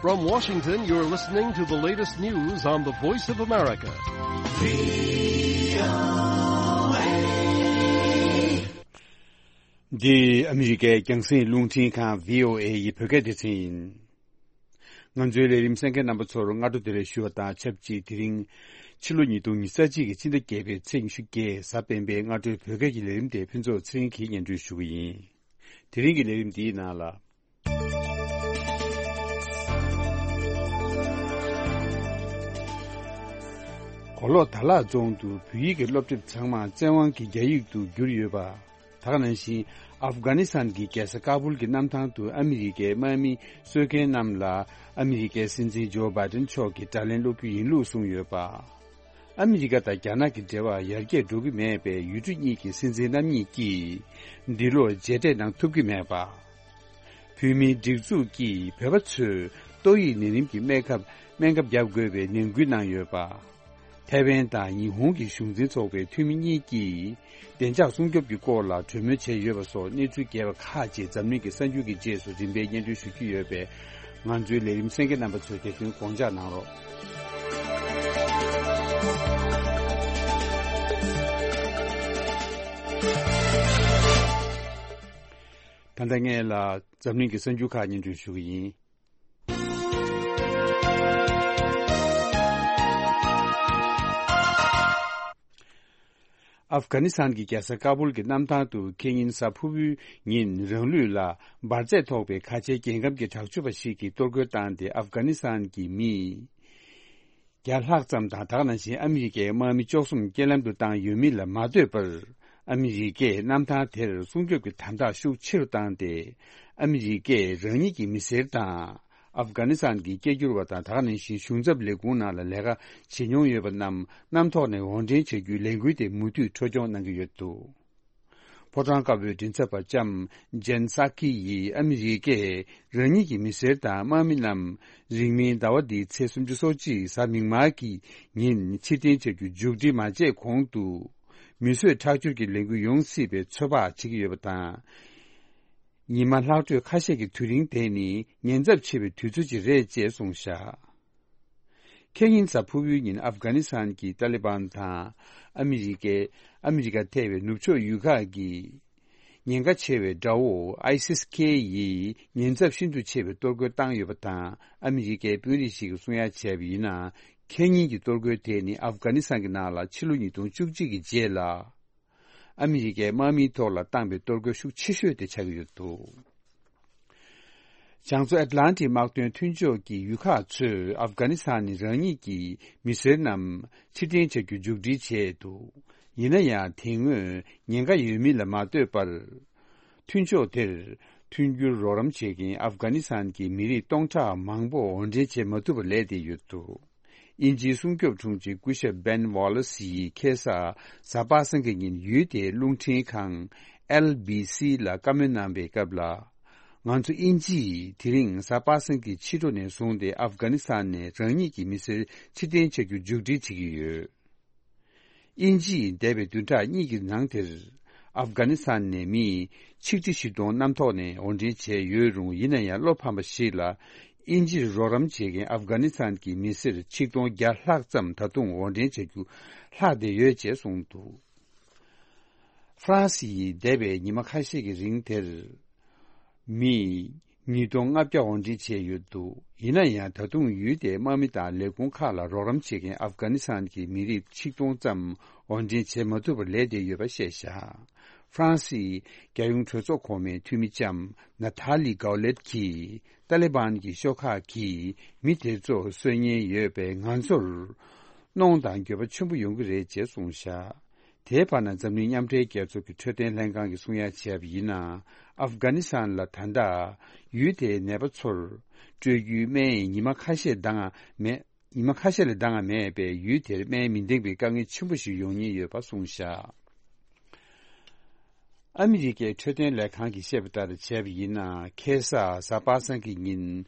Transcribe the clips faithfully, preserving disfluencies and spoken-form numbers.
From Washington, you're listening to the latest news on the Voice of America. འདི་ཨ་མི་རི་ཀའི་རྒྱང་སྲིང་རླུང་འཕྲིན་ཁང་བྷི་ཨོ་ཨེ་ཡི་བོད་སྐད་སྡེ་ཚན་ཡིན། ང་ཚོའི་ལས་རིམ་གསན་མཁན་རྣམ་པ་ཚོར་སྔ་དྲོ་བདེ་ལེགས་ཞུ་བ་དང་ཆབས་ཅིག་དེ་རིང་ཕྱི་ལོ་ཉིས་སྟོང་ཉི་ཤུ་རྩ་གཅིག་གི་ཕྱི་ཟླ་བརྒྱད་པའི་ཚེས་ཉི་ཤུ་བརྒྱད་གཟའ་སྤེན་པའི་སྔ་དྲོའི་བོད་སྐད་ཀྱི་ལས་རིམ་དེ་ཕུན་ཚོགས་ཚེ་རིང་གིས་སྙན་སྒྲོན་ཞུ་གི་ཡིན། དེ་རིང་གི་ལས་རིམ་འདིའི་ནང་ལ། གོ་ལོག་དར་ལག་རྫོང་དུ་བོད་ཡིག་གི་སློབ་དེབ་ཚང་མ་བཙན་དབང་གིས་རྒྱ་ཡིག་ཏུ་བསྒྱུར་ཡོད་པ། དེ་ག་ནང་བཞིན་ཨབ་གྷ་ནི་སི་ཐན་གྱི་རྒྱལ་ས་ཀ་བུལ་གྱི་གནམ་ཐང་དུ་ཨ་མི་རི་ཀའི་དམག་མི་གསོད་མཁན་རྣམས་ལ་ཨ་མི་རི་ཀའི་སྲིད་འཛིན་ཇོ་བྷའི་ཏན་མཆོག་གིས་དགྲ་ལན་སློག་རྒྱུ་ཡིན་ལུགས་གསུངས་ཡོད་པ། ཨ་མི་རི་ཀ་དང་རྒྱ་ནག་གི་འབྲེལ་བ་ཡར་རྒྱས་འགྲོ་གི་མེད་པས། ཡུལ་གྲུ་གཉིས་ཀྱི་སྲིད་འཛིན་རྣམ་གཉིས་ཀྱིས་འདི་ལོར་མཇལ་འཕྲད་གནང་ཐུབ་ཀྱི་མེད་པ། བོད་མིའི་སྒྲིག་འཛུགས་ཀྱིས་བོད་པ་ཚོས་ཏོག་དབྱིབས་ནད་རིམས་ཀྱི་སྨན་ཁབ་སྨན་ཁབ་བརྒྱབ་དགོས་པའི་ནན་སྐུལ་གནང་ཡོད་པ། ཐའེ་ཝན་དང་ཉི་ཧོང་གི་གཞུང་འཛིན་ཚོགས་པའི་འཐུས་མི་གཉིས་ཀྱིས་བདེ་འཇགས་སྲུང་སྐྱོབ་ཀྱི་སྐོར་ལ་གྲོས་མོལ་བྱས་ཡོད་པ་སོགས་གནས་ཚུལ་རྒྱས་པ་ཁག་ཅིག་འཛམ་གླིང་གི་གསར་འགྱུར་གྱི་རྗེས་སུ་རིམ་པས་སྙན་སྒྲོན་ཞུ་རྒྱུ་ཡོད་པས། ང་ཚོའི་ལས་རིམ་གསན་མཁན་རྣམ་པ་ཚོས་དེ་ཚོའི་དགོངས་འཇགས་གནང་རོགས། ད་ལྟ་ངས་ལ་འཛམ་གླིང་གི་གསར་འགྱུར་ཁག་སྙན་སྒྲོན་ཞུ་གི་ཡིན། ཨབ་གྷ་ནི་སི་ཐན་གྱི་རྒྱལ་ས་ཀ་བུལ་གྱི་གནམ་ཐང་དུ་ཁེ་ཉིན་གཟའ་ཕུར་བུའི་ཉིན་རང་ལུས་ལ་འབར་རྫས་ཐོགས་པའི་ཁ་ཆེའི་རྒྱལ་ཁམས་ཀྱི་དྲག་སྤྱོད་པ་ཞིག་གིས་གཏོར་རྒོལ་བཏང་སྟེ། ཨབ་གྷ་ནི་སི་ཐན་གྱི་མི་བརྒྱ་ལྷག་ཙམ་དང་། དེ་ག་ནང་བཞིན་ཨ་མི་རི་ཀའི་དམག་མི་བཅུ་གསུམ་རྐྱེན་ལམ་དུ་བཏང་ཡོད་མིན་ལ་མ་ལྟོས་པར། ཨ་མི་རི་ཀས་གནམ་ཐང་དེར་སྲུང་སྐྱོབ་ཀྱི་དམ་དྲག་ཤུགས་ཆེ་རུ་བཏང་སྟེ། ཨ་མི་རི་ཀས་རང་ཉིད་ཀྱི་མི་སེར་དང་ཨབ་གྷ་ནི་སི་ཐན་གྱི་སྐད་སྒྱུར་བ་དང་། དེ་ག་ནང་བཞིན་གཞུང་ཚབ་ལས་ཁུངས་ནང་ལ་ལས་ཀ་བྱེད་མྱོང་ཡོད་པ་རྣམས་གནམ་ཐོག་ནས་དབོར་འདྲེན་བྱ་རྒྱུའི་ལས་འགུལ་དེ་མུ་མཐུད་འཕྲོ་སྐྱོང་གནང་གི་ཡོད་འདུག་ཕོ་བྲང་དཀར་པོའི་མགྲིན་ཚབ་པ་ལྕམ་ཇན་སཱ་ཀི་ཡིས་ཨ་མི་རི་ཀས་རང་ཉིད་ཀྱི་མི་སེར་དང་དམག་མི་རྣམས་རིང་མིན་ཟླ་བ་འདིའི་ཚེས་སུམ་ཅུ་སོ་གཅིག་གཟའ་མིག་དམར་གྱི་ཉིན་ཕྱིར་འཐེན་བྱ་རྒྱུ་མཇུག་སྒྲིལ་མ་བྱས་གོང་དུ། མི་གསོད་ཁྲག་སྦྱོར་གྱི་ལས་འགུལ་ཡོང་སྲིད་པའི་ཚོད་དཔག་བྱེད་ཀྱི་ཡོད་པ་དང་། ཉི་མ་ལྷག་འཕྲོས་ཁ་ཤས་ཀྱི་དུས་རིང་དེ་ནི་ཉེན་ཚབས་ཆེ་བའི་དུས་ཚོད་ཅིག་རེད་ཅེས་གསུངས་བཞག་ཁེ་ཉིན་གཟའ་ཕུར་བུའི་ཉིན་ཨབ་གྷ་ནི་སི་ཐན་གྱི་ཏཱ་ལི་བན་དང་ཨ་མི་རི་ཀའི་ཨ་མི་རི་ཀ་ཐེ་བའི་ནུབ་ཕྱོགས་ཡུལ་ཁག་གི་ཉེན་ཁ་ཆེ་བའི་དགྲ་བོ་ཨའི་སིས་ཁེ་ཡིས་ཉེན་ཚབས་ཤིན་ཏུ་ཆེ་བའི་གཏོར་རྒོལ་བཏང་ཡོད་པ་དང་། ཨ་མི་རི་ཀའི་དཔོན་རིགས་ཤིག་གིས་གསུང་ཡ་བྱས་པ་ཡིན་ན། ཁེ་ཉིན་གྱི་གཏོར་རྒོལ་དེ་ནི་ཨབ་གྷ་ནི་སི་ཐན་གྱི་ནང་ལ་ཕྱི་ལོ་ཉིས་སྟོང་བཅུ་གཅིག་གི་རྗེས་ལ། ཨ་མི་རི་ཀའི་དམག་མིའི་ཐོག་ལ་བཏང་པའི་གཏོར་རྒོལ་ཤུགས་ཆེ་ཤོས་དེ་ཆགས་ཀྱི་ཡོད་འདུག་བྱང་མཚོ་ཨེཊ་ལན་ཊིག་དམག་དོན་མཐུན་ཕྱོགས་ཀྱི་ཡུལ་ཁག་ཚོས་ཨབ་གྷ་ནི་སི་ཐན་ནས་རང་ཉིད་ཀྱི་མི་སེར་རྣམས་ཕྱིར་འཐེན་བྱ་རྒྱུ་མཇུག་སྒྲིལ་བྱས་འདུག་ཡིན་ན་ཡང་དེ་སྔོན་ཉེན་ཁ་ཡོད་མིན་ལ་མ་ལྟོས་པར། མཐུན་ཕྱོགས་དེར་མཐུན་འགྱུར་རོགས་རམ་བྱེད་མཁན་ཨབ་གྷ་ནི་སི་ཐན་གྱི་མི་རིགས་སྟོང་ཕྲག་མང་པོ་དབོར་འདྲེན་བྱེད་མ་ཐུབ་པར་ལས་བསྡད་ཡོད་འདུག་དབྱིན་ཇིའི་སྲུང་སྐྱོབ་དྲུང་ཆེ་སྐུ་ཞབས་བན་ཝོ་ལེ་སི་ཡིས་ཁ་སང་གཟའ་པ་སངས་ཀྱི་ཉིན་ཡུལ་དེའི་རླུང་འཕྲིན་ཁང་ཨེལ་བི་སི་ལ་བཀའ་མོལ་གནང་བའི་སྐབས་ལ། ང་ཚོ་དབྱིན་ཇི་ཡིས་དེ་རིང་གཟའ་པ་སངས་ཀྱི་ཕྱི་དྲོ་ནས་བཟུང་སྟེ་ཨབ་གྷ་ནི་སི་ཐན་ནས་རང་ཉིད་ཀྱི་མི་སེར་ཕྱིར་འཐེན་བྱ་རྒྱུ་མཇུག་སྒྲིལ་བྱེད་ཀྱི་ཡོད། དབྱིན་ཇི་ཡིས་འདས་པའི་བདུན་ཕྲག་གཉིས་ཀྱི་ནང་དེར་ཨབ་གྷ་ནི་སི་ཐན་ནས་མི་ཆིག་ཁྲི་བཞི་སྟོང་གནམ་ཐོག་ནས་དབོར་འདྲེན་བྱས་ཡོད་རུང་། ཡིན་ན་ཡང་བློ་ཕམ་པ་ཞིག་ལ། དབྱིན་ཇིར་རོགས་རམ་བྱེད་མཁན་ཨབ་གྷ་ནི་སི་ཐན་གྱི་མི་སེར་ཆིག་སྟོང་བརྒྱ་ལྷག་ཙམ་ད་དུང་དབོར་འདྲེན་བྱ་རྒྱུ་ལྷག་བསྡད་ཡོད་ཅེས་གསུངས་འདུག་ཧྥ་རན་སི་ཡིས་འདས་པའི་ཉི་མ་ཁ་ཤས་ཀྱི་རིང་དེར། མི་ཉིས་སྟོང་ལྔ་བརྒྱ་དབོར་འདྲེན་བྱས་ཡོད་འདུག་ཡིན་ན་ཡང་ད་དུང་ཡུལ་དེའི་དམག་མི་དང་ལས་ཁུངས་ཁག་ལ་རོགས་རམ་བྱེད་མཁན་ཨབ་གྷ་ནི་སི་ཐན་གྱི་མི་རིགས་ཆིག་སྟོང་ཙམ་དབོར་འདྲེན་བྱེད་མ་ཐུབ་པར་ལས་བསྡད་ཡོད་པ་བཤད་བཞག་ཧྥ་རན་སིའི་རྒྱལ་ཡོངས་གྲོས་ཚོགས་གོང་མའི་འཐུས་མི་ལྕམ་ན་ཐ་ལི་གའོ་ལེད་ཀྱིས། ཏཱ་ལི་བན་གྱི་ཤོག་ཁག་གིས་མི་དེ་ཚོ་གསོད་ཉེན་ཡོད་པས། ང་ཚོར་གནོང་དང་འགྱོད་པ་ཆེན་པོ་ཡོང་གི་རེད་ཅེས་གསུངས་བཞག་དེའི་བར་ན་འཛམ་གླིང་མཉམ་འབྲེལ་རྒྱལ་ཚོགས་ཀྱི་འཕྲོད་བསྟེན་ལྷན་ཁང་གིས་གསུང་ཡ་བྱས་པ་ཡིན་ན། ཨབ་གྷ་ནི་སི་ཐན་ལ་ད་ལྟ་ཡུལ་དེའི་ནད་པ་ཚོར་སྤྲོད་རྒྱུའི་སྨན་ཉི་མ་ཁ་ཤས་འདང་མེད། ཉི་མ་ཁ་ཤས་ལས་འདང་མེད་པས། ཡུལ་དེར་སྨན་མི་འདང་པའི་དཀའ་ངལ་ཆེན་པོ་ཞིག་ཡོང་ཉེན་ཡོད་པ་གསུངས་བཞག་ཨ་མི་རི་ཀའི་འཕྲོད་བསྟེན་ལས་ཁང་གིས་བཤད་པ་ལྟར་བྱས་པ་ཡིན་ན། ཁ་སང་གཟའ་པ་སངས་ཀྱི་ཉིན་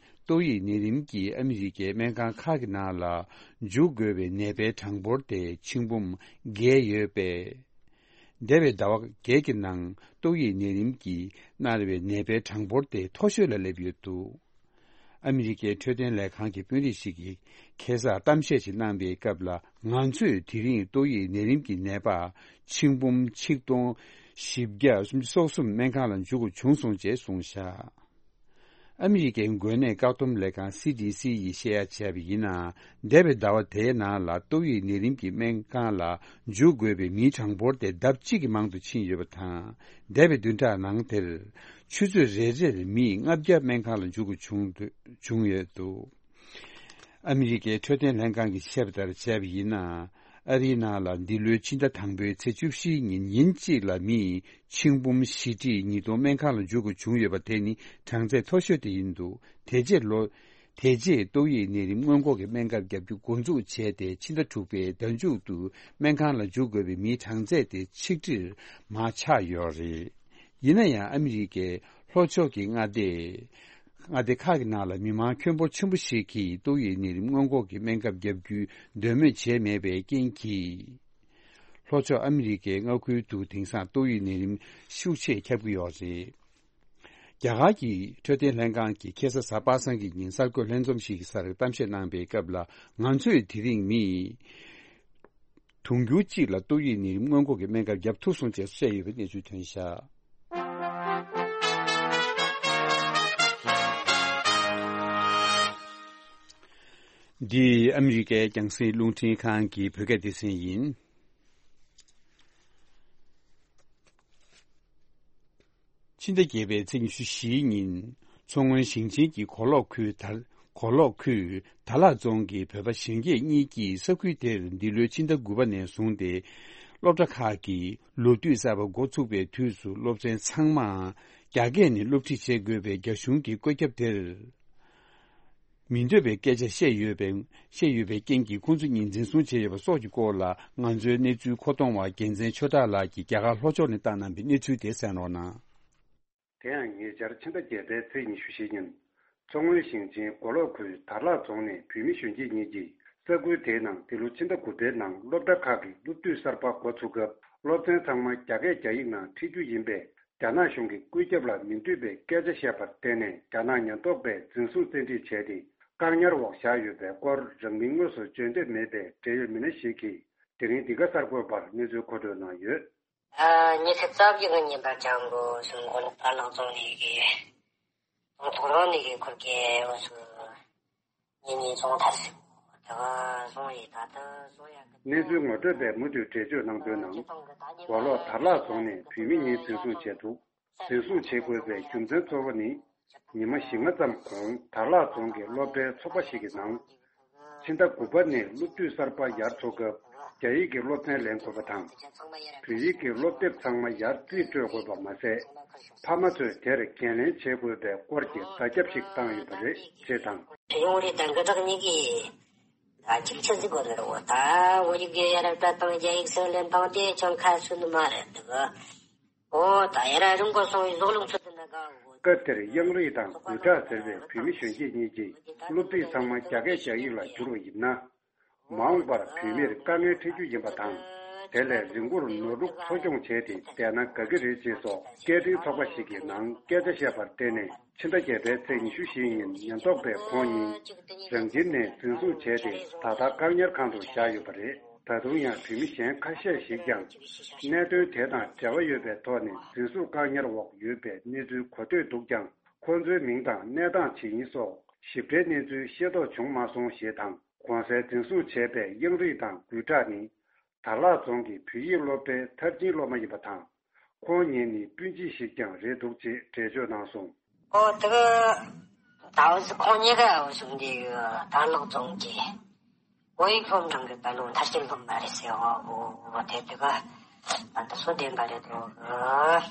ཏོག་དབྱིབས་ནད་རིམས་ཀྱིས་ཨ་མི་རི་ཀའི་སྨན་ཁང་ཁག་གི་ནང་ལ་འཇུག་དགོས་པའི་ནད་པའི་གྲངས་འབོར་དེ་ཆིག་འབུམ་བརྒལ་ཡོད་པས། འདས་པའི་ཟླ་བ་བརྒྱད་ཀྱི་ནང་ཏོག་དབྱིབས་ནད་རིམས་ཀྱིས་མནར་བའི་ནད་པའི་གྲངས་འབོར་དེ་མཐོ་ཤོས་ལ་སླེབས་ཡོད་འདུག་ཨ་མི་རི་ཀའི་འཕྲོད་བསྟེན་ལས་ཁང་གི་དཔོན་རིགས་ཤིག་གིས་ཁ་སང་གཏམ་བཤད་ཅིག་གནང་པའི་སྐབས་ལ། ང་ཚོས་དེ་རིང་ཏོག་དབྱིབས་ནད་རིམས་ཀྱི་ནད་པ་ཆིག་འབུམ་ཆིག་སྟོང་བཞི་བརྒྱ་སོ་གསུམ་སྨན་ཁང་ལ་འཇུག་དགོས་བྱུང་སོང་ཅེས་གསུངས་བཞག་ཨ་མི་རི་ཀའི་འགོས་ནད་བཀག་སྡོམ་ལས་ཁང་སི་ཌི་སི་ཡིས་བཤད་ཡ་བྱས་པ་ཡིན་ན། འདས་པའི་ཟླ་བ་དེའི་ནང་ལ་ཏོག་དབྱིབས་ནད་རིམས་ཀྱི་སྨན་ཁང་ལ་འཇུག་དགོས་པའི་མིའི་གྲངས་འབོར་དེ་ལྡབ་གཅིག་གི་མང་དུ་ཕྱིན་ཡོད་པ་དང་། འདས་པའི་བདུན་ཕྲག་ནང་དེར་ཆུ་ཚོད་རེ་རེར་མི་ལྔ་བརྒྱ་སྨན་ཁང་ལ་འཇུག་དགོས་བྱུང་འདུག་བྱུང་ཡོད་འདུག་ཨ་མི་རི་ཀའི་འཕྲོད་བསྟེན་ལྷན་ཁང་གིས་བཤད་པ་ལྟར་བྱས་པ་ཡིན་ན། ཨ་རིའི་ནང་ལ་འདི་ལོའི་ཕྱི་ཟླ་དང་པོའི་ཚེས་བཅུ་བཞིའི་ཉིན་ཉིན་གཅིག་ལ་མི་ཆིག་འབུམ་བཞི་ཁྲི་ཉིས་སྟོང་སྨན་ཁང་ལ་འཇུག་དགོས་བྱུང་ཡོད་པ་དེ་ནི་གྲངས་ཚད་མཐོ་ཤོས་དེ་ཡིན་འདུག་དེ་རྗེས་ལོ། དེ་རྗེས་ཏོག་དབྱིབས་ནད་རིམས་སྔོན་འགོག་གི་སྨན་ཁབ་བརྒྱབ་རྒྱུ་འགོ་འཛུགས་བྱས་ཏེ། ཕྱི་ཟླ་དྲུག་པའི་ཟླ་མཇུག་ཏུ་སྨན་ཁང་ལ་འཇུག་དགོས་པའི་མིའི་གྲངས་ཚད་དེ་ཆིག་ཁྲིར་མར་ཆག་ཡོད་རེད། ཡིན་ན་ཡང་ཨ་མི་རི་ཀའི་ལྷོ་ཕྱོགས་ཀྱི་མངའ་སྡེ། མངའ་སྡེ་ཁག་གི་ནང་ལ་མི་མང་ཁྱོན་འབོར་ཆེན་པོ་ཞིག་གིས་ཏོག་དབྱིབས་ནད་རིམས་སྔོན་འགོག་གི་སྨན་ཁབ་བརྒྱབ་རྒྱུའི་འདོད་མོས་བྱས་མེད་པའི་རྐྱེན་གྱིས། ལྷོ་ཕྱོགས་ཨ་མི་རི་ཀའི་མངའ་ཁུལ་དུ་དེང་སང་ཏོག་དབྱིབས་ནད་རིམས་ཤུགས་ཆེ་ཁྱབ་ཀྱི་ཡོད་རེད། རྒྱ་གར་གྱི་འཕྲོད་བསྟེན་ལྷན་ཁང་གིས་ཁ་སང་གཟའ་པ་སངས་ཀྱི་ཉིན་གསར་འགོད་ལྷན་འཛོམས་ཤིག་གི་སར་གཏམ་བཤད་གནང་པའི་སྐབས་ལ། ང་ཚོས་དེ་རིང་མི་དུང་ཕྱུར་གཅིག་ལ་ཏོག་དབྱིབས་ནད་རིམས་སྔོན་འགོག་གི་སྨན་ཁབ་བརྒྱབ་ཐུབ་སོང་ཅེས་བཤད་ཡོད་པའི་གནས་ཚུལ་ཐོན་བཞག་འདི་ཨ་མི་རི་ཀའི་རྒྱང་སྲིང་རླུང་འཕྲིན་ཁང་གི་བོད་སྐད་སྡེ་ཚན་ཡིན། ཕྱི་ཟླ་བརྒྱད་པའི་ཚེས་ཉི་ཤུ་བཞིའི་ཉིན། མཚོ་སྔོན་ཞིང་ཆེན་གྱི་གོ་ལོག་ཁུལ་དར། གོ་ལོག་ཁུལ་དར་ལག་རྫོང་གི་བོད་པ་གཞོན་སྐྱེས་གཉིས་ཀྱིས་ས་ཁུལ་དེར་འདི་ལོའི་ཕྱི་ཟླ་དགུ་པ་ནས་བཟུང་སྟེ། སློབ་གྲྭ་ཁག་གི་ལོ་དུས་གསར་པ་འགོ་ཚུགས་པའི་དུས་སུ་སློབ་ཚན་ཚང་མ་རྒྱ་སྐད་ནས་སློབ་ཁྲིད་བྱེད་དགོས་པའི་རྒྱ་གཞུང་གི་བཀོད་ཁྱབ་དེར། མི་འདོད་པའི་སྐད་ཆ་བཤད་ཡོད་པའི་བཤད་ཡོད་པའི་རྐྱེན་གྱིས། ཁོང་ཚོ་གཉིས་འཛིན་བཟུང་བྱས་ཡོད་པ་སོགས་ཀྱི་སྐོར་ལ། ང་ཚོའི་གནས་ཚུལ་མཁོ་གཏོང་བ་རྒྱལ་མཚན་ཆོས་གྲགས་ལགས་ཀྱིས་རྒྱ་གར་ལྷོ་ཕྱོགས་ནས་བཏང་གནང་པའི་གནས་ཚུལ་དེ་གསན་རོགས་གནང་། དེ་ཡང་ཉེ་ཆར་ཕྱི་ཟླ་བརྒྱད་པའི་ཚེས་ཉི་ཤུ་བཞི་ཉིན། མཚོ་སྔོན་ཞིང་ཆེན་མགོ་ལོག་ཁུལ་དར་ལག་རྫོང་ནས་བོད་མི་གཞོན་སྐྱེས་གཉིས་ཀྱིས་ས་ཁུལ་དེའི་ནང་འདི་ལོ་ཕྱི་ཟླ་དགུ་པའི་ནང་སློབ་གྲྭ་ཁག་གི་སློབ་དུས་གསར་པ་འགོ་ཚུགས་སྐབས། སློབ་ཚན་ཚང་མ་རྒྱ་སྐད་རྒྱ་ཡིག་ནང་ཁྲིད་རྒྱུ་ཡིན་པས། རྒྱ་ནག་གཞུང་གི་བཀོད་ཁྱབ་ལ་མི་འདོད་པའི་སྐད་ཆ་བཤད་པར་བརྟེན་ནས། རྒྱ་ནག་ཉེན་རྟོག་པས་འཛིན་བཟུང་བཙན་ཁྲིད་བྱས་ཏེ། བཀག་ཉར་འོག་བཞག་ཡོད་པའི་སྐོར། རང་མིང་དངོས་སུ་བརྗོད་འདོད་མེད་པའི་འབྲེལ་ཡོད་མི་སྣ་ཞིག་གིས་དེ་རིང་འདི་ག་གསར་འགོད་པར་གནས་ཚུལ་མཁོ་སྤྲོད་གནང་ཡོད། ཨ། ཉི་ཤུ་རྩ་བཞི་གི་ཉིན་པར་ལྕགས་པོ་སུ་མགོ་ལོག་དར་ལག་རྫོང་ནས་ཀྱི་རྫོང་ཐོག་རང་ནས་ཀྱི་ཁུལ་གྱི་འོ་སུ་ཉིན་ཉིན་རྫོང་ཐར་སུ་དེ་ག་རྫོང་ཡི་ད་ལྟ་རྫོང་ཡག་གི། གནས་ཚུལ་ངོ་སྤྲོད་པས་མུ་མཐུད་འགྲེལ་བརྗོད་གནང་དོན་ནང་། མགོ་ལོག་དར་ལག་རྫོང་ནས་བོད་མི་གཉིས་འཛིན་བཟུང་བྱས་འདུག་འཛིན་བཟུང་བྱེད་དགོས་པའི་རྒྱུ་མཚན་གཙོ་བོ་ནི། ཉི་མ་བཞི་ལྔ་ཙམ་གོང་དར་ལག་རྫོང་གི་སློབ་གྲྭའི་ཚོགས་པ་ཞིག་གི་ནང་། ཕྱི་ཟླ་དགུ་པ་ནས་སློབ་དུས་གསར་པ་ཡར་འཚོགས་སྐབས། རྒྱ་ཡིག་གི་སློབ་ཚན་ལེན་དགོས་པ་དང་། བོད་ཡིག་གི་སློབ་དེབ་ཚང་མ་ཡར་རྩིས་སྤྲོད་དགོས་པ་མ་ཟད། ཕ་མ་ཚོས་དེར་འགན་ལེན་བྱེད་དགོས་པའི་སྐོར་གྱི་བརྡ་ཁྱབ་ཞིག་བཏང་ཡོད་པ་རེད་ཅེས་དང་། ཡོང་རེད། ད་འགའ་དག་གཉིས་ཀྱིས་ད་ཅིག་ཆ་ཟིག་གོ་ནོར་བོ་ད་བོད་ཡིག་ཡོད་ཡ་ར་ད་དང་རྒྱ་ཡིག་སེ་ལེན་དང་དེ་ཅང་ཁ་ཚུད་ནི་མ་རེད་འདུག་ཨོ་ད་ཡ་ར་རིང་གོ་སོང་བའི་ཟོག་ལུག་ཚོད་དུ་ན་ག་འོ། སྐབས་དེར་དབྱངས་རིགས་དང་གུས་གྲགས་ཟེར་བའི་བོད་མི་གཞོན་སྐྱེས་གཉིས་ཀྱིས་སློབ་ཁྲིད་ཚང་མ་རྒྱ་སྐད་རྒྱ་ཡིག་ལ་བསྒྱུར་བ་ཡིན་ན། མ་འོངས་པར་བོད་མིར་དཀའ་ངལ་འཕྲད་རྒྱུ་ཡིན་པ་དང་། དེ་ལས་རི་མགོར་ནོར་ཕྲུག་འཚོ་སྐྱོང་བྱས་ཏེ་བསྡད་ན་དགའ་གི་རེད་ཅེས་སོགས་སྐད་འཕྲིན་ཚོགས་པ་ཞིག་གི་ནང་སྐད་ཆ་བཤད་པར་བརྟེན་ནས། ཕྱི་ཟླ་བརྒྱད་པའི་ཚེས་ཉི་ཤུ་བཞི་ཉིན་ཉེན་རྟོག་པས་ཁོང་གཉིས་རང་ཁྱིམ་ནས་འཛིན་བཟུང་བྱས་ཏེ། ད་ལྟ་བཀག་ཉར་ཁང་དུ་བཞག་ཡོད་པ་རེད། ད་དུང་ཡང་བོད་མི་གཞན་ཁ་ཤས་ཤིག་ཀྱང་གནད་དོན་དེ་དང་འབྲེལ་བ་ཡོད་པའི་ཐོག་ནས་འཛིན་བཟུང་བཀག་ཉར་འོག་ཡོད་པའི་གནས་ཚུལ་གོ་ཐོས་འདུག་ཀྱང་། ཁོང་ཚོའི་མིང་དང་གནས་སྟངས་ཇི་ཡིན་སོགས་ཞིབ་ཕྲའི་གནས་ཚུལ་ཤེས་རྟོགས་བྱུང་མ་སོང་ཞེས་དང་། གོང་གསལ་འཛིན་བཟུང་བྱས་པའི་དབྱངས་རིགས་དང་གུས་གྲགས་ནི། དར་ལག་རྫོང་གི་བོད་ཡིག་སློབ་གྲྭའི་མཐར་ཕྱིན་སློབ་མ་ཡིན་པ་དང་། ཁོང་གཉིས་ནི་སྤུན་མཆེད་ཞིག་ཀྱང་རེད་འདུག་ཅེས་འགྲེལ་བརྗོད་གནང་སོང་། ཨོ་དེ་ག་ད་འོ་ཁོང་གཉིས་ཀ་འོ་སོང་དེ་གི་དར་ལག་རྫོང་གི་བོད་ཡིག་སློབ་འབྲིང་གི་དཔེ་ལོ་མཐར་ཕྱིན་སློབ་མ་རེད་ཟེར་བ། འོ་འོ་དེ་དེ་ག་ད་ད་སོ་བདེན་པ་རེད་འདུག་ཨ།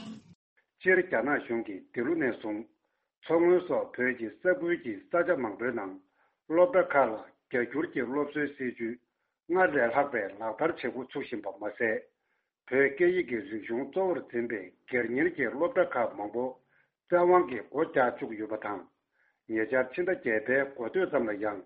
སྤྱིར་རྒྱ་ནག་གཞུང་གིས་འདི་ལོ་ནས་བཟུང་། མཚོ་སྔོན་སོགས་བོད་ཀྱི་ས་ཁུལ་གྱི་ས་ཆ་མང་པོའི་ནང་། སློབ་གྲྭ་ཁག་ལ་རྒྱ་སྒྱུར་གྱི་སློབ་གསོའི་སྲིད་ཇུས་སྔར་ལས་ལྷག་པའི་ལག་བསྟར་བྱེད་འགོ་ཚུགས་བཞིན་པ་མ་ཟད། བོད་སྐད་ཡིག་གི་རིག་གཞུང་གཙོ་བོར་འཛིན་པའི་སྒེར་གཉེར་གྱི་སློབ་གྲྭ་ཁག་མང་པོ་བཙན་དབང་གིས་སྒོ་རྒྱག་བཅུག་ཡོད་པ་དང་། ཉེ་ཆར་ཕྱི་ཟླ་བརྒྱད་པའི་འགོ་སྟོད་ཙམ་ལ་ཡང་།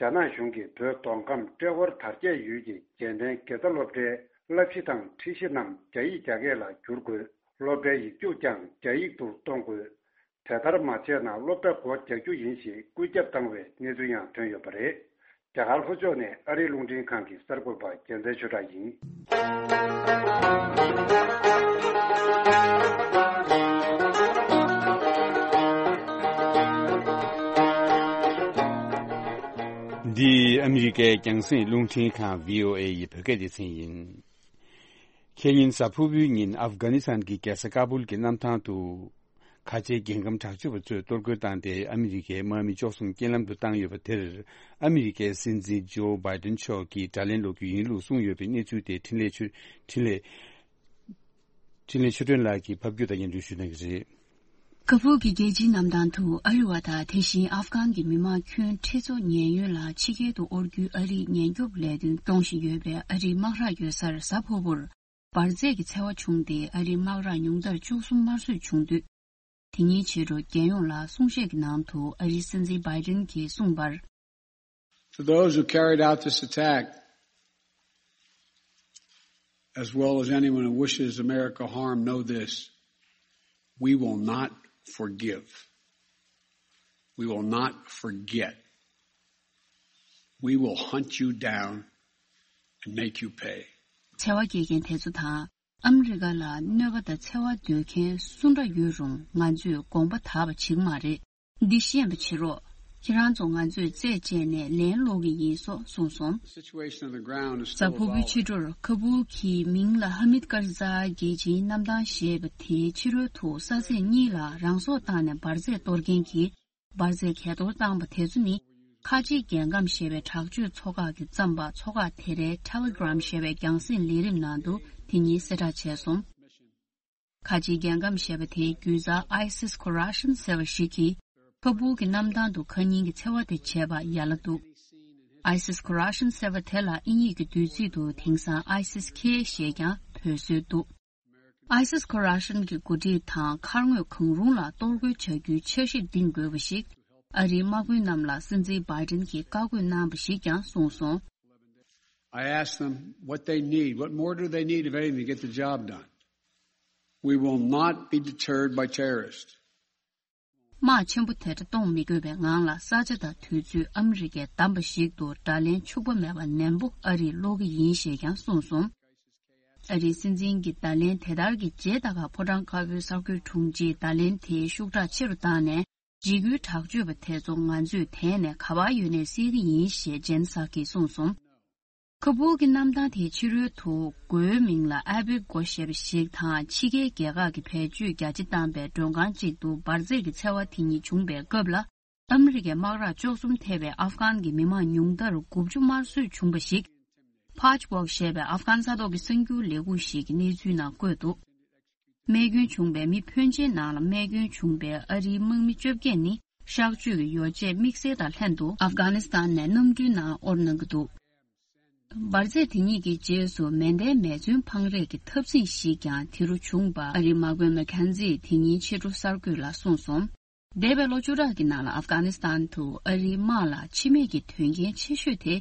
རྒྱ་ནག་གཞུང་གིས་བོད་མདོ་ཁམས་ཏྲེ་ཧོར་དར་རྒྱས་ཡུལ་གྱི་རྒྱལ་ཕྲན་དགེ་རྩ་སློབ་གྲྭའི་བསླབ་གཞི་དང་ཁྲིད་གཞི་རྣམས་རྒྱ་ཡིག་རྒྱ་སྐད་ལ་བསྒྱུར་དགོས། སློབ་གྲྭའི་ཡིག་རྒྱུགས་ཀྱང་རྒྱ་ཡིག་ཏུ་གཏོང་དགོས། དེ་ལྟར་མ་བྱས་ན་སློབ་གྲྭ་སྒོ་རྒྱག་རྒྱུ་ཡིན་ཞེས་སྐུལ་ཁྱབ་བཏང་བའི་གནས་ཚུལ་ཡང་ཐོན་ཡོད་པ་རེད། རྒྱ་གར་ལྷོ་ཕྱོགས་ནས་ཨ་རིའི་རླུང་འཕྲིན་ཁང་གི་གསར་འགོད་པ་རྒྱལ་མཚན་ཆོས་གྲགས་ཡིན། འདི་ཨ་མི་རི་ཀའི་རྒྱང་སྲིང་རླུང་འཕྲིན་ཁང་བྷི་ཨོ་ཨེ་ཡི་བོད་སྐད་སྡེ་ཚན་ཡིན། ཁེ་ཉིན་གཟའ་ཕུར་བུའི་ཉིན་ཨབ་གྷ་ནི་སི་ཐན་གྱི་རྒྱལ་ས་ཀ་བུལ་གྱི་གནམ་ཐང་དུ། ཁ་ཆེའི་རྒྱལ་ཁམས་དྲག་སྤྱོད་པ་ཚོས་གཏོར་རྒོལ་བཏང་སྟེ་ཨ་མི་རི་ཀའི་དམག་མི་བཅུ་གསུམ་རྐྱེན་ལམ་དུ་བཏང་ཡོད་པ་དེར། ཨ་མི་རི་ཀའི་སྲིད་འཛིན་ཇོ་བྷའི་ཏིན་མཆོག་གིས་དགྲ་ལན་སློག་རྒྱུ་ཡིན་ལུགས་གསུངས་ཡོད་པའི་གནས་ཚུལ་དེ་འཕྲིན་ལས་ཆོས། འཕྲིན་ལས། འཕྲིན་ལས་ཆོས་སྒྲོན་ལགས་ཀྱིས་ཕབ་སྒྱུར་དང་སྙན་སྒྲོན་ཞུ་གནང་གི་རེད། ཀ་བུལ་གྱི་རྒྱལ་སྤྱིའི་གནམ་ཐང་དུ་ཨ་རི་བ་དང་དེ་བཞིན་ཨབ་གྷན་གྱི་མི་མང་ཁྱོན་ཁྲི་ཚོ་ཉེན་གཡོལ་ལ་ཕྱི་རྒྱལ་དུ་དབོར་རྒྱུའི་ཨ་རིའི་ཉེན་སྐྱོབ་ལས་དོན་སྐྱོང་བཞིན་ཡོད་པའི་ཨ་རིའི་དམག་ར་ཡོད་སར་གཟའ་ཕུར་བུར་འབར་རྫས་ཀྱི་འཚེ་བ་བྱུང་སྟེ་ཨ་རིའི་དམག་ར་ཉུང་མཐར་བཅུ་གསུམ་དམར་གསོད་བྱུང་དུས། དེ་ཉིན་ཕྱི་དྲོ་རྒྱལ་ཡོངས་ལ་གསུང་བཤད་ཀྱི་ནང་དུ་ཨ་རིའི་སྲིད་འཛིན་བྷའི་ཏིན་གྱིས་གསུངས་པར། To those who carried out this attack, as well as anyone who wishes America harm, know this: we will not forgive. We will not forget. We will hunt you down and make you pay. འཚེ་བ་སྐྱེལ་མཁན་དེ་ཚོ་དང་ཨ་མི་རི་ཀ་ལ་གནོད་པ་དང་འཚེ་བ་འདོད་མཁན་སུ་འདྲ་ཡོད་རུང་ང་ཚོས་དགོངས་པ་དག་པ་བྱེད་ཀྱི་མ་རེད། འདི་ཤེས་པ་བྱེད་རོགས། ཁྱེད་རང་ཚོ་ང་ཚོས་རྩད་བཅད་ནས་ལན་སློག་གི་ཡིན་སོགས་གསུངས་སོང་། Situation on the ground is still evolving. གཟའ་ཕུར་བུའི་ཕྱི་དྲོར་ཁ་བུལ་གྱི་མིང་ལ་ཧ་མིད་ཀར་ཛའི་རྒྱལ་སྤྱིའི་གནམ་ཐང་ཞེས་པ་དེའི་ཕྱི་རོལ་དུ་ས་ཚིགས་གཉིས་ལ་རང་སྲོག་བཏང་ནས་འབར་རྫས་གཏོར་མཁན་གྱིས་འབར་རྫས་གས་གཏོར་བཏང་པ་དེ་ཚོ་ནི་ཁ་ཆེའི་རྒྱལ་ཁམས་ཞེས་པའི་དྲག་སྤྱོད་ཚོགས་ཁག་གིས་བརྩམས་པ། ཚོགས་ཁག་དེ་རའི་Telegram ཞེས་པའི་རྒྱང་སྲིང་ལས་རིམ་ནང་དུ་དེ་ཉིན་གསལ་བསྒྲགས་བྱས་སོང་། ཁ་ཆེའི་རྒྱལ་ཁམས་ཞེས་པ་དེའི་རྒྱུད་རྩ་ISIS Khorasan ཟེར་བ་ཞིག་གིས་ཁ་བུལ་གྱི་གནམ་ཐང་དུ་ཁ་ཉིན་གྱི་འཚེ་བ་དེ་བྱས་པ་ཡ་ལ་འདུག ISIS Khorasan ཟེར་བ་དེ་ལ་དབྱིན་ཡིག་གི་བསྡུས་ཚིག་ཏུ་དེང་སང་ISIS K ཞེས་ཀྱང་འབོད་སྲོལ་འདུག ISIS Khorasan གྱི་འགོ་ཁྲིད་དང་མཁར་ངོས་གང་རུང་ལ་གཏོར་རྒོལ་བྱ་རྒྱུའི་འཆར་གཞི་འདིང་དགོས་པ་ཞིག་ཨ་རིའི་དམག་དཔོན་རྣམས་ལ་སྲིད་འཛིན་བྷའི་ཏིན་གྱིས་བཀའ་བཀོད་གནང་བ་ཞིག་ཀྱང་གསུངས་སོང་། I asked them what they need. What more do they need, if anything, to get the job done? We will not be deterred by terrorists. དམག་ཆེན་པོ་དེ་འདྲ་གཏོང་མི་དགོས་པའི་ངང་ལ་ས་ཆ་དང་དུས་ཚོད་ཨ་མི་རི་ཀས་བདམས་པ་ཞིག་ཏུ་དགྲ་ལན་འཕྱུགས་པ་མེད་པར་ནན་པོ་ཨ་རིས་སློག་གི་ཡིན་ཞེས་ཀྱང་གསུངས་སོང་། ཨ་རིའི་སྲིད་འཛིན་གྱི་བརྡ་ལན་དེ་ལྟར་གྱི་རྗེས་ད་ག་ཕོ་བྲང་དཀར་པོའི་གསར་འགོད་དྲུང་ཆེས་བརྡ་ལན་དེའི་ཤུགས་དྲག་ཆེ་རུ་བཏང་ནས། འཇིགས་སྐུལ་དྲག་སྤྱོད་པ་དེ་ཚོ་ང་ཚོས་དེད་ནས་ག་པར་ཡོད་ནའི་བསད་ཀྱི་ཡིན་ཞེས་ཇེན་སཱ་ཀིས་གསུངས་སོང་། ཁ་བུལ་གྱི་གནམ་ཐང་དེའི་ཕྱི་རོལ་དུ་སྒོའི་མིང་ལ་ཨ་བེ་སྒོ་ཞེས་པ་ཞིག་དང་ཕྱི་རྒྱལ་རྒྱལ་ཁབ་ཀྱི་བེད་སྤྱོད་རྒྱ་ཆེ་བཏང་པའི་མགྲོན་ཁང་གཅིག་ཏུ་འབར་རྫས་ཀྱི་འཚེ་བ་དེ་ཉིད་བྱུང་པའི་སྐབས་ལ། ཨ་མི་རི་ཀའི་དམག་ར་བཅུ་གསུམ་ཐེ་བའི་ཨབ་གྷན་གྱི་མི་མང་ཉུང་མཐར་དགུ་བཅུ་དམར་གསོད་བྱུང་བ་ཞིག Patchwork ཞེས་པའི་ཨབ་གྷན་ས་ཐོག་གི་གསར་འགྱུར་ལས་ཁུངས་ཤིག་གི་གནས་ཚུལ་ནང་བཀོད་འདུག་རྨས་སྐྱོན་བྱུང་བའི་མི་ཕོན་ཆེན་ནང་ལ་རྨས་སྐྱོན་བྱུང་བའི་ཨ་རིའི་དམག་མི་བཅོ་བརྒྱད་ནི་གཤག་བཅོས་ཀྱི་ཡོ་བྱད་དམིགས་བསལ་དང་ལྷན་དུ་ཨབ་གྷ་ནི་སི་ཐན་ནས་གནམ་གྲུའི་ནང་དབོར་གནང་གི་འདུག་འབར་རྫས་དེ་ཉིད་ཀྱི་རྗེས་སུ་མེ་མདའི་མེ་མཚོན་འཕང་རེས་ཀྱི་འཐབ་འཛིང་ཞིག་ཀྱང་དེ་རུ་བྱུང་བ་ཨ་རིའི་དམག་དཔོན་མེ་ཁན་ཛིས་དེ་ཉིན་ཕྱི་དྲོ་གསར་འགོད་ལ་གསུངས་སོང་། འདས་པའི་ལོ་བཅུ་ཕྲག་གི་ནང་ལ་ཨབ་གྷ་ནི་སི་ཐན་དུ་ཨ་རིའི་དམག་ལ་འཆི་རྨས་ཀྱི་དོན་རྐྱེན་ཆེ་ཤོས་དེ།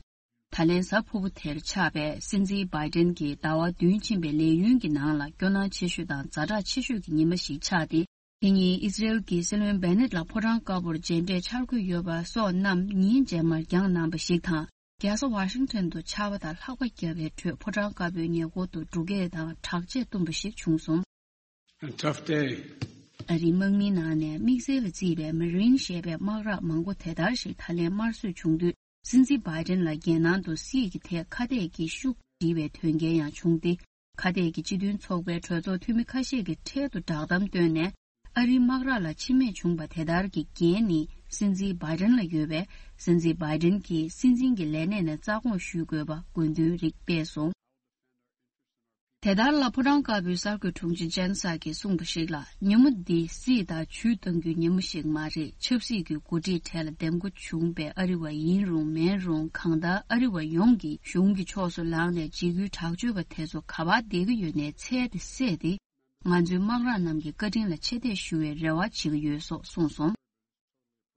ད་ལན་གཟའ་ཕུར་བུ་དེར་ཆགས་པའི་སྲིད་འཛིན་བྷའི་ཏིན་གྱི་ཟླ་བ་བདུན་ཕྱིན་པའི་ལས་ཡུན་གྱི་ནང་ལ་སྐྱོ་སྣང་ཆེ་ཤོས་དང་ཛ་དྲག་ཆེ་ཤོས་ཀྱི་ཉི་མ་ཞིག་ཆགས་ཏེ། དེ་ཉིན་ཨི་སི་རེལ་གྱི་སྲིད་བློན་བྷེ་ནེད་ལ་ཕོ་བྲང་དཀར་པོར་མཇལ་འཕྲད་འཆར་འགོད་ཡོད་པ་སོགས་རྣམས་ཉིན་རྗེས་མར་འགྱངས་གནང་བ་ཞིག་དང་། རྒྱལ་ས་ཝ་ཤིང་ཊོན་དུ་ཆར་པ་དང་ལྷགས་པ་བརྒྱབ་པའི་ཁྲོད་ཕོ་བྲང་དཀར་པོའི་ཉེ་འཁོར་དུ་འབྲུག་སྐད་དང་དྲག་ཆས་བཏུམས་པ་ཞིག་བྱུང་སོང་། A tough day. ཨ་རིའི་དམག་མིའི་ནང་ནས་དམིགས་བསལ་ལ་བརྩིས་པའི་མ་རིན་ཞེས་པའི་དམག་ར་མང་པོ་དེ་ལྟར་ཞིག་ད་ལན་དམར་གསོད་བྱུང་དུས། སྲིད་འཛིན་བྷའི་ཏིན་ལ་རྒྱལ་ནང་དུ་སྲིད་ཀྱི་ཐད་ཁ་གཏད་ཀྱི་ཤུགས་འདྲིས་པའི་དོན་རྐྱེན་ཡང་བྱུང་སྟེ། ཁ་གཏད་ཀྱི་སྤྱི་མཐུན་ཚོགས་པའི་གྲོས་ཚོགས་འཐུས་མི་ཁ་ཤས་ཀྱིས་འཕྲལ་དུ་བསྒྲགས་གཏམ་བཏོན་ནས། ཨ་རིའི་དམག་ར་ལ་འཆི་རྨས་བྱུང་པ་དེ་ལྟར་གྱི་འགན་ནི་སྲིད་འཛིན་བྷའི་ཏིན་ལ་ཡོད་པས། སྲིད་འཛིན་བྷའི་ཏིན་གྱིས་སྲིད་འཛིན་གྱི་ལས་གནས་ནས་རྩ་དགོངས་ཞུ་དགོས་པ་དགོས་འདུན་རིགས་སྤེལ་སོང་། དེ་ལྟར་ལ་ཕོ་བྲང་དཀར་པོའི་གསར་འགོད་དྲུང་ཆེ་ཇན་སཱ་ཀིས་གསུངས་པ་ཞིག་ལ། ཉིན་མོ་འདི་སྲིད་དང་ཇུས་གཏང་རྒྱུའི་ཉིན་མོ་ཞིག་མ་རེད། ཆབ་སྲིད་ཀྱི་འགོ་ཁྲིད་གྲས་ལ་འདེམས་བསྐོ་བྱུང་པའི་ཨ་རི་བ་ཡིན་རུང་མིན་རུང་། གང་ལྟར་ཨ་རི་བ་ཡོངས་ཀྱིས་གཞུང་གི་ཕྱོགས་སུ་ལངས་ནས་འཇིགས་སྐུལ་དྲག་སྤྱོད་པ་དེ་ཚོ་ག་པར་བསྡད་ཀྱི་ཡོད་ནའི་འཚོལ་ཏེ་བསད་དེ། ང་ཚོའི་དམག་ར་རྣམས་ཀྱི་བཀའ་དྲིན་ལ་ཆེ་བསྟོད་ཞུ་བའི་རེ་བ་བྱེད་ཀྱི་ཡོད་སོགས་གསུངས་སོང་།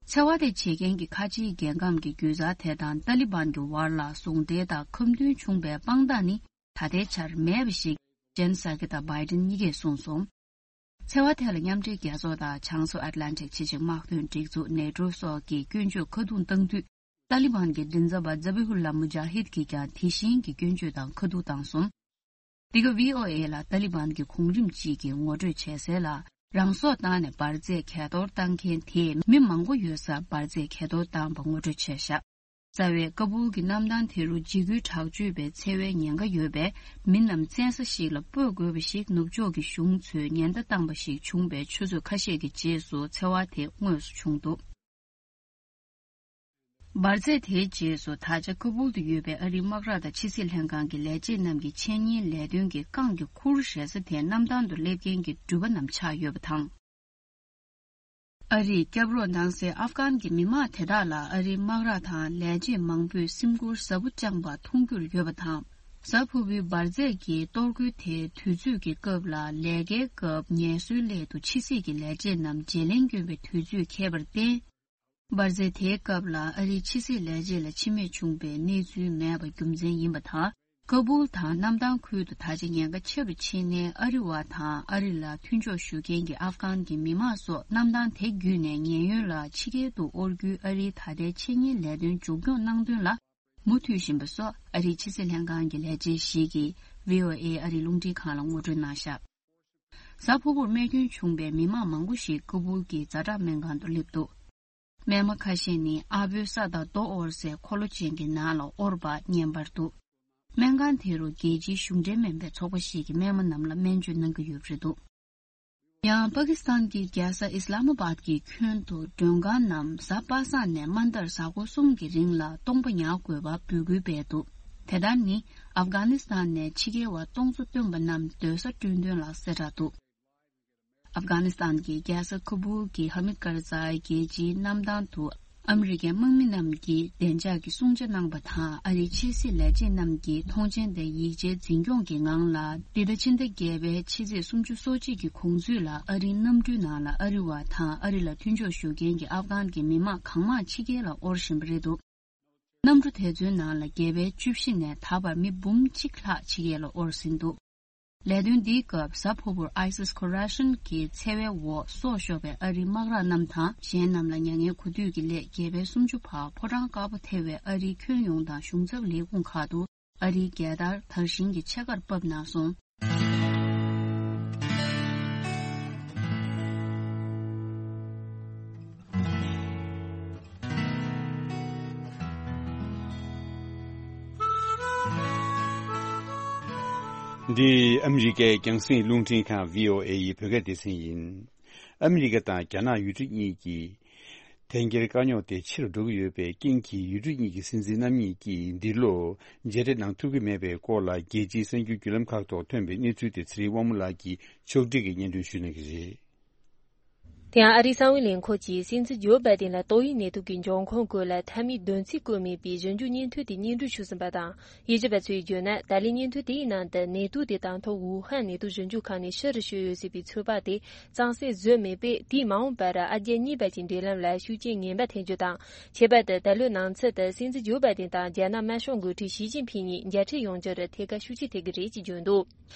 འཚེ་བ་དེ་བྱེད་མཁན་གྱི་ཁ་ཆེའི་རྒྱལ་ཁམས་ཀྱི་རྒྱུད་རྩ་དེ་དང་ཏཱ་ལི་བན་གྱི་བར་ལ་ཟུང་འབྲེལ་དང་ཁ་མཐུན་བྱུང་པའི་དཔང་རྟགས་ནི་ད་ལྟའི་ཆར་མེད་པ་ཞིག་ཇན་སཱ་ཀི་དང་བྷའི་ཏིན་གཉིས་ཀས་གསུངས་སོང་། འཚེ་བ་ཐད་ལ་མཉམ་འབྲེལ་རྒྱལ་ཚོགས་དང་བྱང་མཚོ་ཨཊ་ལན་ཊིག་ཕྱི་འབྲེལ་དམག་དོན་སྒྲིག་འཛུགས་ནེ་ཊོ་སོགས་ཀྱིས་སྐྱོན་བརྗོད་ཁ་རྡུང་བཏང་དུས། ཏཱ་ལི་བན་གྱི་མགྲིན་ཚབ་པ་ཛ་བི་ཧུ་ལ་མུ་ཇཱ་ཧིད་ཀྱིས་ཀྱང་དེ་བཞིན་གྱི་སྐྱོན་བརྗོད་དང་ཁ་ཐུག་བཏང་སོང་། འདི་ག་ཝི་ཨོ་ཨེ་ལ་ཏཱ་ལི་བན་གྱི་གོང་རིམ་གཅིག་གིས་ངོ་སྤྲོད་བྱས་གསལ་ལ། རང་སྲོག་བཏང་ནས་འབར་རྫས་གས་གཏོར་བཏང་མཁན་དེས་མི་མང་པོ་ཡོད་སར་འབར་རྫས་གས་གཏོར་བཏང་པ་ངོ་སྤྲོད་བྱས་བཞག་རྩ་བའི་ཀ་བུལ་གྱི་གནམ་ཐང་དེ་རུ་འཇིགས་སྐུལ་དྲག་སྤྱོད་པའི་འཚེ་བའི་ཉེན་ཁ་ཡོད་པས། མི་རྣམས་བཙན་ས་ཞིག་ལ་སྤོས་དགོས་པ་ཞིག་ནུབ་ཕྱོགས་ཀྱི་གཞུང་ཚོས་ཉེན་བརྡ་བཏང་པ་ཞིག་བྱུང་བའི་ཆུ་ཚོད་ཁ་ཤས་ཀྱི་རྗེས་སུ་འཚེ་བ་དེ་དངོས་སུ་བྱུང་འདུག་འབར་རྫས་དེའི་རྗེས་སུ་ད་ཆ་ཁ་བུལ་དུ་ཡོད་པའི་ཨ་རིའི་དམག་ར་དང་ཕྱི་སྲིད་ལྷན་ཁང་གི་ལས་བྱེད་རྣམས་ཀྱི་འཆད་ཉན་ལས་དོན་གྱི་རྐང་གི་ཁུར་བཞེས་ས་དེའི་གནམ་ཐང་དུ་སླེབས་མཁན་གྱི་འགྲུལ་པ་རྣམས་ཆགས་ཡོད་པ་དང་། ཨ་རིས་སྐྱབས་རོགས་གནང་སའི་ཨབ་གྷན་གྱི་མི་མང་དེ་དག་ལ་ཨ་རིའི་དམག་ར་དང་ལས་བྱེད་མང་པོས་སེམས་ཁུར་ཟབ་པོ་བཅངས་པ་མཐོང་རྒྱུར་ཡོད་པ་དང་། གཟའ་ཕུར་བུའི་འབར་རྫས་ཀྱི་གཏོར་རྒོལ་དེའི་དུས་ཚོད་ཀྱི་སྐབས་ལ་ལས་ཀའི་སྐབས་ངལ་གསོའི་སླད་དུ་ཕྱི་སྲིད་ཀྱི་ལས་བྱེད་རྣམས་བརྗེ་ལེན་བསྐྱོན་པའི་དུས་ཚོད་འཁེལ་བར་བརྟེན། འབར་རྫས་དེའི་སྐབས་ལ་ཨ་རིའི་ཕྱི་སྲིད་ལས་བྱེད་ལ་འཆི་རྨས་བྱུང་པའི་གནས་ཚུལ་མེད་པ་རྒྱུ་མཚན་ཡིན་པ་དང་། ཀ་བུལ་དང་གནམ་ཐང་ཁུལ་དུ་ད་ཆ་ཉེན་ཁ་ཆེ་རུ་ཕྱིན་ནས། ཨ་རི་བ་དང་ཨ་རི་ལ་མཐུན་ཕྱོགས་ཞུ་མཁན་གྱི་ཨབ་གྷན་གྱི་མི་མང་སོགས་གནམ་ཐང་དེ་བརྒྱུད་ནས་ཉེན་གཡོལ་ལ་ཕྱི་རྒྱལ་དུ་དབོར་རྒྱུའི་ཨ་རིའི་ད་ལྟའི་འཆད་ཉན་ལས་དོན་མཇུག་སྐྱོང་གནང་དོན་ལ་མུ་མཐུད་བཞིན་པ་སོགས་ཨ་རིའི་ཕྱི་སྲིད་ལྷན་ཁང་གི་ལས་བྱེད་ཞིག་གིས་ཝི་ཨོ་ཨེ་ཨ་རིའི་རླུང་འཕྲིན་ཁང་ལ་ངོ་སྤྲོད་གནང་བཞག་གཟའ་ཕུར་བུར་རྨས་སྐྱོན་བྱུང་པའི་མི་མང་མང་པོ་ཞིག་ཀ་བུལ་གྱི་ཛ་དྲག་སྨན་ཁང་དུ་སླེབས་འདུག་སྨན་མ་ཁ་ཤས་ནི་ཨ་བོའི་ས་དང་རྡོ་དབོར་སའི་འཁོར་ལོ་ཅན་གྱི་ནང་ལ་དབོར་བ་བརྙན་པར་འདུག་སྨན་ཁང་དེ་རུ་རྒྱལ་སྤྱིའི་གཞུང་འབྲེལ་མིན་པའི་ཚོགས་པ་ཞིག་གིས་སྨན་མ་རྣམས་ལ་སྨན་བཅོས་གནང་གི་ཡོད་པ་རེད་འདུག་ཡང་པ་ཀི་སི་ཐན་གྱི་རྒྱལ་ས་ཨིས་ལ་མ་བཱད་ཀྱི་ཁྱོན་དུ་མགྲོན་ཁང་རྣམས་གཟའ་པ་སངས་ནས་མ་མཐར་གཟའ་འཁོར་གསུམ་གྱི་རིང་ལ་སྟོང་པ་ཉར་དགོས་པ་འབོད་སྐུལ་སྤེལ་འདུག་དེ་ལྟར་ནི་ཨབ་གྷ་ནི་སི་ཐན་ནས་ཕྱི་རྒྱལ་བ་སྟོང་ཚོ་བཏོན་པ་རྣམས་སྡོད་ས་སྤྲོད་འདུན་ལ་གསལ་བསྒྲགས་འདུག་ཨབ་གྷ་ནི་སི་ཐན་གྱི་རྒྱལ་ས་ཁ་བུལ་གྱི་ཧ་མིད་ཀར་ཛའི་རྒྱལ་སྤྱིའི་གནམ་ཐང་དུ་ཨ་མི་རི་ཀའི་དམག་མི་རྣམས་ཀྱིས་བདེ་འཇགས་ཀྱི་སྲུང་བརྩི་གནང་པ་དང་། ཨ་རིའི་ཕྱི་སྲིད་ལས་བྱེད་རྣམས་ཀྱིས་མཐོང་མཆན་དང་ཡིག་ཆའི་འཛིན་སྐྱོང་གི་ངང་ལ། འདི་ཟླ་ཕྱི་ཟླ་བརྒྱད་པའི་ཕྱི་ཚེས་སུམ་ཅུ་སོ་གཅིག་གི་གོང་ཚུད་ལ་ཨ་རིའི་གནམ་གྲུའི་ནང་ལ་ཨ་རི་བ་དང་ཨ་རི་ལ་མཐུན་ཕྱོགས་ཞུ་མཁན་གྱི་ཨབ་གྷན་གྱི་མི་མང་གང་མང་ཕྱི་རྒྱལ་ལ་དབོར་བཞིན་པ་རེད་འདུག་གནམ་གྲུ་དེ་ཚོའི་ནང་ལ་རྒྱལ་པོའི་བཅུ་བཞི་ནས་ད་བར་མི་འབུམ་གཅིག་ལྷག་ཕྱི་རྒྱལ་ལ་དབོར་ཟིན་འདུག་ལས་དོན་འདིའི་སྐབས་གཟའ་ཕུར་བུར་ཨའི་སིས་ཁོ་ར་ཤན་གྱི་འཚེ་བའི་འོག་སྲོག་ཤོར་བའི་ཨ་རིའི་དམག་ར་རྣམས་དང་། གཞན་རྣམས་ལ་མྱ་ངན་གུས་འདུད་ཀྱི་སླད་རྒྱལ་པོའི་སུམ་ཅུ་པ་ཕོ་བྲང་དཀར་པོ་ཐེ་བའི་ཨ་རིའི་ཁྱོན་ཡོངས་དང་གཞུང་ཚབ་ལས་ཁུངས་ཁག་ཏུ་ཨ་རིའི་རྒྱལ་དར་དར་ཞིང་གི་ཕྱེད་ཀར་ཕབ་གནང་སོང་། འདི་ཨ་མི་རི་ཀའི་རྒྱང་སྲིང་རླུང་འཕྲིན་ཁང་ཝི་ཨོ་ཨེ་ཡི་བོད་སྐད་སྡེ་ཚན་ཡིན། ཨ་མི་རི་ཀ་དང་རྒྱ་ནག་ཡུལ་གྲུ་གཉིས་ཀྱི་དོལ་རྒྱལ་དཀའ་རྙོག་དེ་ཆེ་རུ་འགྲོ་གི་ཡོད་པའི་རྐྱེན་གྱིས། ཡུལ་གྲུ་གཉིས་ཀྱི་སྲིད་འཛིན་རྣམ་གཉིས་ཀྱིས་འདི་ལོ་མཇལ་འཕྲད་གནང་ཐུབ་ཀྱི་མེད་པའི་སྐོར་ལ། རྒྱལ་སྤྱིའི་གསར་འགྱུར་བརྒྱུད་ལམ་ཁག་ཐོག་ཐོན་པའི་གནས་ཚུལ་དེ་ཚེ་རིང་དབང་མོ་ལགས་ཀྱིས་ཕྱོགས་སྒྲིག་གིས་སྙན་སྒྲོན་ཞུ་གནང་གི་རེད། དེ་ཡང་ཨ་རིའི་གསང་བའི་ལས་ཁུངས་ཀྱིས་སྲིད་འཛིན་ཇོ་བྷའི་ཌེན་ལ་ཏོག་དབྱིབས་ནད་དུག་གི་འབྱུང་ཁུངས་སྐོར་ལ་མཐའ་མའི་བདེན་ཚིག་བཀོད་མེད་པའི་ཞིབ་འཇུག་སྙན་ཐོ་དེ་སྙན་སྒྲོན་ཞུས་ཟིན་པ་དང་། དབྱེ་ཞིབ་པ་ཚོས་བརྗོད་ན། ད་ལོའི་སྙན་ཐོ་དེ་ཡི་ནང་དུ་ནད་དུག་དེ་དང་ཐོག་ཝུ་ཧན་ནད་དུག་ཞིབ་འཇུག་ཁང་ནས་ཕྱི་རུ་བཤོས་ཡོད་ཟེར་བའི་ཚོད་དཔག་དེ་གཙང་སེལ་བཟོས་མེད་པས། དེས་མ་འོངས་པར་ཨ་རྒྱ་གཉིས་བར་གྱི་འབྲེལ་ལམ་ལ་ཤུགས་རྐྱེན་ངན་པ་ཐེབས་རྒྱུ་དང་། ཁྱད་པར་དུ་ད་ལོའི་ནང་ཚུད་དུ་སྲིད་འཛིན་ཇོ་བྷའི་ཌེན་དང་རྒྱ་ནག་དམར་ཤོག་འགོ་ཁྲིད་ཞི་ཅིན་ཕིང་གཉིས་མཇལ་འཕྲད་ཡོང་རྒྱུར་ཐད་ཀར་ཤུགས་རྐྱེན་ཐེབས་ཀྱི་རེད་ཅེས་བརྗོད་འདུག་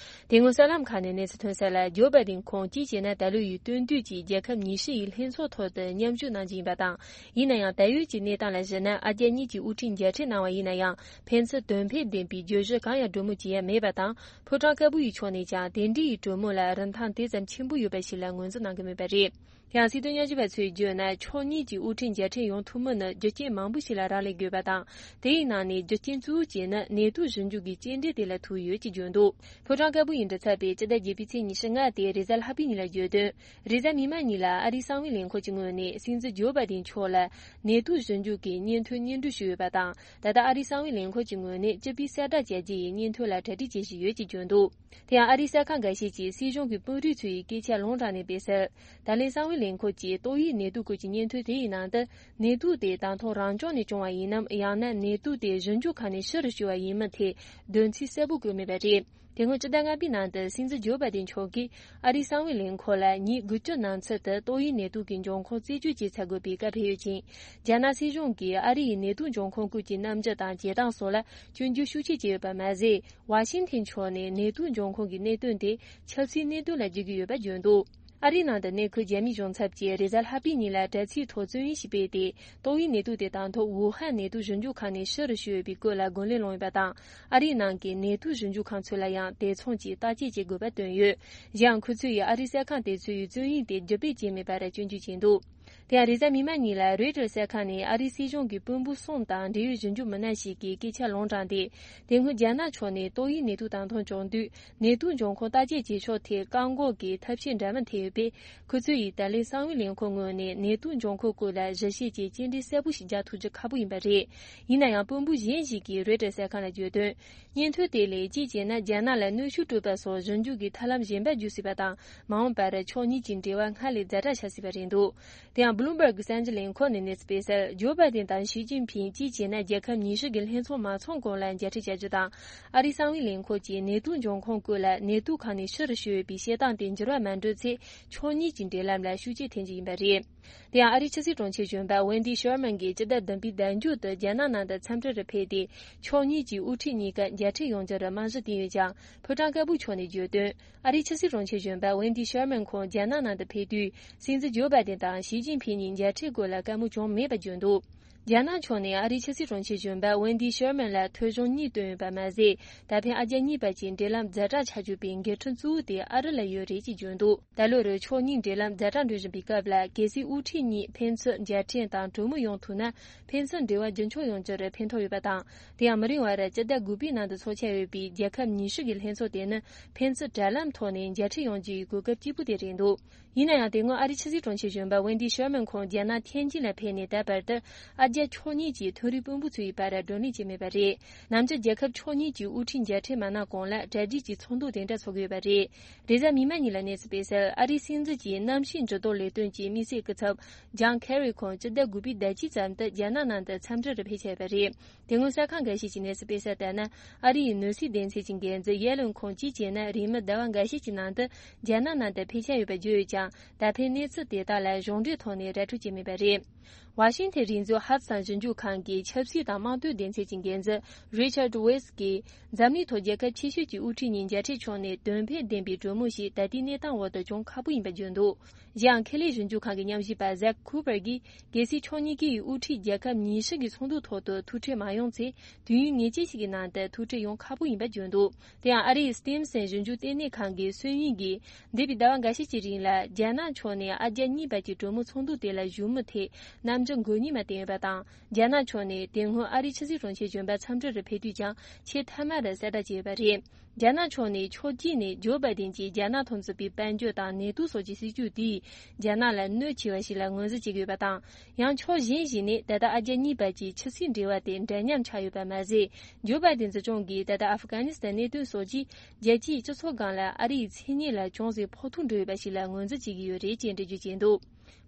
དེ་སྔོན་གསར་ལམ་ཁག་ནས་གནས་ཚུལ་ཐོན་གསལ་ལ། ཇོ་བྷའི་ཌེན་ཁོང་སྤྱི་བྱས་ན་ད་ལོའི་སྟོན་དུས་ཀྱི་རྒྱལ་ཁབ་ཉི་ཤུ་ཡི་ལྷན་ཚོགས་ཐོག་ཏུ་མཉམ་ཞུགས་གནང་རྒྱུ་ཡིན་པ་དང་། ཡིན་ན་ཡང་ད་ཡོད་ཀྱི་གནས་སྟངས་ལ་གཞིགས་ན། ཨ་རྒྱ་གཉིས་ཀྱིས་དབུ་ཁྲིད་མཇལ་འཕྲད་གནང་བ་ཡིན་ན་ཡང་། ཕན་ཚུན་དོན་ཕན་ལྡན་པའི་བརྗོད་གཞི་གང་ཡང་གྲོས་མོལ་བྱེད་ཡ་མེད་པ་དང་། ཕོ་བྲང་དཀར་པོ་ཡི་ཕྱོགས་ནས་ཀྱང་དེ་འདྲའི་གྲོས་མོལ་ལ་རིན་ཐང་དེ་ཙམ་ཆེན་པོ་ཡོད་པ་ཞིག་ལ་ངོས་འཛིན་གནང་གི་མེད་པ་རེད། དེ་ཡང་སྲིད་དོན་ཉམས་ཞིབ་པ་ཚོས་བརྗོད་ན། ཕྱོགས་གཉིས་ཀྱི་དབུ་ཁྲིད་མཇལ་འཕྲད་ཡོང་ཐུབ་མིན་ནི་རྒྱུ་རྐྱེན་མང་པོ་ཞིག་ལ་རག་ལས་དགོས་པ་དང་། དེའི་ནང་ནས་རྒྱུ་རྐྱེན་གཙོ་བོ་གཅིག་ནི་ནད་དུག་ཞིབ་འཇུག་གི་རྐྱེན་འདས་དེ་ལ་ཐུག་ཡོད་ཅེས་བརྗོད་འདུག་ཕོ་བྲང་དཀར་པོ་ཡི་མགྲིན་ཚབ་པས་སྤྱི་ཟླ་བརྒྱད་པའི་ཚེས་ཉི་ཤུ་ལྔ་སྟེ་རེས་གཟའ་ལྷག་པའི་ཉིན་ལ་བརྗོད་དོན། རེས་གཟའ་མིག་དམར་ཉིན་ལ་ཨ་རིའི་གསང་བའི་ལས་ཁུངས་ཀྱི་ངོས་ནས་སྲིད་འཛིན་ཇོ་བྷའི་ཌེན་མཆོག་ལ་ནད་དུག་ཞིབ་འཇུག་གི་སྙན་ཐོའི་སྙན་སྒྲོན་ཞུས་ཡོད་པ་དང་། ད་ལྟ་ཨ་རིའི་གསང་བའི་ལས་ཁུངས་ཀྱི་ངོས་ནས་སྤྱི་པའི་གསལ་བསྒྲགས་བྱ་རྒྱུ་ཡི་སྙན་ཐོ་ལ་གྲ་སྒྲིག་བྱེད་བཞིན་ཡོད་ཅེས་བརྗོད་འདུག་དེ་ཡང་ཨ་རིའི་གསར་ཁང་འགའ་ཤས་ཀྱིས་སྲིད་གཞུང་གི་དཔོན་རིགས་ཚོ་ཡི་སྐད་ཆ་ལུང་དྲངས་ནས་སྤེལ་གསལ། ད་ལན་གསང་བའི་ལས་ཁུངས་ཀྱིས་ཏོག་དབྱིབས་ནད་དུག་སྐོར་གྱི་སྙན་ཐོ་དེ་ཡི་ནང་དུ། ནད་དུག་དེ་དང་ཐོག་རང་བྱུང་ནས་བྱུང་བ་ཡིན་ནམ། ཡང་ན་ནད་དུག་དེ་ཞིབ་འཇུག་ཁང་ནས་ཕྱི་རུ་བཤོས་པ་ཡིན་མིན་ཐད་བདེན་ཚིག་གསལ་པོ་བཀོད་མེད་པ་རེད། དེ་སྔོན་སྤྱི་ཟླ་ལྔ་པའི་ནང་དུ་སྲིད་འཛིན་ཇོ་བྷའི་ཌེན་མཆོག་གིས་ཨ་རིའི་གསང་བའི་ལས་ཁུངས་ལ་ཉིན་དགུ་བཅུ་ནང་ཚུད་དུ་ཏོག་དབྱིབས་ནད་དུག་གི་འབྱུང་ཁུངས་རྩད་གཅོད་བྱེད་ཚར་དགོས་པའི་བཀའ་ཕེབས་ཡོད་ཅིང་། རྒྱ་ནག་སྲིད་གཞུང་གིས་ཨ་རི་ཡི་ནད་དུག་འབྱུང་ཁུངས་སྐོར་གྱི་རྣམ་འགྱུར་དང་བྱེད་སྟངས་སོགས་ལ་སྐྱོན་བརྗོད་ཤུགས་ཆེ་བྱས་ཡོད་པ་མ་ཟད། ཝ་ཤིང་ཐན་ཕྱོགས་ནས་ནད་དུག་འབྱུང་ཁུངས་ཀྱི་གནད་དོན་དེ་ཆབ་སྲིད་གནད་དོན་ལ་བརྗོད་ཀྱི་ཡོད་པ་བརྗོད་འདུག་ཨ་རིའི་ནང་དུ་གནས་འཁོད་རྒྱ་མིའི་གཞུང་ཚབ་ཀྱིས་རེས་གཟའ་ལྷག་པའི་ཉིན་ལ་དྲ་ཚིགས་ཐོག་རྩོམ་ཡིག་ཞིག་སྤེལ་ཏེ། ཏོག་དབྱིབས་ནད་དུག་དེ་དང་ཐོག་ཝུ་ཧན་ནད་དུག་ཞིབ་འཇུག་ཁང་ནས་ཕྱིར་བཤོལ་ཡོད་པའི་སྐོར་ལ་རྒོལ་ལན་སློང་ཡོད་པ་དང་། ཨ་རིའི་ནང་གི་ནད་དུག་ཞིབ་འཇུག་ཁང་ཚོ་ལ་ཡང་དེ་མཚུངས་ཀྱི་བརྟག་དཔྱད་བྱེད་དགོས་པ་བཏོན་ཡོད། གཞན་ཡང་ཁོ་ཚོས་ཡང་ཨ་རིའི་གསར་ཁང་དེ་ཚོའི་རྩོམ་ཡིག་དེ་བརྒྱུད་སྤེལ་བྱས་མེད་པར་སྐྱོན་བརྗོད་བྱས་འདུག་དེ་ཡང་རེས་གཟའ་མིག་དམར་ཉིན་ལ་རོའི་ཊར་གསར་ཁང་ནས་ཨ་རིའི་སྲིད་གཞུང་གི་དཔོན་པོ་གསུམ་དང་འབྲེལ་ཡོད་ཞིབ་འཇུག་མི་སྣ་ཞིག་གིས་སྐད་ཆ་ལུང་དྲངས་ཏེ། དེ་སྔོན་རྒྱ་ནག་ཕྱོགས་ནས་ཏོག་དབྱིབས་ནད་དུག་དང་ཐོག་བྱུང་དུས། ནད་དུག་འབྱུང་ཁུངས་བརྟག་དཔྱད་བྱེད་ཕྱོགས་ཐད་བཀག་འགོག་གི་ཐབས་ཤེས་འདྲ་མིན་ཐེབས་ཡོད་པས། ཁོ་ཚོས་ཡིས་ད་ལན་གསང་བའི་ལས་ཁུངས་ངོས་ནས་ནད་དུག་འབྱུང་ཁུངས་སྐོར་ལ་ཞིབ་བཤེར་གྱི་བཅར་འདྲི་གསལ་པོ་ཞིག་རྒྱག་ཐུབ་རྒྱུ་ཁག་པོ་ཡིན་པ་རེད། ཡིན་ན་ཡང་དཔོན་པོ་གཞན་ཞིག་གིས་རོའི་ཊར་གསར་ཁང་ལ་བརྗོད་དོན། སྙན་ཐོ་དེ་ལས་གཅིག་བྱས་ན་རྒྱ་ནག་ལ་གནོན་ཤུགས་སྤྲོད་པ་སོགས་ཞིབ་འཇུག་གི་ཐབས་ལམ་གཞན་པ་བརྒྱུད་སྲིད་པ་དང་། མ་འོངས་པར་ཕྱོགས་གཉིས་ཀྱི་འབྲེལ་བ་སྔར་ལས་ཛ་དྲག་ཆགས་སྲིད་པ་རེད་འདུག་དེ་ཡང་Bloomberg་གསར་འགྱུར་ལས་ཁུངས་ནས་གནས་ཚུལ་སྤེལ་གསལ། ཇོ་བྷའི་ཏན་དང་ཞི་ཅིན་ཕིང་གཅིག་བྱས་ན་རྒྱལ་ཁབ་ཉི་ཤུ་གི་ལྷན་ཚོགས་མ་ཚོགས་གོང་ལ་མཇལ་འཕྲད་བྱ་རྒྱུ་དང་། ཨ་རིའི་གསང་བའི་ལས་ཁུངས་ཀྱིས་ནད་དུག་འབྱུང་ཁུངས་སྐོར་ལ་ནད་དུག་ཁང་ནས་ཕྱིར་བཤོལ་ཡོད་པའི་བཤད་སྟངས་དེ་འགྱུར་བ་མ་འགྲོ་ཚེ་ཕྱོགས་གཉིས་ཀྱི་འབྲེལ་ལམ་ལ་ཤུགས་རྐྱེན་ཐེབས་རྒྱུ་ཡིན་པ་རེད། དེ་ཡང་ཨ་རིའི་ཕྱི་སྲིད་དྲུང་ཆེ་གཞོན་པ་Wendy Sherman་གྱིས་སྤྱི་ཟླ་བདུན་པའི་ཟླ་མཇུག་ཏུ་རྒྱ་ནག་ནང་དུ་འཚམས་འདྲིར་ཕེབས་ཏེ། ཕྱོགས་གཉིས་ཀྱི་དབུ་ཁྲིད་གཉིས་ཀ་མཇལ་འཕྲད་ཡོང་རྒྱུར་རྨང་གཞི་བཏིང་ཡོད་ཀྱང་། ཕོ་བྲང་དཀར་པོ་ཕྱོགས་ནས་བརྗོད་དོན། ཨ་རིའི་ཕྱི་སྲིད་དྲུང་ཆེ་གཞོན་པ་Wendy Sherman་ཁོང་རྒྱ་ནག་ནང་དུ་ཕེབས་དུས། སྲིད་འཛིན་ཇོ་བྷའི་ཏན་དང་ཞི་ཅིན་ཕིང་གཉིས་མཇལ་འཕྲད་སྐོར་ལ་བཀའ་མོལ་བྱུང་མེད་པ་བརྗོད་འདུག་རྒྱ་ནག་ཕྱོགས་ནས་ཨ་རིའི་ཕྱི་སྲིད་དྲུང་ཆེ་གཞོན་པ་Wendy Sherman་ལ་ཐོ་གཞུང་གཉིས་བཏོན་ཡོད་པ་མ་ཟད། ད་ཕན་ཨ་རྒྱ་གཉིས་བར་གྱི་འབྲེལ་ལམ་ཛ་དྲག་ཆགས་བཅུག་པའི་འགལ་འཕྲང་གཙོ་བོ་དེ་ཨ་རི་ལ་ཡོད་རེད་ཅེས་བརྗོད་འདུག་ད་ལོ་རེར་ཕྱོགས་གཉིས་འབྲེལ་ལམ་ཛ་དྲག་འགྲོ་བཞིན་པའི་སྐབས་ལ། གལ་སྲིད་དབུ་ཁྲིད་གཉིས་ཕན་ཚུན་མཇལ་འཕྲད་དང་གྲོས་མོལ་ཡོང་ཐུབ་ན། ཕན་ཚུན་འབྲེལ་བ་རྒྱུན་འཁྱོངས་ཡོང་རྒྱུར་ཕན་ཐོགས་ཡོད་པ་དང་། དེ་ཡང་མི་རིང་བར་སྤྱི་ཟླ་དགུ་པའི་ནང་དུ་འཚོགས་འཆར་ཡོད་པའི་རྒྱལ་ཁབ་ཉི་ཤུ་གི་ལྷན་ཚོགས་དེ་ནི་ཕན་ཚུན་དྲ་ལམ་ཐོག་ནས་མཇལ་འཕྲད་ཡོང་རྒྱུ་ཡི་གོ་སྐབས་སྐྱིད་པོ་དེ་རེད་འདུག་ཡིན་ན་ཡང་། དེ་སྔོན་ཨ་རིའི་ཕྱི་སྲིད་དྲུང་ཆེ་གཞོན་པ་Wendy Sherman་ཁོང་རྒྱ་ནག་ཐེན་ཅིན་ལ་ཕེབས་ནས་ད་བར་དུ། ཨ་རྒྱ་ཕྱོགས་གཉིས་ཀྱི་མཐོ་རིམ་དཔོན་པོ་ཚོའི་བར་བགྲོ་གླེང་བྱས་མེད་པ་རེད། ནམ་རྒྱུན་རྒྱལ་ཁབ་ཕྱོགས་གཉིས་ཀྱི་དབུ་ཁྲིད་མཇལ་འཕྲད་མ་གནང་གོང་ལ་གྲ་སྒྲིག་གི་ཚོགས་འདུ་དེ་འདྲ་ཚོགས་ཀྱི་ཡོད་པ་རེད། རེས་གཟའ་མིག་དམར་ཉིན་ལ་གནས་ཚུལ་སྤེལ་གསལ། ཨ་རིའི་སྲིད་འཛིན་གྱི་གནམ་གཤིས་འགྱུར་ལྡོག་ལས་དོན་གྱི་དམིགས་བསལ་སྐུ་ཚབ་John Kerry་ཁོང་སྤྱི་ཟླ་དགུ་པའི་ཟླ་དཀྱིལ་ཙམ་དུ་རྒྱ་ནག་ནང་དུ་འཚམས་འདྲིར་ཕེབས་འཆར་ཡོད་པ་རེད། དེ་སྔོན་གསར་ཁང་འགའ་ཤས་ཀྱིས་གནས་ཚུལ་སྤེལ་གསལ་ལྟར་ན། ཨ་རི་ཡི་ནོར་སྲིད་སྡེ་ཚན་གྱི་འགན་འཛིན་ཡེ་ལུན་ཁོང་གཅིག་བྱས་ན་རེས་མོས་ཟླ་བ་འགའ་ཤས་ཀྱི་ནང་དུ་རྒྱ་ནག་ནང་དུ་ཕེབས་འཆར་ཡོད་པ་བརྗོད་ཡོད་ཀྱང་། ད་ཕན་གནས་ཚུལ་དེ་དག་ལ་གཞུང་འབྲེལ་ཐོག་ནས་ར་སྤྲོད་བྱས་མེད་པ་རེད། ཝ་ཤིང་ཐན་རེས་འཛུགས་ཧབ་སང་ཞིབ་འཇུག་ཁང་གི་ཆབ་སྲིད་དང་དམངས་དོན་སྡེ་ཚན་གྱི་འགན་འཛིན་Richard Weiss་གིས། འཛམ་གླིང་ཐོག་རྒྱལ་ཁབ་ཆེ་ཤོས་ཀྱི་དབུ་ཁྲིད་གཉིས་མཇལ་འཕྲད་བྱུང་ནས་དོན་ཕན་ལྡན་པའི་གྲོས་མོལ་ཞིག་ད་ལྟའི་གནས་སྟངས་འོག་ཏུ་བྱུང་ཁག་པོ་ཡིན་པ་བརྗོད་འདུག་གཞན་ཡང་། ཁེ་ལས་ཞིབ་འཇུག་ཁང་གི་ཉམས་ཞིབ་པ་Zach Cooper་གྱིས། གལ་སྲིད་ཕྱོགས་གཉིས་ཀའི་དབུ་ཁྲིད་རྒྱལ་ཁབ་ཉི་ཤུ་གི་ཚོགས་འདུ་ཐོག་ཏུ་ཐུག་འཕྲད་མ་ཡོང་ཚེ། དུས་ཡུན་ངེས་ཅན་ཞིག་གི་ནང་དུ་ཐུག་འཕྲད་ཡོང་ཁག་པོ་ཡིན་པ་བརྗོད་འདུག་དེ་ཡང་ཨ་རིའི་Stimson་ཞིབ་འཇུག་ལྟེ་གནས་ཁང་གི་སུན་ཡིན་གྱིས། འདས་པའི་ཟླ་བ་འགའ་ཤས་ཀྱི་རིང་ལ་རྒྱ་ནག་ཕྱོགས་ནས་ཨ་རྒྱ་གཉིས་བར་གྱི་གྲོས་མོལ་ཚོགས་འདུ་དེ་ལ་བཞུགས་མུས་ཐད་རྣམ་འགྱུར་མགོ་གཉིད་མ་བསྟེན་ཡོད་པ་དང་། རྒྱ་ནག་ཕྱོགས་ནས་དེ་སྔོན་ཨ་རིའི་ཕྱི་སྲིད་དྲུང་ཆེ་གཞོན་པ་འཚམས་འདྲིར་ཕེབས་དུས་ཀྱང་ཆེས་མཐའ་མར་གསལ་བསྒྲགས་བྱས་ཡོད་པ་རེད། རྒྱ་ནག་ཕྱོགས་ནས་ཕྱོགས་གཅིག་ནས་ཇོ་བྷའི་ཏིན་གྱིས་རྒྱ་ནག་མཐུན་ཚོགས་པའི་དཔལ་འབྱོར་དང་ནད་དུག་སོགས་ཀྱི་སྲིད་ཇུས་དེས་རྒྱ་ནག་ལ་གནོད་ཆེ་བ་ཞིག་ལ་ངོས་འཛིན་བྱེད་ཀྱི་ཡོད་པ་དང་། ཡང་ཕྱོགས་གཞན་ཞིག་ནས་ད་ལྟ་ཨ་རྒྱ་གཉིས་བར་གྱི་ཕྱི་སྲིད་འབྲེལ་བ་དེ་འདྲ་མཉམ་ཆགས་ཡོད་པ་མ་ཟད། ཇོ་བྷའི་ཏིན་སྲིད་སྐྱོང་གིས་ད་ལྟ་ཨ་ཧྥི་ག་ནི་སི་ཐན་གནད་དོན་སོགས་ཀྱིས་རྒྱལ་སྤྱིའི་སྤྱི་ཚོགས་སྒང་ལ་ཨ་རིའི་མཚན་སྙན་ལ་ཅུང་ཟད་ཕོག་ཐུག་འགྲོ་ཡོད་པ་ཞིག་ལ་ངོས་འཛིན་བྱེད་ཀྱི་ཡོད་རེད་ཅེས་འགྲེལ་བརྗོད་བྱས་འདུག་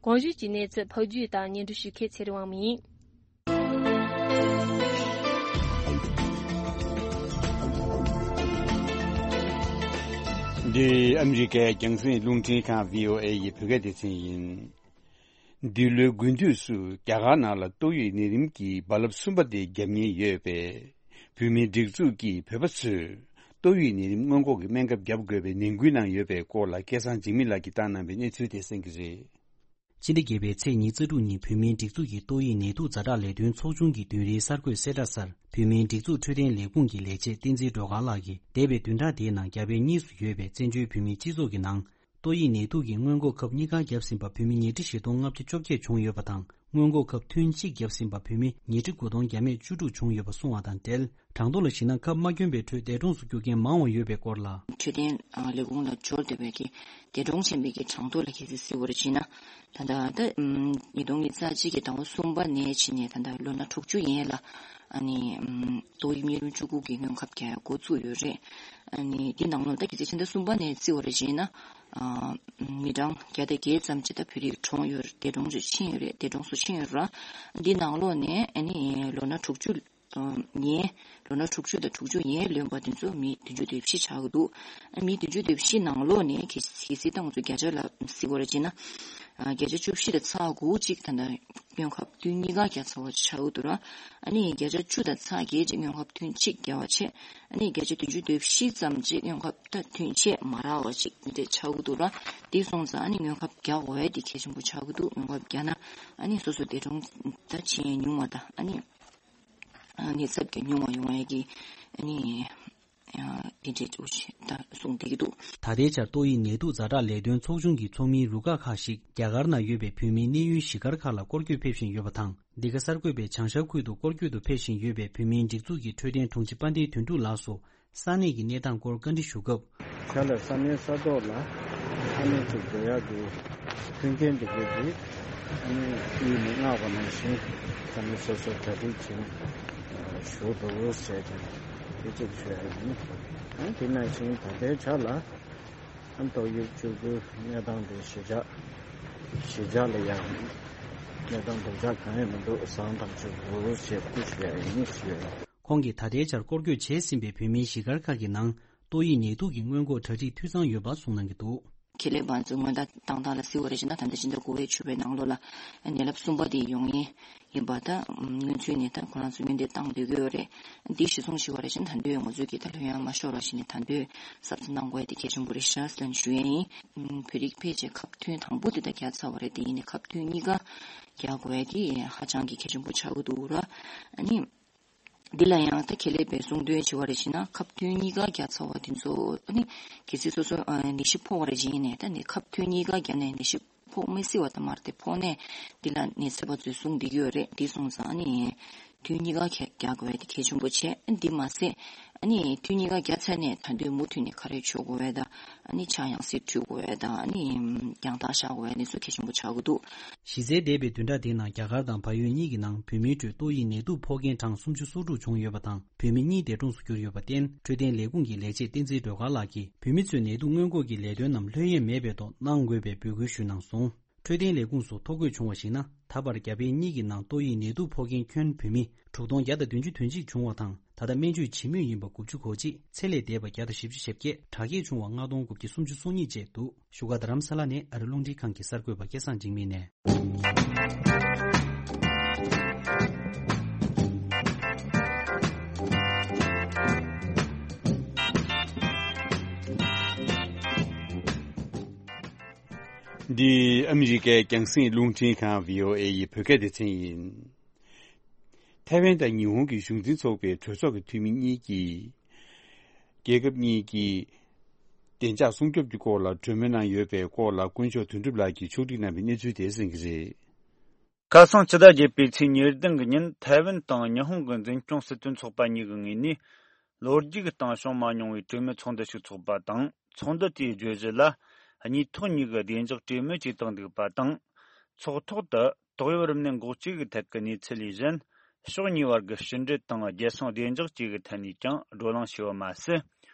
གོང་ཞུས་ཀྱི་གནས་ཚུལ་ཕབ་སྒྱུར་དང་སྙན་སྒྲོན་ཞུ་མཁན་ཚེ་རིང་དབང་མོ་ཡིན། འདི་ཨ་མི་རི་ཀའི་རྒྱང་སྲིང་རླུང་འཕྲིན་ཁང་བྷི་ཨོ་ཨེ་ཡི་བོད་སྐད་སྡེ་ཚན་ཡིན། འདི་ལོའི་དགུན་དུས་སུ་རྒྱ་གར་ནང་ལ་ཏོག་དབྱིབས་ནད་རིམས་ཀྱི་རྦ་རླབས་གསུམ་པ་དེ་རྒྱབ་ཉེན་ཡོད་པས། བོད་མིའི་སྒྲིག་འཛུགས་ཀྱིས་བོད་པ་ཚོས་ཏོག་དབྱིབས་ནད་རིམས་སྔོན་འགོག་གི་སྨན་ཁབ་བརྒྱབ་དགོས་པའི་ནན་སྐུལ་གནང་ཡོད་པའི་སྐོར་ལ་སྐལ་བཟང་འཇིགས་མེད་ལགས་ཀྱིས་བཏང་གནང་བའི་གནས་ཚུལ་དེ་གསན་གྱི་རེད། ཕྱི་ཟླ་བརྒྱད་པའི་ཚེས་ཉི་ཤུ་རྩ་དྲུག་ཉིན་བོད་མིའི་སྒྲིག་འཛུགས་ཀྱིས་ཏོག་དབྱིབས་ནད་དུག་ཛ་དྲག་ལས་དོན་ཚོགས་ཆུང་གི་བདུན་རེའི་གསར་འགོད་གསལ་བསྒྲགས་སར། བོད་མིའི་སྒྲིག་འཛུགས་འཕྲོད་བསྟེན་ལས་ཁུངས་ཀྱི་ལས་བྱེད་བསྟན་འཛིན་སྒྲོལ་དཀར་ལགས་ཀྱིས། འདས་པའི་བདུན་ཕྲག་དེའི་ནང་རྒྱ་བལ་གཉིས་སུ་ཡོད་པའི་བཙན་བྱོལ་བོད་མིའི་སྤྱི་ཚོགས་ཀྱི་ནང་། ཏོག་དབྱིབས་ནད་དུག་གི་སྔོན་འགོག་ཁབ་གཉིས་ཀ་བརྒྱབ་ཟིན་པ་བོད་མི་ཉིས་ཁྲི་བཞི་སྟོང་ལྔ་བཅུ་བཅོ་བརྒྱད་བྱུང་ཡོད་པ་དང་། སྔོན་འགོག་ཁབ་ཐུན་གཅིག་བརྒྱབ་ཟིན་པ་བོད་མི་ཉིས་ཁྲི་དགུ་སྟོང་བརྒྱ་མེད་བཅུ་དྲུག་བྱུང་ཡོད་པ་གསུངས་བ་དང་འབྲེལ། གྲངས་ཐོ་ལ་གཞིགས་ན་ཁབ་མ་གྱོན་པའི་ཁྲོད་འདས་གྲོངས་སུ་གྱུར་མཁན་མང་བ་ཡོད་པའི་སྐོར་ལ། འཕྲོད་བསྟེན་ལས་ཁུངས་ལ་འབྱོར་བསྡད་པའི་གི་འདས་གྲོངས་ཕྱིན་པའི་གི་གྲངས་ཐོ་ལ་གལ་སྲིད་གཟིགས་པར་བྱས་ན། ད་ལྟ་ད་ཉིས་སྟོང་ཉི་ཤུ་རྩ་གཅིག་གི་ཟླ་བ་གསུམ་པ་ནས་ཕྱིན་ནས་ད་ལྟ་ལོ་ན་དྲུག་ཅུ་ཡན་ལ་ཨ་ནི་ཏོག་དབྱིབས་གཉན་རིམས་བཅུ་དགུ་གི་སྔོན་ཁབ་རྒྱག་འགོ་བཙུགས་ཡོད་རེད། ཨ་ནི་འདི་ནང་ལོགས་ད་གལ་སྲིད་ཕྱི་ཟླ་གསུམ་པ་ནས་བརྩི་བར་བྱས་ན། མི་གྲངས་བརྒྱ་དང་བརྒྱད་ཙམ་ཅིག་ད་བོད་རིགས་གྲོངས་ཡོད་རེད། འདས་གྲོངས་ཕྱིན་ཡོད་རེད། འདས་གྲོངས་སུ་ཕྱིན་ཡོད་རེད། འདི་ནང་ལོགས་ནས་ཨ་ནི་ལོ་ན་དྲུག་ཅུ་ དང་ཡན། ལོ་ན་དྲུག་ཅུ་དང་དྲུག་ཅུ་ཡན་ལོན་པ་དེ་ཚོ་མི་བདུན་ཅུ་དོན་བཞི་ཆགས་ཀྱི་འདུག་ཨ་མི་བདུན་ཅུ་དོན་བཞི་ནང་ལོགས་ནས་གལ་གལ་སྲིད་ད་ང་ཚོ་བརྒྱ་ཆ་ལ་གཟིགས་པ་རེད་བྱས་ན། ཨ་བརྒྱ་ཆ་བཅུ་བཞི་དང་ཚེག་དགུ་ཅིག་ད་ལྟ་སྔོན་ཁབ་ཐུན་གཉིས་ཀ་བརྒྱབ་ཚར་བ་ཆགས་ཀྱི་འདུག་ར། ཨ་ནི་བརྒྱ་ཆ་བཅུ་དང་ཚེག་བརྒྱད་ཅིག་སྔོན་ཁབ་ཐུན་གཅིག་བརྒྱབ་པ་བྱས། ཨ་ནི་བརྒྱ་ཆ་བདུན་ཅུ་དོན་བཞི་ཙམ་ཅིག་སྔོན་ཁབ་ད་ཐུན་ཆད་མ་རག་པ་ཅིག་དེ་འདྲ་ཆགས་ཀྱི་འདུག་ར། དེ་སོང་ཙང་ཨ་ནི་སྔོན་ཁབ་རྒྱག་དགོས་ཡ་དེ་གལ་ཆེན་པོ་ཆགས་ཀྱི་འདུག་སྔོན་ཁབ་རྒྱག་ན་ཨ་ནི་སོ་སོ་འདས་གྲོངས་ད་ཆེན་ཉུང་བ་དང་ཨ་ནི་ཨ་ནི་ཚབས་ཀྱི་ཉུང་བ་ཡོང་ཡ་གི་ཨ་ནི་ཨ་དེ་འདྲའི་འདུག་ཅེས་ད་གསུངས་བསྡད་ཀྱི་འདུག་ད་ལྟའི་ཆར་ཏོག་དབྱིབས་ནད་དུག་ཛ་དྲག་ལས་དོན་ཚོགས་ཆུང་གི་ཚོགས་མིའི་རུ་ཁག་ཁག་ཞིག་རྒྱ་གར་ནང་ཡོད་པའི་བོད་མིའི་གནས་ཡུལ་གཞིས་སྒར་ཁག་ལ་སྐོར་སྐྱོད་ཕེབས་བཞིན་ཡོད་པ་དང་། འདི་ག་གསར་འགོད་པས་བྱང་ཤར་ཁུལ་དུ་སྐོར་སྐྱོད་དུ་ཕེབས་བཞིན་ཡོད་པའི་བོད་མིའི་སྒྲིག་འཛུགས་ཀྱི་འཕྲོད་བསྟེན་དྲུང་ཆེ་དཔལ་ལྡན་དོན་གྲུབ་ལགས་སུ་ས་གནས་ཀྱི་གནས་སྟངས་སྐོར་བཀའ་འདྲི་ཞུ་སྐབས། ཁ་ལ་ས་གནས་ས་ཐོག་ལ་ས་གནས་ཀྱི་འགྲོ་ཡག་གི་མཐུན་རྐྱེན་འདི་གའི་དེ་ཨ་ནི་གཡུལ་ནས་མངགས་པ་ནང་བཞིན་ས་གནས་སོ་སོ་གྲ་སྒྲིག་བྱས་ནས་བཞུགས་འདུག་ཟེར་ཏེ་དེ་གཅིག་ཞུ་ཡ་ཡིན། ཨ་དེ་ནང་བཞིན་ད་ལྟའི་ཆ་ལ་ཨ་ཏོག་དབྱིབས་བཅུ་དགུ་གནས་སྟངས་དེ་གཞིས་ཆགས་གཞིས་ཆགས་ལ་ཡང་གནས་སྟངས་སྡུག་ཅག་གང་ཡང་མི་འདུག་བཟང་ཐག་ཆོད་འདུག་ཞེས་སྐུལ་ཞུ་ཡ་ཡིན་ཞུས། ཁོང་གིས་ད་ལྟའི་ཆར་སྐོར་སྐྱོད་བྱས་ཟིན་པའི་བོད་མིའི་གཞིས་སྒར་ཁག་གི་ནང་ཏོག་དབྱིབས་ནད་དུག་གི་སྔོན་འགོག་གྲ་སྒྲིག་འཐུས་ཚང་ཡོད་པ་གསུངས་གནང་གི་འདུག་ཁེ་ལས་བ་ཚོ་སྔོན་བརྡ་བཏང་སྟངས་ལ་གཟིགས་པ་རེད་བྱས་ན་ད་ལྟ་ཕྱི་ཟླ་དགུ་པའི་བཅུ་པའི་ནང་ལོགས་ལ་ནད་རླབས་གསུམ་པ་དེ་ཡོང་ཡས་ཡིན་པ་དང་། སྔོན་ཚུད་ནས་ད་ཁོ་རང་ཚོ་སྔོན་འདེད་བཏང་སྡོད་ཀྱི་ཡོད་རེད། འདི་གཞི་བཟུང་ཞུ་བ་རེད་བྱས་ན་ད་དུང་ང་ཚོས་ཀྱི་ད་ལྷོད་ཡངས་མ་ཤོར་བ་ཞིག་ནས་ད་དུང་གཟབ་གཟབ་གནང་དགོས་ཡ་དེ་གལ་ཆེན་པོ་རེད་ཤག་ཟེར་ནས་ཞུ་ཡས་ཡིན། བོད་རིགས་ཕལ་ཆེར་ཁབ་ཐུན་དང་པོ་དེ་ད་བརྒྱབ་ཚར་བ་རེད། དེ་ཡིན་ནའི་ཁབ་ཐུན་གཉིས་ཀ་རྒྱག་དགོས་ཡ་དེ་ཧ་ཅང་གི་གལ་ཆེན་པོ་ཆགས་ཀྱི་འདུག་ར། ཨ་ནི། འདི་ལ་ཡང་ད་ཁེ་ལས་པས་གསུང་དོན་བྱས་པ་རེད་བྱས་ན་ཁབ་ཐུན་གཉིས་ཀ་བརྒྱབ་ཚར་བ་དེ་ཚོ་ཨ་ནི་གལ་སྲིད་སོ་སོ་ཨ་ནད་གཞི་ཕོག་པ་རེད་བྱས་ནས་ད་ནི་ཁབ་ཐུན་གཉིས་ཀ་བརྒྱབ་ནས་ནད་གཞི་ཕོག་མི་སྲིད་པ་ད་མ་རེད་དེ། ཕོག་ནས་འདི་ལ་ནད་ཚབས་པ་ཚོས་གསུང་བསྡད་ཀྱི་ཡོད་རེད། འདི་སོང་ཙང་ཨ་ནི་ཐུན་གཉིས་ཀ་ག་རྒྱག་དགོས་ཡ་དེ་གལ་ཆེན་པོ་བྱས། འདི་མ་ཟད་ཨ་ནི་ཐུན་གཉིས་ཀ་བརྒྱབ་ཚར་ནས་ད་དུང་མུ་མཐུད་ནས་ཁ་རས་གྱོན་དགོས་ཡ་དང་། ཨ་ནི་ཕྱགས་ཡང་སེ་འཁྲུད་དགོས་ཡ་དང་། ཨ་ནི་རྒྱང་ཐག་བཞག་དགོས་ཡ་དེ་ཚོ་གལ་ཆེན་པོ་ཆགས་ཀྱི་འདུག་གཞི་རྩའི་འདས་པའི་བདུན་ཕྲག་དེའི་ནང་རྒྱ་གར་དང་བལ་ཡུལ་གཉིས་ཀྱི་ནང་བོད་མིའི་ཁྲོད་ཏོག་དབྱིབས་ནད་དུག་ཕོག་མཁན་གྲངས་སུམ་ཅུ་སོ་དྲུག་བྱུང་ཡོད་པ་དང་། བོད་མི་གཉིས་འདས་གྲོངས་སུ་གྱུར་ཡོད་པར་བརྟེན། འཕྲོད་བསྟེན་ལས་ཁུངས་ཀྱི་ལས་བྱེད་བསྟན་འཛིན་སྒྲོལ་དཀར་ལགས་ཀྱིས་བོད་མི་ཚོས་ནད་དུག་སྔོན་འགོག་གི་ལས་དོན་རྣམས་ལྷོད་གཡེང་མེད་པའི་ཐོག་གནང་དགོས་པའི་འབོད་སྐུལ་ཞུས་གནང་སོང་། འཕྲོད་བསྟེན་ལས་ཁུངས་སུ་ཐོ་འགོད་བྱུང་བར་གཞིགས་ན། ད་བར་རྒྱ་བལ་གཉིས་ཀྱི་ནང་ཏོག་དབྱིབས་ནད་དུག་ཕོག་མཁན་ཁྱོན་བོད་མི་དྲུག་སྟོང་བརྒྱ་དང་བདུན་ཅུ་དོན་གཅིག་བྱུང་བ་དང་། ད་ལྟ་སྨན་བཅོས་བྱེད་མུས་ཡིན་པ་དགུ་བཅུ་གོ་གཅིག་ཚེ་ལས་འདས་པ་བརྒྱ་དང་བཞི་བཅུ་ཞེ་བརྒྱད། དྲག་སྐྱེད་བྱུང་བ་ལྔ་སྟོང་དགུ་བརྒྱ་སུམ་ཅུ་སོ་གཉིས་བཅས་འདུག་བཞུགས་སྒར་རྡ་རམ་ས་ལ་ནས་ཨ་རི་རླུང་འཕྲིན་ཁང་གི་གསར་འགོད་པ་སྐལ་བཟང་འཇིགས་མེད་ནས། འདི་ཨ་མི་རི་ཀའི་རྒྱང་སྲིང་རླུང་འཕྲིན་ཁང་བྷི་ཨོ་ཨེ་ཡི་བོད་སྐད་སྡེ་ཚན་ཡིན། ཐའེ་ཝན་དང་ཉི་ཧོང་གི་གཞུང་འཛིན་ཚོགས་པའི་གྲོས་ཚོགས་ཀྱི་འཐུས་མི་གཉིས་ཀྱིས། རྒྱལ་ཁབ་གཉིས་ཀྱི་བདེ་འཇགས་སྲུང་སྐྱོབ་ཀྱི་སྐོར་ལ་གྲོས་མོལ་གནང་ཡོད་པའི་སྐོར་ལ། དཀོན་མཆོག་དོན་གྲུབ་ལགས་ཀྱིས་ཕྱོགས་སྒྲིག་གནང་བའི་གནས་ཚུལ་དེ་གསན་གྱི་རེད། ཁ་སང་ཕྱི་ཟླ་བརྒྱད་པའི་ཚེས་ཉེར་བདུན་གྱི་ཉིན། ཐའེ་ཝན་དང་ཉི་ཧོང་གི་འཛིན་སྐྱོང་སྲིད་དོན་ཚོགས་པ་གཉིས་ཀྱི་ངོས་ནས། ལོ་རྒྱུས་ཀྱི་སྟེང་བྱུང་མ་མྱོང་བའི་གྲོས་མོལ་ཚོགས་འདུ་ཞིག་ཚོགས་པ་དང་། ཚོགས་འདུ་དེའི་བརྗོད་གཞི་ལ། གཉིས་ཐོག་གཉིས་ཀྱི་བདེ་འཇགས་གྲོས་མོལ་བྱས་བཏང་འདུག་པ་དང་། ཚོགས་ཐོག་ཏུ། ཏོག་དབྱིབས་རིམས་ནད་འགོག་བཅོས་ཀྱི་ཐད་ཀྱི་གནས་ཚུལ་ལས་གཞན། ཕྱོགས་གཉིས་བར་གྱི་ཕྱི་འབྲེལ་དང་རྒྱལ་སྲུང་བདེ་འཇགས་བཅས་ཀྱི་ཐད་ནས་ཀྱང་བགྲོ་གླེང་བྱས་པ་མ་ཟད།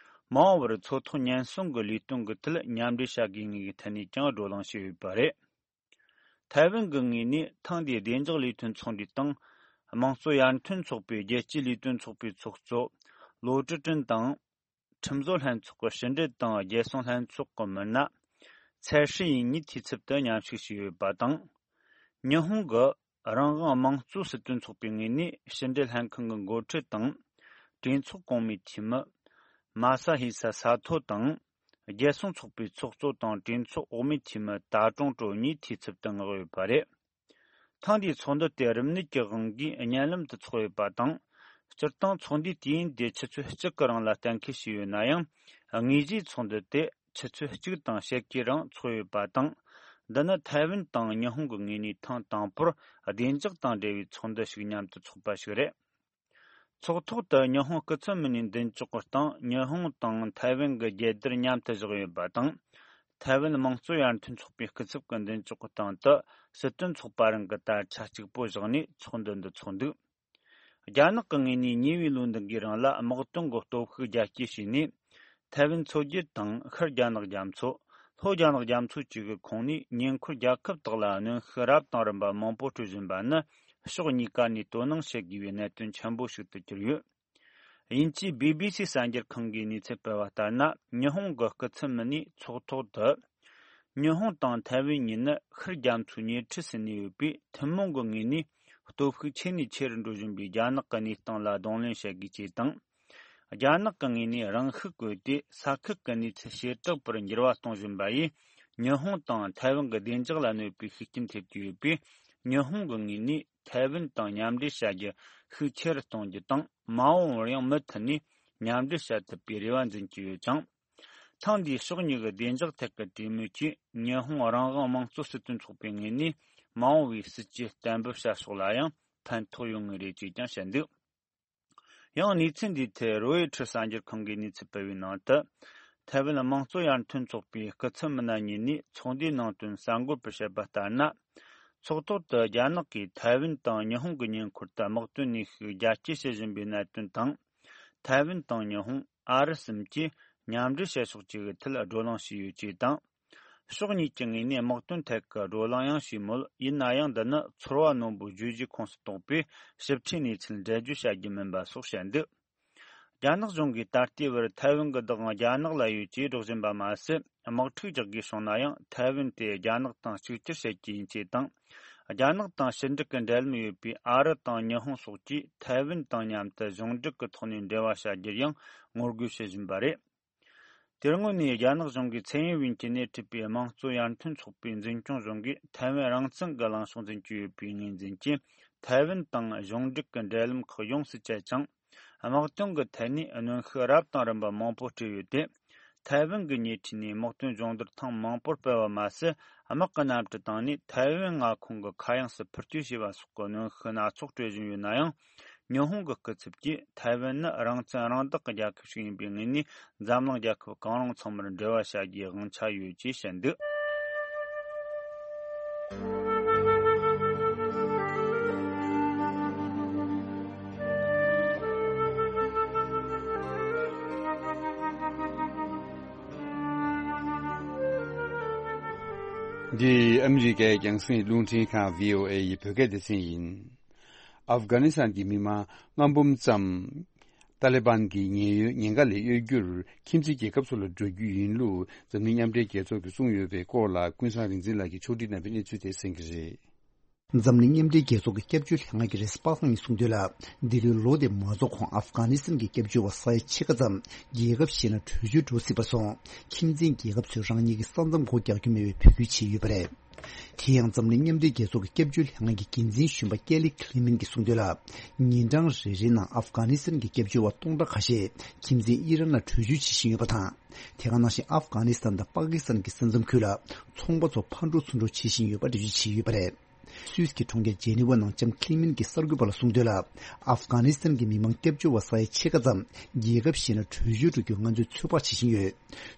མ་འོངས་པར་མཚོ་ཐོག་ཉེན་སྲུང་གི་ལས་དོན་གྱི་ཐད་མཉམ་འབྲེལ་བྱ་དགོས་ངེས་ཀྱི་ཐད་ནས་ཀྱང་བགྲོ་གླེང་བྱས་ཡོད་པ་རེད། ཐའེ་ཝན་གྱི་ངོས་ནས་ཐེངས་འདིའི་བདེ་འཇགས་ལས་དོན་ཚོགས་འདུའི་སྟེང་། དམངས་གཙོ་ཡར་ཐོན་ཚོགས་པའི་རྒྱལ་སྤྱིའི་ལས་དོན་ཚོགས་པའི་ཚོགས་གཙོ་ལོ་ཀྲི་ཀྲིན་དང་། ཁྲིམས་བཟོ་ལྷན་ཚོགས་ཀྱི་ཕྱི་འབྲེལ་དང་རྒྱལ་སྲུང་ལྷན་ཚོགས་ཀྱི་མི་སྣ་ཚའེ་ཧྲི་ཡིན་གཉིས་འཐུས་ཚབ་ཏུ་མཉམ་ཞུགས་བྱས་ཡོད་པ་དང་། ཉི་ཧོང་གི་རང་དབང་དམངས་གཙོ་སྲིད་དོན་ཚོགས་པའི་ངོས་ནས་ཕྱི་འབྲེལ་ལྷན་ཁང་གི་འགོ་ཁྲིད་དང་། གྲོས་ཚོགས་གོང་མའི་འཐུས་མི་མ་ས་ཧི་ས་ས་ཐོ་དང་། རྒྱལ་སྲུང་ཚོགས་པའི་ཚོགས་གཙོ་དང་གྲོས་ཚོགས་འོག་མའི་འཐུས་མི་ཏཱ་ཀྲུང་ཀྲོའུ་གཉིས་འཐུས་ཚབ་ཏུ་མངགས་ཡོད་པ་རེད། ཐེངས་འདིའི་ཚོགས་འདུ་དེ་རིམས་ནད་ཀྱི་དབང་གིས་བརྙན་ལམ་དུ་ཚོགས་ཡོད་པ་དང་། སྤྱིར་བཏང་ཚོགས་འདུའི་དུས་ཡུན་དེ་ཆུ་ཚོད་གཅིག་གི་རིང་ལ་གཏན་འཁེལ་བྱས་ཡོད་ན་ཡང་། དངོས་གཞིའི་ཚོགས་འདུ་དེ་ཆུ་ཚོད་གཅིག་དང་ཕྱེད་ཀའི་རིང་ཚོགས་ཡོད་པ་དང་། འདི་ནི་ཐའེ་ཝན་དང་ཉི་ཧོང་གི་ངོས་ནས་ཐེངས་དང་པོར་བདེ་འཇགས་དང་འབྲེལ་བའི་ཚོགས་འདུ་ཞིག་མཉམ་དུ་ཚོགས་པ་ཞིག་རེད། ཚོགས་ཐོག་ཏུ་ཉི་ཧོང་སྐུ་ཚབ་མི་སྣའི་མདུན་ཅོག་གི་སྟེང་ཉི་ཧོང་དང་ཐའེ་ཝན་གྱི་རྒྱལ་དར་མཉམ་དུ་བཞག་ཡོད་པ་དང་། ཐའེ་ཝན་དམངས་གཙོ་ཡར་ཐོན་ཚོགས་པའི་སྐུ་ཚབ་ཀྱི་མདུན་ཅོག་གི་སྟེང་དུ་སྲིད་དོན་ཚོགས་པ་རང་གི་དར་ཆ་གཅིག་པོ་བཞག་ནས་ཚོགས་འདུ་འདི་ཚོགས་འདུག་རྒྱ་ནག་གི་ངོས་ནས་ཉེ་བའི་ལོ་འདི་འགའི་རིང་ལ་དམག་དོན་གྱི་སྟོབས་ཤུགས་རྒྱ་སྐྱེད་བྱས་ནས། ཐའེ་ཝན་མཚོ་རྒྱུད་དང་ཤར་རྒྱ་ནག་རྒྱ་མཚོ། ལྷོ་རྒྱ་ནག་རྒྱ་མཚོ་བཅས་ཀྱི་ཁོངས་ནས་ཉེ་འཁོར་རྒྱལ་ཁབ་དག་ལ་གནོན་ཤུགས་རབ་དང་རིམ་པ་མང་པོ་སྤྲོད་བཞིན་པ་ནི་ ཕྱོགས་གཉིས་ཀ་ནས་དོ་སྣང་བྱེད་དགོས་པའི་གནད་དོན་ཆེན་པོ་ཞིག་ཏུ་གྱུར་ཡོད། དབྱིན་ཇིའི་བྷི་བྷི་སི་གསར་འགྱུར་ཁང་གིས་གནས་ཚུལ་སྤེལ་བ་ལྟར་ན། ཉི་ཧོང་གི་སྐུ་ཚབ་མི་སྣས་ཚོགས་ཐོག་ཏུ། ཉི་ཧོང་དང་ཐའེ་ཝན་གཉིས་ནི་ཤར་རྒྱ་མཚོའི་ཉེ་འཁྲིས་སུ་གནས་ཡོད་པས། ཐུན་མོང་གི་ངོས་ནས་སྟོབས་ཤུགས་ཆེ་ནས་ཆེ་རུ་འགྲོ་བཞིན་པའི་རྒྱ་ནག་གི་གནས་སྟངས་ལ་གདོང་ལེན་བྱེད་དགོས་ཅེས་དང་། རྒྱ་ནག་གི་ངོས་ནས་རང་ཤུགས་བཀོལ་ཏེ་ས་ཁུལ་གྱི་གནས་ཚུལ་ཞེ་དྲག་པར་འགྱུར་བ་གཏོང་བཞིན་པ་ཡིས། ཉི་ཧོང་དང་ཐའེ་ཝན་གྱི་བདེ་འཇགས་ལ་གནོད་པའི་ཤུགས་རྐྱེན་ཐེབས་ཀྱི་ཡོད་པས། ཉི་ཧོང་གི་ངོས་ནས་ཐའེ་ཝན་དང་མཉམ་འབྲེལ་བྱ་རྒྱུ་ཤུགས་ཆེ་རུ་གཏོང་རྒྱུ་དང་། མ་འོངས་པར་ཡང་མུ་མཐུད་ནས་མཉམ་འབྲེལ་བྱ་ཐུབ་པའི་རེ་བ་འཛིན་གྱི་ཡོད་ཅིང་། ཐེངས་འདིའི་ཕྱོགས་གཉིས་ཀྱི་བདེ་འཇགས་ཐད་ཀྱི་གྲོས་མོལ་གྱིས། ཉི་ཧོང་རང་དབང་དམངས་གཙོ་སྲིད་དོན་ཚོགས་པའི་ངོས་ནས་མ་འོངས་པའི་སྲིད་ཇུས་གཏན་འབེབས་བྱ་ཕྱོགས་ལ་ཡང་ཕན་ཐོགས་ཡོང་ངེས་རེད་ཅེས་ཀྱང་བཤད་འདུག། ཡང་གནས་ཚུལ་འདིའི་ཐད་རོའི་ཊར་གསར་འགྱུར་ཁང་གིས་གནས་ཚུལ་སྤེལ་བའི་ནང་དུ། ཐའེ་ཝན་དམངས་གཙོ་ཡར་ཐོན་ཚོགས་པའི་སྐུ་ཚབ་མི་སྣ་གཉིས་ནས་ཚོགས་འདུའི་ནང་དོན་གསར་འགོད་པར་བཤད་པ་ལྟར་ན། ཚོགས་ཐོག་ཏུ་རྒྱ་ནག་གིས་ཐའེ་ཝན་དང་ཉི་ཧོང་གི་ཉེ་འཁོར་དུ་དམག་དོན་གནོན་ཤུགས་རྒྱ་སྐྱེད་བྱེད་བཞིན་པའི་གནད་དོན་དང་། ཐའེ་ཝན་དང་ཉི་ཧོང་། ཨ་རི་གསུམ་གྱིས་མཉམ་འབྲེལ་བྱེད་ཕྱོགས་བཅས་ཀྱི་ཐད་བགྲོ་གླེང་བྱས་ཡོད་ཅེས་དང་། ཕྱོགས་གཉིས་ཀྱི་ངོས་ནས་དམག་དོན་ཐད་ཀྱི་བགྲོ་གླེང་ཡང་བྱས་མོད། ཡིན་ན་ཡང་། འདི་ནི་ཚོར་བ་རྣོན་པོའི་བརྗོད་གཞིའི་ཁོངས་སུ་གཏོགས་པས། ཞིབ་ཕྲའི་གནས་ཚུལ་འགྲེལ་བརྗོད་བྱ་རྒྱུ་མིན་པ་སོགས་བཤད་འདུག། རྒྱ་ནག་གཞུང་གིས་ད་ལྟའི་བར་ཐའེ་ཝན་གྱི་བདག་དབང་རྒྱ་ནག་ལ་ཡོད་ཅེས་སྒྲོག་བཞིན་པ་མ་ཟད། དམག་འཁྲུག་རྒྱག་དགོས་བྱུང་ན་ཡང་། ཐའེ་ཝན་དེ་རྒྱ་ནག་དང་གཅིག་གྱུར་བྱེད་རྒྱུ་ཡིན་ཅེས་དང་། རྒྱ་ནག་དང་ཕྱི་འབྲེལ་གྱི་འབྲེལ་ལམ་ཡོད་པའི་ཨ་རི་དང་ཉི་ཧོང་སོགས་ཀྱིས་ཐའེ་ཝན་དང་མཉམ་དུ་གཞུང་འབྲེལ་གྱི་ཐོག་ནས་འབྲེལ་བ་བྱ་རྒྱུར་ཡང་ངོ་རྒོལ་བྱེད་བཞིན་པ་རེད། དེ་སྔོན་ནས་རྒྱ་ནག་གཞུང་གིས་ཚེ་ཡིན་ཝིན་གྱིས་སྣེ་ཁྲིད་པའི་དམངས་གཙོ་ཡར་ཐོན་ཚོགས་པའི་འཛིན་སྐྱོང་གཞུང་གིས་ཐའེ་ཝན་རང་བཙན་གྱི་ལངས་ཕྱོགས་འཛིན་གྱི་ཡོད་པའི་ངོས་འཛིན་གྱིས། ཐའེ་ཝན་དང་གཞུང་འབྲེལ་གྱི་འབྲེལ་ལམ་ཁག་ཡོངས་སུ་བཅད་ཅིང་། དམག་དོན་གྱི་ཐད་ནས་གནོན་ཤུགས་རབ་དང་རིམ་པ་མང་པོ་སྤྲད་ཡོད་དེ། ཐའེ་ཝན་གྱི་ཉེ་འཁྲིས་ནས་དམག་དོན་སྦྱོང་བརྡར་ཐེངས་མང་པོར་སྤེལ་བ་མ་ཟད། དམག་གི་གནམ་གྲུ་བཏང་ནས་ཐའེ་ཝན་མངའ་ཁོངས་ཀྱི་མཁའ་དབྱིངས་སུ་འཕུར་སྐྱོད་བྱས་པ་སོགས་ཀྱི་གནོན་ཤུགས་སྣ་ཚོགས་སྤྲོད་བཞིན་ཡོད་ན་ཡང་། ཉི་ཧོང་གི་སྐུ་ཚབ་ཀྱིས་ཐའེ་ཝན་ནི་རང་བཙན་རང་བདག་གི་རྒྱལ་ཁབ་ཞིག་ཡིན་པའི་ངོས་ནས། འཛམ་གླིང་རྒྱལ་ཁབ་གང་རུང་ཚང་མར་འབྲེལ་བ་བྱ་རྒྱུའི་དབང་ཆ་ཡོད་ཅེས་བཤད་འདུག། འདི་ཨ་མི་རི་ཀའི་རྒྱང་སྲིང་རླུང་འཕྲིན་ཁང་། བྷི་ཨོ་ཨེ་ཡི་བོད་སྐད་སྡེ་ཚན་ཡིན། ཨབ་གྷ་ནི་སི་ཐན་གྱི་མི་མང་ལྔ་འབུམ་ཙམ། ཏཱ་ལི་བན་གྱི་ཉེན་གཡོལ་ཉེན་ཁ་ལས་གཡོལ་རྒྱུར་ཁྱིམ་མཚེས་རྒྱལ་ཁབ་ཚོ་ལ་འགྲོ་རྒྱུ་ཡིན་ལུགས་འཛམ་གླིང་མཉམ་འབྲེལ་རྒྱལ་ཚོགས་ཀྱིས་གསུངས་ཡོད་པའི་སྐོར་ལ། ཀུན་བཟང་རིག་འཛིན་ལགས་ཀྱིས་ཕྱོགས་སྒྲིག་གནང་བའི་གནས་ཚུལ་དེ་གསན་གྱི་རེད། འཛམ་གླིང་མཉམ་འབྲེལ་རྒྱལ་ཚོགས་ཀྱི་སྐྱབས་བཅོལ་ལྷན་ཁང་གི་རེས་གཟའ་པ་སངས་ཉིན་གསུངས་དོན་ལ། འདི་ལོའི་ལོ་དེ་མ་རྫོགས་གོང་ཨབ་གྷ་ནི་སི་ཐན་གྱི་སྐྱབས་བཅོལ་བ་ས་ཡ་ཕྱེད་ཀ་ཙམ་རྒྱལ་ཁབ་གཞན་ལ་བྲོས་བྱོལ་འགྲོ་སྲིད་པ་སོང་། ཁྱིམ་མཚེས་རྒྱལ་ཁབ་ཚོས་རང་ཉིད་ཀྱི་ས་མཚམས་སྒོ་རྒྱག་རྒྱུ་མེད་པའི་འབོད་སྐུལ་བྱས་ཡོད་པ་རེད། དེ་ཡང་འཛམ་གླིང་མཉམ་འབྲེལ་རྒྱལ་ཚོགས་ཀྱི་སྐྱབས་བཅོལ་ལྷན་ཁང་གི་འགན་འཛིན་གཞོན་པ་ཀེ་ལི་ཁི་ལི་མིན་གྱིས་གསུངས་དོན་ལ། ཉིན་གྲངས་རེ་རེའི་ནང་ཨབ་གྷ་ནི་སི་ཐན་གྱི་སྐྱབས་བཅོལ་བ་སྟོང་ཕྲག་ཁ་ཤས་ཁྱིམ་མཚེས་ཨི་རན་ལ་བྲོས་བྱོལ་བྱེད་བཞིན་ཡོད་པ་དང་། དེ་ག་ནང་བཞིན་ཨབ་གྷ་ནི་སི་ཐན་དང་པ་ཀི་སི་ཐན་གྱི་ས་མཚམས་ཁུལ་ལ་ཚོང་པ་ཚོ་ཕར་འགྲོ་ཚུར་འགྲོ་བྱེད་བཞིན་ཡོད་པ་འགྲེལ་བརྗོད་བྱས་ཡོད་པ་རེད། སུད་སི་གི་གྲོང་ཁྱེར་ཇེ་ནི་ཝ་ནང་ལྕམ་ཁི་ལི་མིན་གྱིས་གསར་འགོད་པ་ལ་གསུངས་དོན་ལ། ཨབ་གྷ་ནི་སི་ཐན་གྱི་མི་མང་སྐྱབས་བཅོལ་བ་ས་ཡ་ཕྱེད་ཀ་ཙམ་རྒྱལ་ཁབ་གཞན་ལ་བྲོས་བྱོལ་འགྲོ་རྒྱུ་ང་ཚོས་ཚོད་དཔག་བྱེད་བཞིན་ཡོད།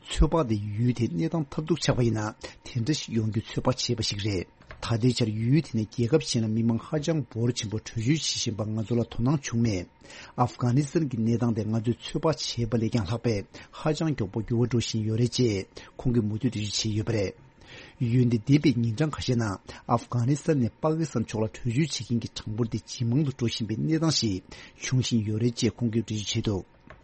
ཚོད་དཔག་དེ་ཡུལ་དེའི་གནས་སྟངས་ཐབས་སྡུག་ཆགས་པ་ཡིན་ན། དེ་འདྲ་ཞིག་ཡོང་རྒྱུ་ཚོད་དཔག་བྱས་པ་ཞིག་རེད། ད་ལྟའི་ཆར་ཡུལ་དེ་ནས་རྒྱལ་ཁབ་གཞན་ལ་མི་མང་ཧ་ཅང་འབོར་ཆེན་པོ་བྲོས་བྱོལ་བྱེད་བཞིན་པ་ང་ཚོ་ལ་དོ་སྣང་བྱུང་མེད། ཨབ་གྷ་ནི་སི་ཐན་གྱི་གནས་སྟངས་དེ་ང་ཚོས་ཚོད་དཔག་བྱས་པ་ལས་ཀྱང་ལྷག་པའི་ཧ་ཅང་མགྱོགས་པོ་འགྱུར་བ་འགྲོ་བཞིན་ཡོད་རེད་ཅེས་ཁོང་གིས་མུ་མཐུད་འགྲེལ་བརྗོད་བྱས་ཡོད་པ་རེད། འོན་ཏེ་འདས་པའི་ཉིན་གྲངས་ཁ་ཤས་ནང་ཨབ་གྷ་ནི་སི་ཐན་ནས་པ་ཀི་སི་ཐན་ཕྱོགས་ལ་བྲོས་བྱོལ་བྱེད་མཁན་གྱི་གྲངས་འབོར་དེ་ཇེ་མང་དུ་འགྲོ་བཞིན་པའི་གནས་སྟངས་ཤིག་འབྱུང་བཞིན་ཡོད་རེད་ཅེས་ཁོང་གིས་འགྲེལ་བརྗོད་བྱས་འདུག།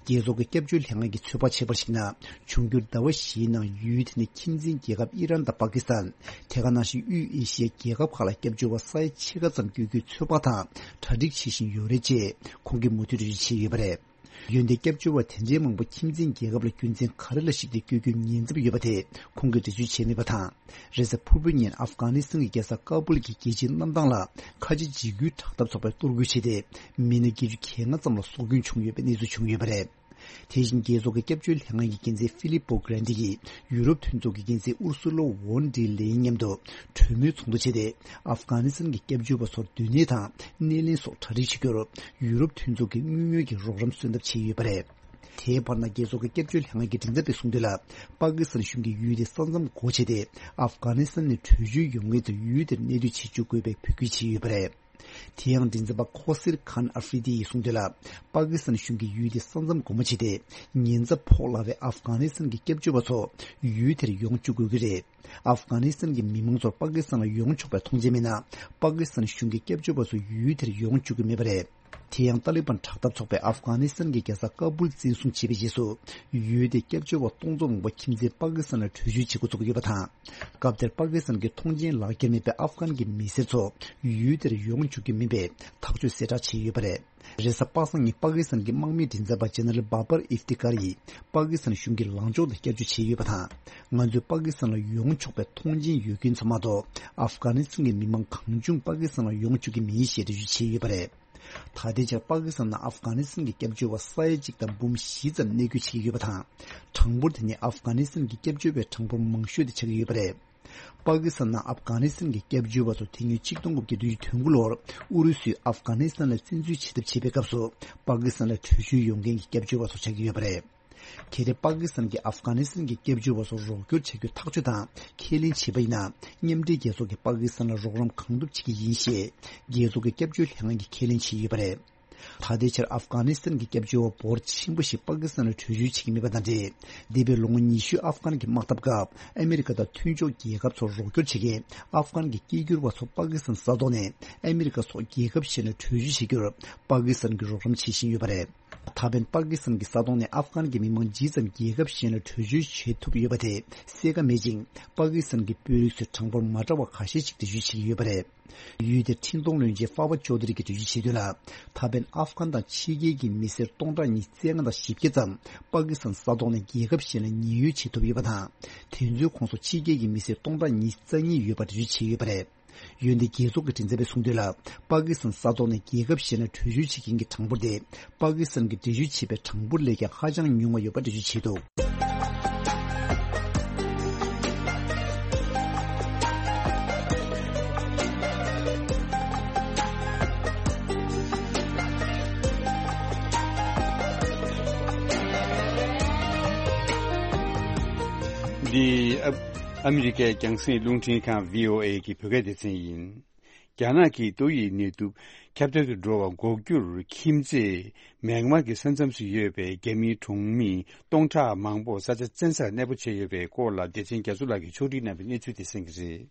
རྒྱལ་ཚོགས་ཀྱི་སྐྱབས་བཅོལ་ལྷན་ཁང་གིས་ཚོད་དཔག་བྱས་པར་གཞིགས་ན། འབྱུང་འགྱུར་ཟླ་བ་བཞིའི་ནང་ཡུལ་དེ་ནས་ཁྱིམ་མཚེས་རྒྱལ་ཁབ་ཨི་རན་དང་པ་ཀི་སི་ཐན། དེ་ག་ནང་བཞིན་དབུས་ཨེ་ཤི་ཡའི་རྒྱལ་ཁབ་ཁག་ལ་སྐྱབས་བཅོལ་བ་ས་ཡ་ཕྱེད་ཀ་ཙམ་བསྐྱོད་རྒྱུའི་ཚོད་དཔག་དང་གྲ་སྒྲིག་བྱེད་བཞིན་ཡོད་རེད་ཅེས་ཁོང་གིས་མུ་མཐུད་འགྲེལ་བརྗོད་བྱས་ཡོད་པ་རེད། འོན་ཏེ་སྐྱབས་བཅོལ་བ་དེ་འདྲའི་མང་པོ་ཁྱིམ་མཚེས་རྒྱལ་ཁབ་ལ་རྒྱུ་མཚན་ག་རེ་ལ་གཞིགས་ཏེ་བསྐྱོད་རྒྱུའི་ཉེན་ཚབས་ཡོད་པ་དེ་ཁོང་གིས་འགྲེལ་བརྗོད་བྱས་མེད་པ་དང་། རེས་གཟའ་ཕུར་བུའི་ཉིན་ཨབ་གྷ་ནི་སི་ཐན་གྱི་རྒྱལ་ས་ཀ་བུལ་གྱི་རྒྱལ་སྤྱིའི་གནམ་ཐང་ལ་ཁ་ཆེ་འཇིགས་སྐུལ་དྲག་འཐབ་ཚོགས་པས་གཏོར་རྒོལ་བྱས་ཏེ། མི་སྣ་བརྒྱད་ཅུ་གྱ་ལྔ་ཙམ་ལ་སྲོག་སྐྱོན་བྱུང་ཡོད་པའི་གནས་ཚུལ་བྱུང་ཡོད་པ་རེད། དེ་བཞིན་རྒྱལ་ཚོགས་ཀྱི་སྐྱབས་བཅོལ་ལྷན་ཁང་གི་འགན་འཛིན་ཧྥི་ལིབ་པོ་གྷི་རན་ཏི་ཡིས་ཡུ་རོབ་མཐུན་ཚོགས་ཀྱི་འགན་འཛིན་ཨུར་སུ་ལོ་ཝོན་ཌི་ལེ་ཡན་མཉམ་དུ་གྲོས་མོལ་ཚོགས་འདུ་བྱས་ཏེ། ཨབ་གྷ་ནི་སི་ཐན་གྱི་སྐྱབས་བཅོལ་བ་ཚོར་སྡོད་གནས་དང་སྣེ་ལེན་སོགས་གྲ་སྒྲིག་བྱེད་རྒྱུར་ཡུ་རོབ་མཐུན་ཚོགས་ཀྱིས་དངོས་ཡོད་ཀྱི་རོགས་རམ་སོན་ཐབས་བྱས་ཡོད་པ་རེད། དེའི་བར་ན་རྒྱལ་ཚོགས་ཀྱི་སྐྱབས་བཅོལ་ལྷན་ཁང་གི་མགྲིན་ཚབ་པས་གསུངས་དོན་ལ། པ་ཀི་སི་ཐན་གཞུང་གིས་ཡུལ་དེའི་ས་མཚམས་སྒོ་ཕྱེ་སྟེ། ཨབ་གྷ་ནི་སི་ཐན་ནས་བྲོས་བྱོལ་ཡོང་མཁན་ཚོ་ཡུལ་དེར་གནས་སྡོད་བྱེད་བཅུག་དགོས་པའི་འབོད་སྐུལ་བྱས་ཡོད་པ་རེད། དེ་ཡང་མགྲིན་ཚབ་པ་ཁོ་སིར་ཁཱན་ཨ་ཧྥི་རི་ཏི་ཡིས་གསུངས་དོན་ལ། པ་ཀི་སི་ཐན་གཞུང་གིས་ཡུལ་དེའི་ས་མཚམས་སྒོ་མོ་ཕྱེ་སྟེ། ཉེན་ཚབས་ཕོག་སླ་བའི་ཨབ་གྷ་ནི་སི་ཐན་གྱི་སྐྱབས་བཅོལ་བ་ཚོ་ཡུལ་དེར་ཡོང་བཅུག་དགོས་ཀྱི་རེད། ཨབ་གྷ་ནི་སི་ཐན་གྱི་མི་མང་ཚོར་པ་ཀི་སི་ཐན་ལ་ཡོང་ཆོག་པའི་ཐོངས་མཆན་མེད་ན། པ་ཀི་སི་ཐན་གཞུང་གིས་སྐྱབས་བཅོལ་བ་ཚོ་ཡུལ་དེར་ཡོང་བཅུག་གི་མེད་པ་རེད། དེ་ཡང་ཏཱ་ལི་བན་དྲག་འཐབ་ཚོགས་པས་ཨབ་གྷ་ནི་སི་ཐན་གྱི་རྒྱལ་ས་ཀ་སྦུལ་འཛིན་བཟུང་བྱས་པའི་རྗེས་སུ། ཡུལ་དེའི་སྐྱབས་བཅོལ་བ་སྟོང་ཚོ་མང་པོ་ཁྱིམ་མཚེས་པ་ཀི་སི་ཐན་ལ་བྲོས་བྱོལ་བྱེད་འགོ་བཙུགས་ཡོད་པ་དང་། སྐབས་དེར་པ་ཀི་སི་ཐན་གྱི་ཐོངས་མཆན་ལག་འཁྱེར་མེད་པའི་ཨབ་གྷན་གྱི་མི་སེར་ཚོ་ཡུལ་དེར་ཡོང་བཅུག་གི་མིན་པའི་ཐག་གཅོད་གསལ་བསྒྲགས་བྱས་ཡོད་པ་རེད། རེས་གཟའ་པ་སངས་ཉིན་པ་ཀི་སི་ཐན་གྱི་དམག་མིའི་མགྲིན་ཚབ་པ་ཇེ་ནེ་རལ་བྷ་བར་ཨིབ་ཏི་ཀར་ཡིས་པ་ཀི་སི་ཐན་གཞུང་གི་ལངས་ཕྱོགས་ལ་སྐྱབས་བཅོལ་བྱས་ཡོད་པ་དང་། ང་ཚོས་པ་ཀི་སི་ཐན་ལ་ཡོང་ཆོག་པའི་ཐོངས་མཆན་ཡོད་མཁན་ཚོ་མ་གཏོགས། ཨབ་གྷ་ནི་སི་ཐན་གྱི་མི་མང་གང་བྱུང་པ་ཀི་སི་ཐན་ལ་ཡོང་བཅུག་གི་མིན་ཞེས་འགྲེལ་བརྗོད་བྱས་ཡོད་པ་རེད། ད་ལྟའི་ཆར་པ་ཀི་སི་ཐན་ནང་ཨབ་གྷ་ནི་སི་ཐན་གྱི་སྐྱབས་བཅོལ་བ་ས་ཡ་གཅིག་དང་འབུམ་བཞི་ཙམ་གནས་སྡོད་བྱེད་ཀྱི་ཡོད་པ་དང་། གྲངས་འབོར་དེ་ནི་ཨབ་གྷ་ནི་སི་ཐན་གྱི་སྐྱབས་བཅོལ་བའི་གྲངས་འབོར་མང་ཤོས་དེ་ཆགས་ཀྱི་ཡོད་པ་རེད། པ་ཀི་སི་ཐན་ནང་ཨབ་གྷ་ནི་སི་ཐན་གྱི་སྐྱབས་བཅོལ་བ་ཚོ་དེ་སྔོན་ཆིག་སྟོང་དགུ་བརྒྱ་བདུན་ཅུ་དོན་དགུ་ལོར་ཨུ་རུ་སུས་ཨབ་གྷ་ནི་སི་ཐན་ལ་བཙན་འཛུལ་བྱེད་ཐབས་བྱེད་པའི་སྐབས་སུ། པ་ཀི་སི་ཐན་ལ་བྲོས་བྱོལ་ཡོང་མཁན་གྱི་སྐྱབས་བཅོལ་བ་ཚོ་ཆགས་ཀྱི་ཡོད་པ་རེད། གལ་ཏེ་པ་ཀི་སི་ཐན་གྱིས་ཨབ་གྷ་ནི་སི་ཐན་གྱི་སྐྱབས་བཅོལ་བ་ཚོར་རོགས་སྐྱོར་བྱ་རྒྱུའི་ཐག་གཅོད་དང་ཁས་ལེན་བྱས་པ་ཡིན་ན། མཉམ་འབྲེལ་རྒྱལ་ཚོགས་ཀྱིས་པ་ཀི་སི་ཐན་ལ་རོགས་རམ་གང་ཐུབ་བྱེད་ཀྱི་ཡིན་ཞེས་རྒྱལ་ཚོགས་ཀྱི་སྐྱབས་བཅོལ་ལྷན་ཁང་གིས་ཁས་ལེན་བྱས་ཡོད་པ་རེད། ད་ལྟའི་ཆར་ཨབ་གྷ་ནི་སི་ཐན་གྱི་སྐྱབས་བཅོལ་བ་འབོར་ཆེན་པོ་ཞིག་པ་ཀི་སི་ཐན་ལ་བྲོས་བྱོལ་བྱེད་ཀྱི་མེད་པ་དང་འབྲེལ། འདས་པའི་ལོ་ངོ་ཉི་ཤུ་ཨབ་གྷན་གྱི་དམག་འཐབ་སྐབས་ཨ་མེ་རི་ཀ་དང་མཐུན་ཕྱོགས་རྒྱལ་ཁབ་ཚོར་རོགས་སྐྱོར་བྱེད་མཁན་ཨབ་གྷན་གྱི་སྐད་སྒྱུར་བ་ཚོ་པ་ཀི་སི་ཐན་ས་ཐོག་ནས་ཨ་མེ་རི་ཀ་སོགས་རྒྱལ་ཁབ་གཞན་ལ་བྲོས་བྱོལ་བྱེད་རྒྱུར་པ་ཀི་སི་ཐན་གྱིས་རོགས་རམ་བྱེད་བཞིན་ཡོད་པ་རེད། ད་ཕན་པ་ཀི་སི་ཐན་གྱི་ས་ཐོག་ནས་ཨབ་གྷན་གྱི་མི་མང་ཇི་ཙམ་རྒྱལ་ཁབ་གཞན་ལ་བྲོས་བྱོལ་བྱེད་ཐུབ་ཡོད་པ་དེ་གསལ་ཁ་མེད་ཅིང་། པ་ཀི་སི་ཐན་གྱི་དཔོན་རིགས་ཚོས་གྲངས་འབོར་མ་འདྲ་བ་ཁ་ཤས་ཤིག་འགྲེལ་བརྗོད་བྱེད་ཀྱི་ཡོད་པ་རེད། ཡུལ་དེར་འཕྲིན་གཏོང་བློན་ཆེན་ཧྥ་བ་ཅོ་དྷ་རི་གིས་འགྲེལ་བརྗོད་བྱས་དོན་ལ། ད་ཕན་ཨབ་གྷན་དང་ཕྱི་རྒྱལ་གྱི་མི་སེར་སྟོང་ཕྲག་ཉི་ཤུ་རྩ་ལྔ་དང་བཞི་བརྒྱ་ཙམ་པ་ཀི་སི་ཐན་ས་ཐོག་ནས་རྒྱལ་ཁབ་གཞན་ལ་ཉེན་གཡོལ་བྱེད་ཐུབ་ཡོད་པ་དང་། དེ་ཚོའི་ཁོངས་སུ་ཕྱི་རྒྱལ་གྱི་མི་སེར་སྟོང་ཕྲག་ཉི་ཤུ་རྩ་གཉིས་ཡོད་པ་འགྲེལ་བརྗོད་བྱས་ཡོད་པ་རེད། འོན་ཏེ་རྒྱལ་ཚོགས་ཀྱི་མགྲིན་ཚབ་པས་གསུངས་དོན་ལ། པ་ཀི་སི་ཐན་ས་ཐོག་ནས་རྒྱལ་ཁབ་གཞན་ལ་བྲོས་བྱོལ་བྱེད་མཁན་གྱི་གྲངས་འབོར་དེ་པ་ཀི་སི་ཐན་གྱིས་འགྲེལ་བརྗོད་བྱས་པའི་གྲངས་འབོར་ལས་ཀྱང་ཧ་ཅང་ཉུང་བ་ཡོད་པ་འགྲེལ་བརྗོད་བྱས་འདུག། འདི་ཨ་ཨ་མི་རི་ཀའི་རྒྱང་སྲིང་རླུང་འཕྲིན་ཁང་བྷི་ཨོ་ཨེ་གི་བོད་སྐད་སྡེ་ཚན་ཡིན། རྒྱ་ནག་གིས་ཏོག་དབྱིབས་ནད་དུག་ཁྱབ་གདལ་དུ་འགྲོ་བ་འགོག་རྒྱུར་ཁྱིམ་མཚེས་མེན་མར་གྱི་ས་མཚམས་སུ་ཡོད་པའི་རྒྱ་མིའི་གྲོང་མི་སྟོང་ཕྲག་མང་པོ་ས་ཆ་བཙན་སར་གནས་སྤོ་བྱས་ཡོད་པའི་སྐོར་ལ་སྡེ་ཚན་རྒྱ་མཚོ་ལགས་ཀྱིས་ཕྱོགས་སྒྲིག་གནང་བའི་གནས་ཚུལ་དེ་གསན་གྱི་རེད།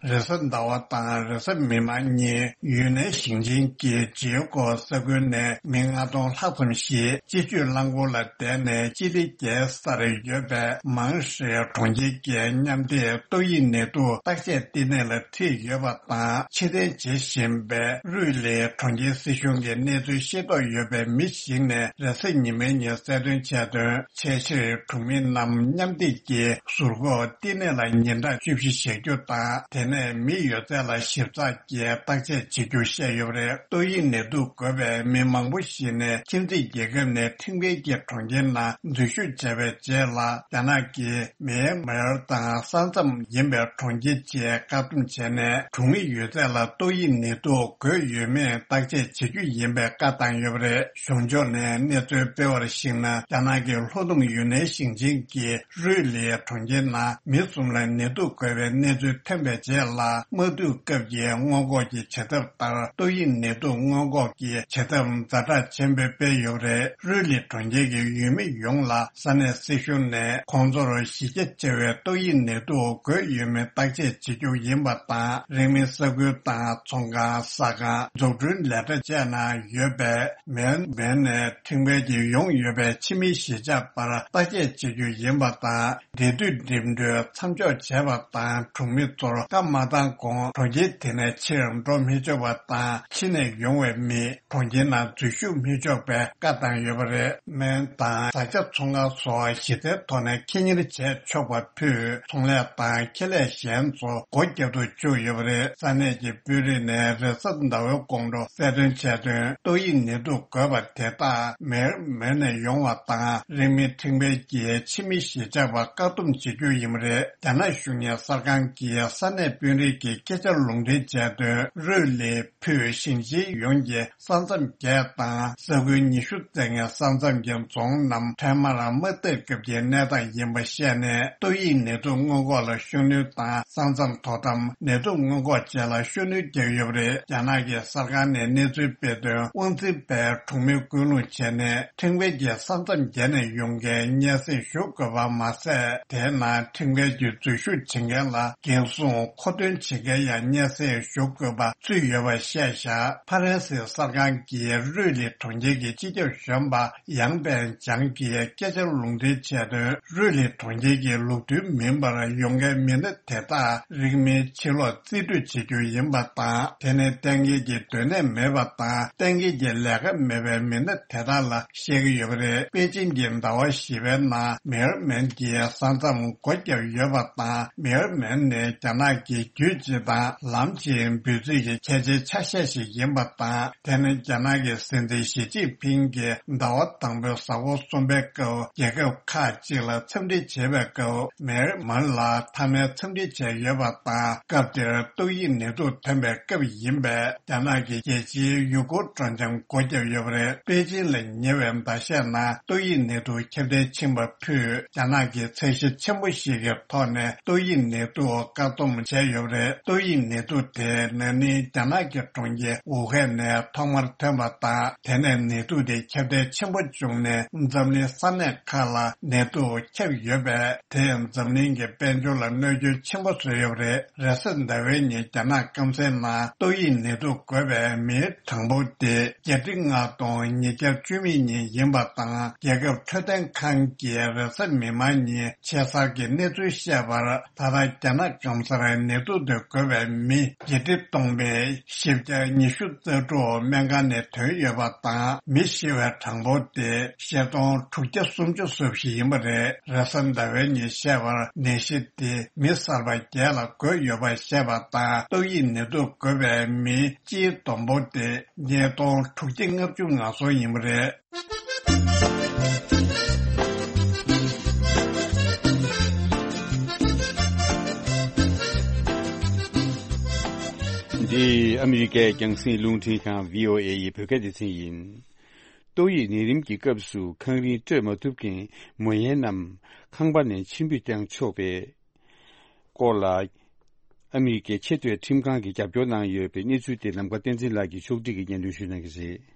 རེས་གཟའ་ཟླ་བ་དང་རེས་གཟའ་མིག་དམར་གཉིས་ཡུན་ནན་ཞིང་ཆེན་གྱི་ཇིའུ་ཀོ་ས་ཁུལ་ནས་མི་ལྔ་སྟོང་ལྷག་ཙམ་ཞིག་སྤྱི་སྤྱོད་རླངས་འཁོར་ལ་བསྡད་ནས་ཅི་ལི་རྒྱལ་སར་ཡོད་པའི་མང་ཧྲེ་གྲོང་ཁྱེར་གྱི་མཉམ་སྡེབ་ཏོག་དབྱིབས་ནད་དུག་བརྟག་དཔྱད་བསྟི་གནས་ལ་ཁྲིད་ཡོད་པ་དང་། ཕྱིར་འཐེན་བྱེད་བཞིན་པའི་རུས་ལི་གྲོང་ཁྱེར་སྲིད་གཞུང་གི་གནས་ཚུལ་ཤེས་རྟོགས་ཡོད་པའི་མི་ཞིག་ནས་རེས་གཟའ་ཉི་མའི་ཉིན་གསལ་སྟོན་བྱས་དོན། ཆེས་ཆེར་གྲོང་མི་རྣམས་མཉམ་སྡེབ་ཀྱི་ཟུར་འགོག་བསྟི་གནས་ལ་ཉིན་གྲངས་བཅུ་བཞི་བཞག་རྒྱུ་དང་། དེ་ནས་མི་ཡོད་ཚད་ལ་ཞིབ་ཚགས་ཀྱིས་བརྟག་དཔྱད་བྱེད་རྒྱུ་བཤད་ཡོད་པ་རེད། ཏོག་དབྱིབས་ནད་དུག་འགོས་པའི་མི་མང་པོ་ཞིག་ནས་ཁྱིམ་མཚེས་རྒྱལ་ཁབ་ནས་ཁྲིམས་འགལ་གྱིས་གྲོང་ཁྱེར་ནང་འཛུལ་ཞུགས་བྱས་པའི་རྗེས་ལ། རྒྱ་ནག་གིས་མེན་མར་དང་ས་མཚམས་ཡིན་པའི་གྲོང་ཁྱེར་ཆེད་བཀག་སྡོམ་བྱས་ནས། གྲོང་མི་ཡོད་ཚད་ལ་ཏོག་དབྱིབས་ནད་དུག་འགོས་ཡོད་མེད་བརྟག་དཔྱད་བྱེད་རྒྱུ་ཡིན་པའི་བཀའ་བཏང་ཡོད་པ་རེད། གཞུང་ཕྱོགས་ནས་གནས་ཚུལ་སྤེལ་བར་གཞིགས་ན། རྒྱ་ནག་གི་ལྷོ་ནུབ་ཡུན་ནན་ཞིང་ཆེན་གྱི་རུས་ལི་གྲོང་ཁྱེར་ནང་མི་གསུམ་ལ་ནད་དུག་འགོས་པའི་གནས་ཚུལ་ཐོན་པའི་རྗེས་ལ། དམག་འཐུག་སྐབས་ཀྱི་སྔོན་འགོག་གི་བྱེད་ཐབས་ལྟར། ཏོག་དབྱིབས་ནད་དུག་སྔོན་འགོག་གི་བྱེད་ཐབས་ཛ་དྲག་ཆེན་པོ་སྤེལ་ཡོད་པ་རེད། རུས་ལི་གྲོང་ཁྱེར་གྱི་ཡུལ་མི་ཡོངས་ལ་ས་གནས་སྲིད་གཞུང་ནས་ཁོང་ཚོར་གཞི་རྒྱ་ཆེ་བའི་ཏོག་དབྱིབས་ནད་དུག་འགོས་ཡོད་མེད་བརྟག་དཔྱད་བྱེད་རྒྱུ་ཡིན་པ་དང་། རིང་མིན་ས་ཁུལ་དང་ཚོང་ཁང་། ཟ་ཁང་། འཛུགས་སྐྲུན་ལས་གྲྭ་བཅས་ནང་ཡོད་པའི་མེན་མེན་ནས་ཁྲིམས་འགལ་གྱིས་ཡོང་ཡོད་པའི་ཕྱི་མི་གཞིས་ཆགས་བར་བརྟག་དཔྱད་བྱེད་རྒྱུ་ཡིན་པ་དང་། འབྲེལ་མཐུད་འགྲིམ་འགྲུལ་མཚམས་འཇོག་བྱས་པ་དང་། གྲོང་མི་ཚོར་བཀའ་མ་བཏང་གོང་གྲོང་ཁྱེར་དེ་ནས་ཕྱིར་འགྲོ་མི་ཆོག་པ་དང་། ཕྱི་ནས་ཡོང་བའི་མི་གྲོང་ཁྱེར་ནང་འཛུལ་ཞུགས་མི་ཆོག་པའི་བཀའ་བཏང་ཡོད་པ་རེད། སྨན་དང་བཟའ་བཅའ་ཚོང་ཁང་སོགས་གཞི་རྩའི་ཐོག་ནས་ཁེ་གཉེར་བྱས་ཆོག་པ་ཕུད། ཚོང་ལས་དང་ཁེ་ལས་གཞན་ཚོ་སྒོ་བརྒྱབ་ཏུ་བཅུག་ཡོད་པ་རེད། ས་གནས་ཀྱི་དཔོན་རིགས་ནས་རེས་གཟའ་ཟླ་བའི་དགོང་དྲོ་གསལ་སྟོན་བྱས་དོན། ཏོག་དབྱིབས་ནད་དུག་འགོས་པ་དེ་དག་མེར་མེར་ནས་ཡོང་བ་དང་། རིང་མིན་ཁྲིམས་འགལ་གྱིས་ཕྱི་མི་གཞིས་ཆགས་པ་བཀག་སྡོམ་བྱེད་རྒྱུ་ཡིན་པ་རེད། རྒྱ་ནག་གཞུང་གཉེར་གསར་ཁང་གིས་ས་གནས་ དཔོན་རིགས་ཀྱི་སྐད་ཆ་ལུང་འདྲེན་བྱས་དོན། རུས་ལི་ཕུད་ཞིང་ཆེན་ཡོངས་ཀྱི་ས་མཚམས་བརྒྱད་དང་ས་ཁུལ་ཉི་ཤུ་ཙམ་གྱི་ས་མཚམས་ཀྱི་རྫོང་རྣམས་འཕྲལ་མར་དམག་འཐབ་སྐབས་ཀྱི་གནས་སྟངས་ཡིན་པ་བཤད་ནས། ཏོག་དབྱིབས་ནད་དུག་སྔོན་འགོག་ལ་ཤུགས་སྣོན་དང་། ས་མཚམས་དོ་དམ། ནད་དུག་སྔོན་འགོག་བཅས་ལ་ཤུགས་སྣོན་བརྒྱབ་ཡོད་པ་རེད། རྒྱ་ནག་གི་གསར་ཁང་ནས་གནས་ཚུལ་སྤེལ་དོན། དབང་འཛིན་པས་གྲོང་མི་སྐུལ་སློང་བྱས་ནས། ཁྲིམས་འགལ་གྱིས་ས་མཚམས་བརྒལ་ནས་ཡོང་མཁན་སྙན་སེང་ཞུ་དགོས་པ་མ་ཟད། དེའི་ནང་ཁྲིམས་འགལ་གྱི་འཛུལ་ཞུགས་བྱེད་མཁན་ལ་འགན་སྲུང་མཁོ་འདོན་བྱེད་མཁན་ཡང་སྙན་སེང་ཞུ་དགོས་པ་ཚུད་ཡོད་པ་བཤད་བཞག་ཕ་རན་སིའི་གསར་ཁང་གིས་རུས་ལི་གྲོང་ཁྱེར་གྱི་སྤྱི་ཁྱབ་གཞོན་པ་ཡང་པན་ཅང་གིས་སྐད་ཆ་ལུང་འདྲེན་བྱས་དོན། རུས་ལི་གྲོང་ཁྱེར་གྱི་ལུགས་མཐུན་མིན་པར་ཡོང་མཁན་མི་སྣ་དེ་དག་རིང་མིན་ཕྱིར་ལོག་རྩིས་སྤྲོད་བྱེད་རྒྱུ་ཡིན་པ་དང་། དེ་ནི་གཏན་འཁེལ་གྱི་སྡོད་གནས་མེད་པ་དང་། གཏན་འཁེལ་གྱི་ལས་ཀ་མེད་པའི་མི་སྣ་དེ་དག་ལ་བཤད་ཀྱི་ཡོད་པ་རེད། པེ་ཅིན་གྱི་ཟླ་བ་བཞི་པའི་ནང་མེ་ཡར་མན་གྱིས་ས་མཚམས་སྒོ་བརྒྱབ་ཡོད་པ་དང་། མེ་ཡར་མན་ནི་རྒྱ་ནག་གི་རྒྱུད་སྤྱི་དང་ལམ་སྤྱིའི་འབོད་ཚིག་གི་ཁྱད་ཆོས་ཆ་ཤས་ཤིག་ཡིན་པ་དང་། དེ་ནི་རྒྱ་ནག་གི་སྲིད་འཛིན་ཞི་ཅིན་ཕིང་གིས་ཟླ་བ་དང་པོའི་གཟའ་འཁོར་གསུམ་པའི་སྐབས་རྒྱལ་ཁབ་ཁག་ཅིག་ལ་འཚམས་འདྲི་བྱེད་པའི་སྐབས། མེ་ཡར་མན་ལ་མཐའ་མའི་འཚམས་འདྲི་བྱས་ཡོད་པ་དང་། སྐབས་དེར་ཏོག་དབྱིབས་ནད་དུག་ཐོན་པའི་སྐབས་ཡིན་པས། རྒྱ་ནག་གི་རྒྱལ་སྤྱིའི་ཡུ་གུར་སྤྲོ་འཆམ་སྒོ་བརྒྱབ་ཡོད་པ་རེད། པེ་ཅིན་ལ་ཉེ་བའི་ཟླ་ཤས་ནང་ཏོག་དབྱིབས་ནད་དུག་ཁྱབ་གདལ་ཕྱིན་པ་ཕུད། རྒྱ་ནག་གིས་ཚད་གཞི་ཆེན་པོ་ཞིག་གི་ཐོག་ནས་ཏོག་དབྱིབས་ནད་དུག་བཀག་སྡོམ་བྱས་ཡོད་པ་རེད། ཏོག་དབྱིབས་ནད་དུག་དེ་ན་ནིང་རྒྱ་ནག་གི་གྲོང་ཁྱེར་ཝུ་ཧན་ནས་ཐོག་མར་ཐོན་པ་དང་། དེ་ནས་ནད་དུག་དེ་ཁྱབ་གདལ་ཆེན་པོ་བྱུང་ནས། འཛམ་གླིང་ས་གནས་ཁག་ལ་ནད་དུག་ཁྱབ་ཡོད་པས། དེས་འཛམ་གླིང་གི་དཔལ་འབྱོར་ལ་གནོད་སྐྱོན་ཆེན་པོ་བཟོས་ཡོད་པ་རེད། རེས་གཟའ་ཟླ་བའི་ཉིན་རྒྱ་ནག་སྐམ་སའི་ནང་ཏོག་དབྱིབས་ནད་དུག་འགོས་པའི་མིའི་གྲངས་འབོར་དེ་བརྒྱད་ཁྲི་ལྔ་སྟོང་ཉིས་བརྒྱ་བཅུ་མེད་གཉིས་ཡིན་པ་དང་། རྒྱལ་ཁབ་འཕྲོད་བསྟེན་ཁང་གིས་རེས་གཟའ་མིག་དམར་ཉིན་ཆེད་གསར་གྱི་གནས་ཚུལ་བཤད་པར། ད་ལྟ་རྒྱ་ནག་སྐམ་སར་ནད་དུག་དེ་འགོས་པའི་མི་བརྒྱད་ཁྲི་སྟོང་མེད་བཞི་བརྒྱ་ཉི་ཤུ་རྩ་དྲུག་སྨན་ཁང་ནས་ཐོན་ཡོད་པ་དང་། མི་ཤི་བའི་གྲངས་འབོར་དེ་བཞི་སྟོང་དྲུག་བརྒྱ་སུམ་ཅུ་སོ་བཞི་ཡིན་པ་རེད། རེས་གཟའ་ཟླ་བའི་ཉིན་བཤད་པར། ནད་གཞི་དེ་མི་གསར་པ་བརྒྱད་ལ་འགོས་ཡོད་པ་བཤད་པ་དང་། ཏོག་དབྱིབས་ནད་དུག་འགོས་པའི་མི་སྤྱིའི་བསྡོམས་འབོར་དེ་ཉིས་སྟོང་དྲུག་བརྒྱ་ལྔ་བཅུ་ང་གསུམ་ཡིན་པ་རེད། འདི་ཨ་མི་རི་ཀའི་རྒྱང་སྲིང་རླུང་འཕྲིན་ཁང་བྷི་ཨོ་ཨེ་ཡི་བོད་སྐད་སྡེ་ཚན་ཡིན། ཏོག་དབྱིབས་ནད་རིམས་ཀྱི་སྐབས་སུ་ཁང་རིན་སྤྲོད་མ་ཐུབ་མཁན་མོ་ཡན་རྣམས་ཁང་པ་ནས་ཕྱིར་འབུད་བཏང་ཆོག་པའི་སྐོར་ལ། ཨ་མི་རི་ཀའི་ཆེས་མཐོའི་ཁྲིམས་ཁང་གིས་རྒྱབ་སྐྱོར་གནང་ཡོད་པའི་གནས་ཚུལ་དེ་ནམ་མཁའ་བསྟན་འཛིན་ལགས་ཀྱིས་ཕྱོགས་སྒྲིག་གིས་སྙན་སྒྲོན་ཞུ་གནང་གི་རེད།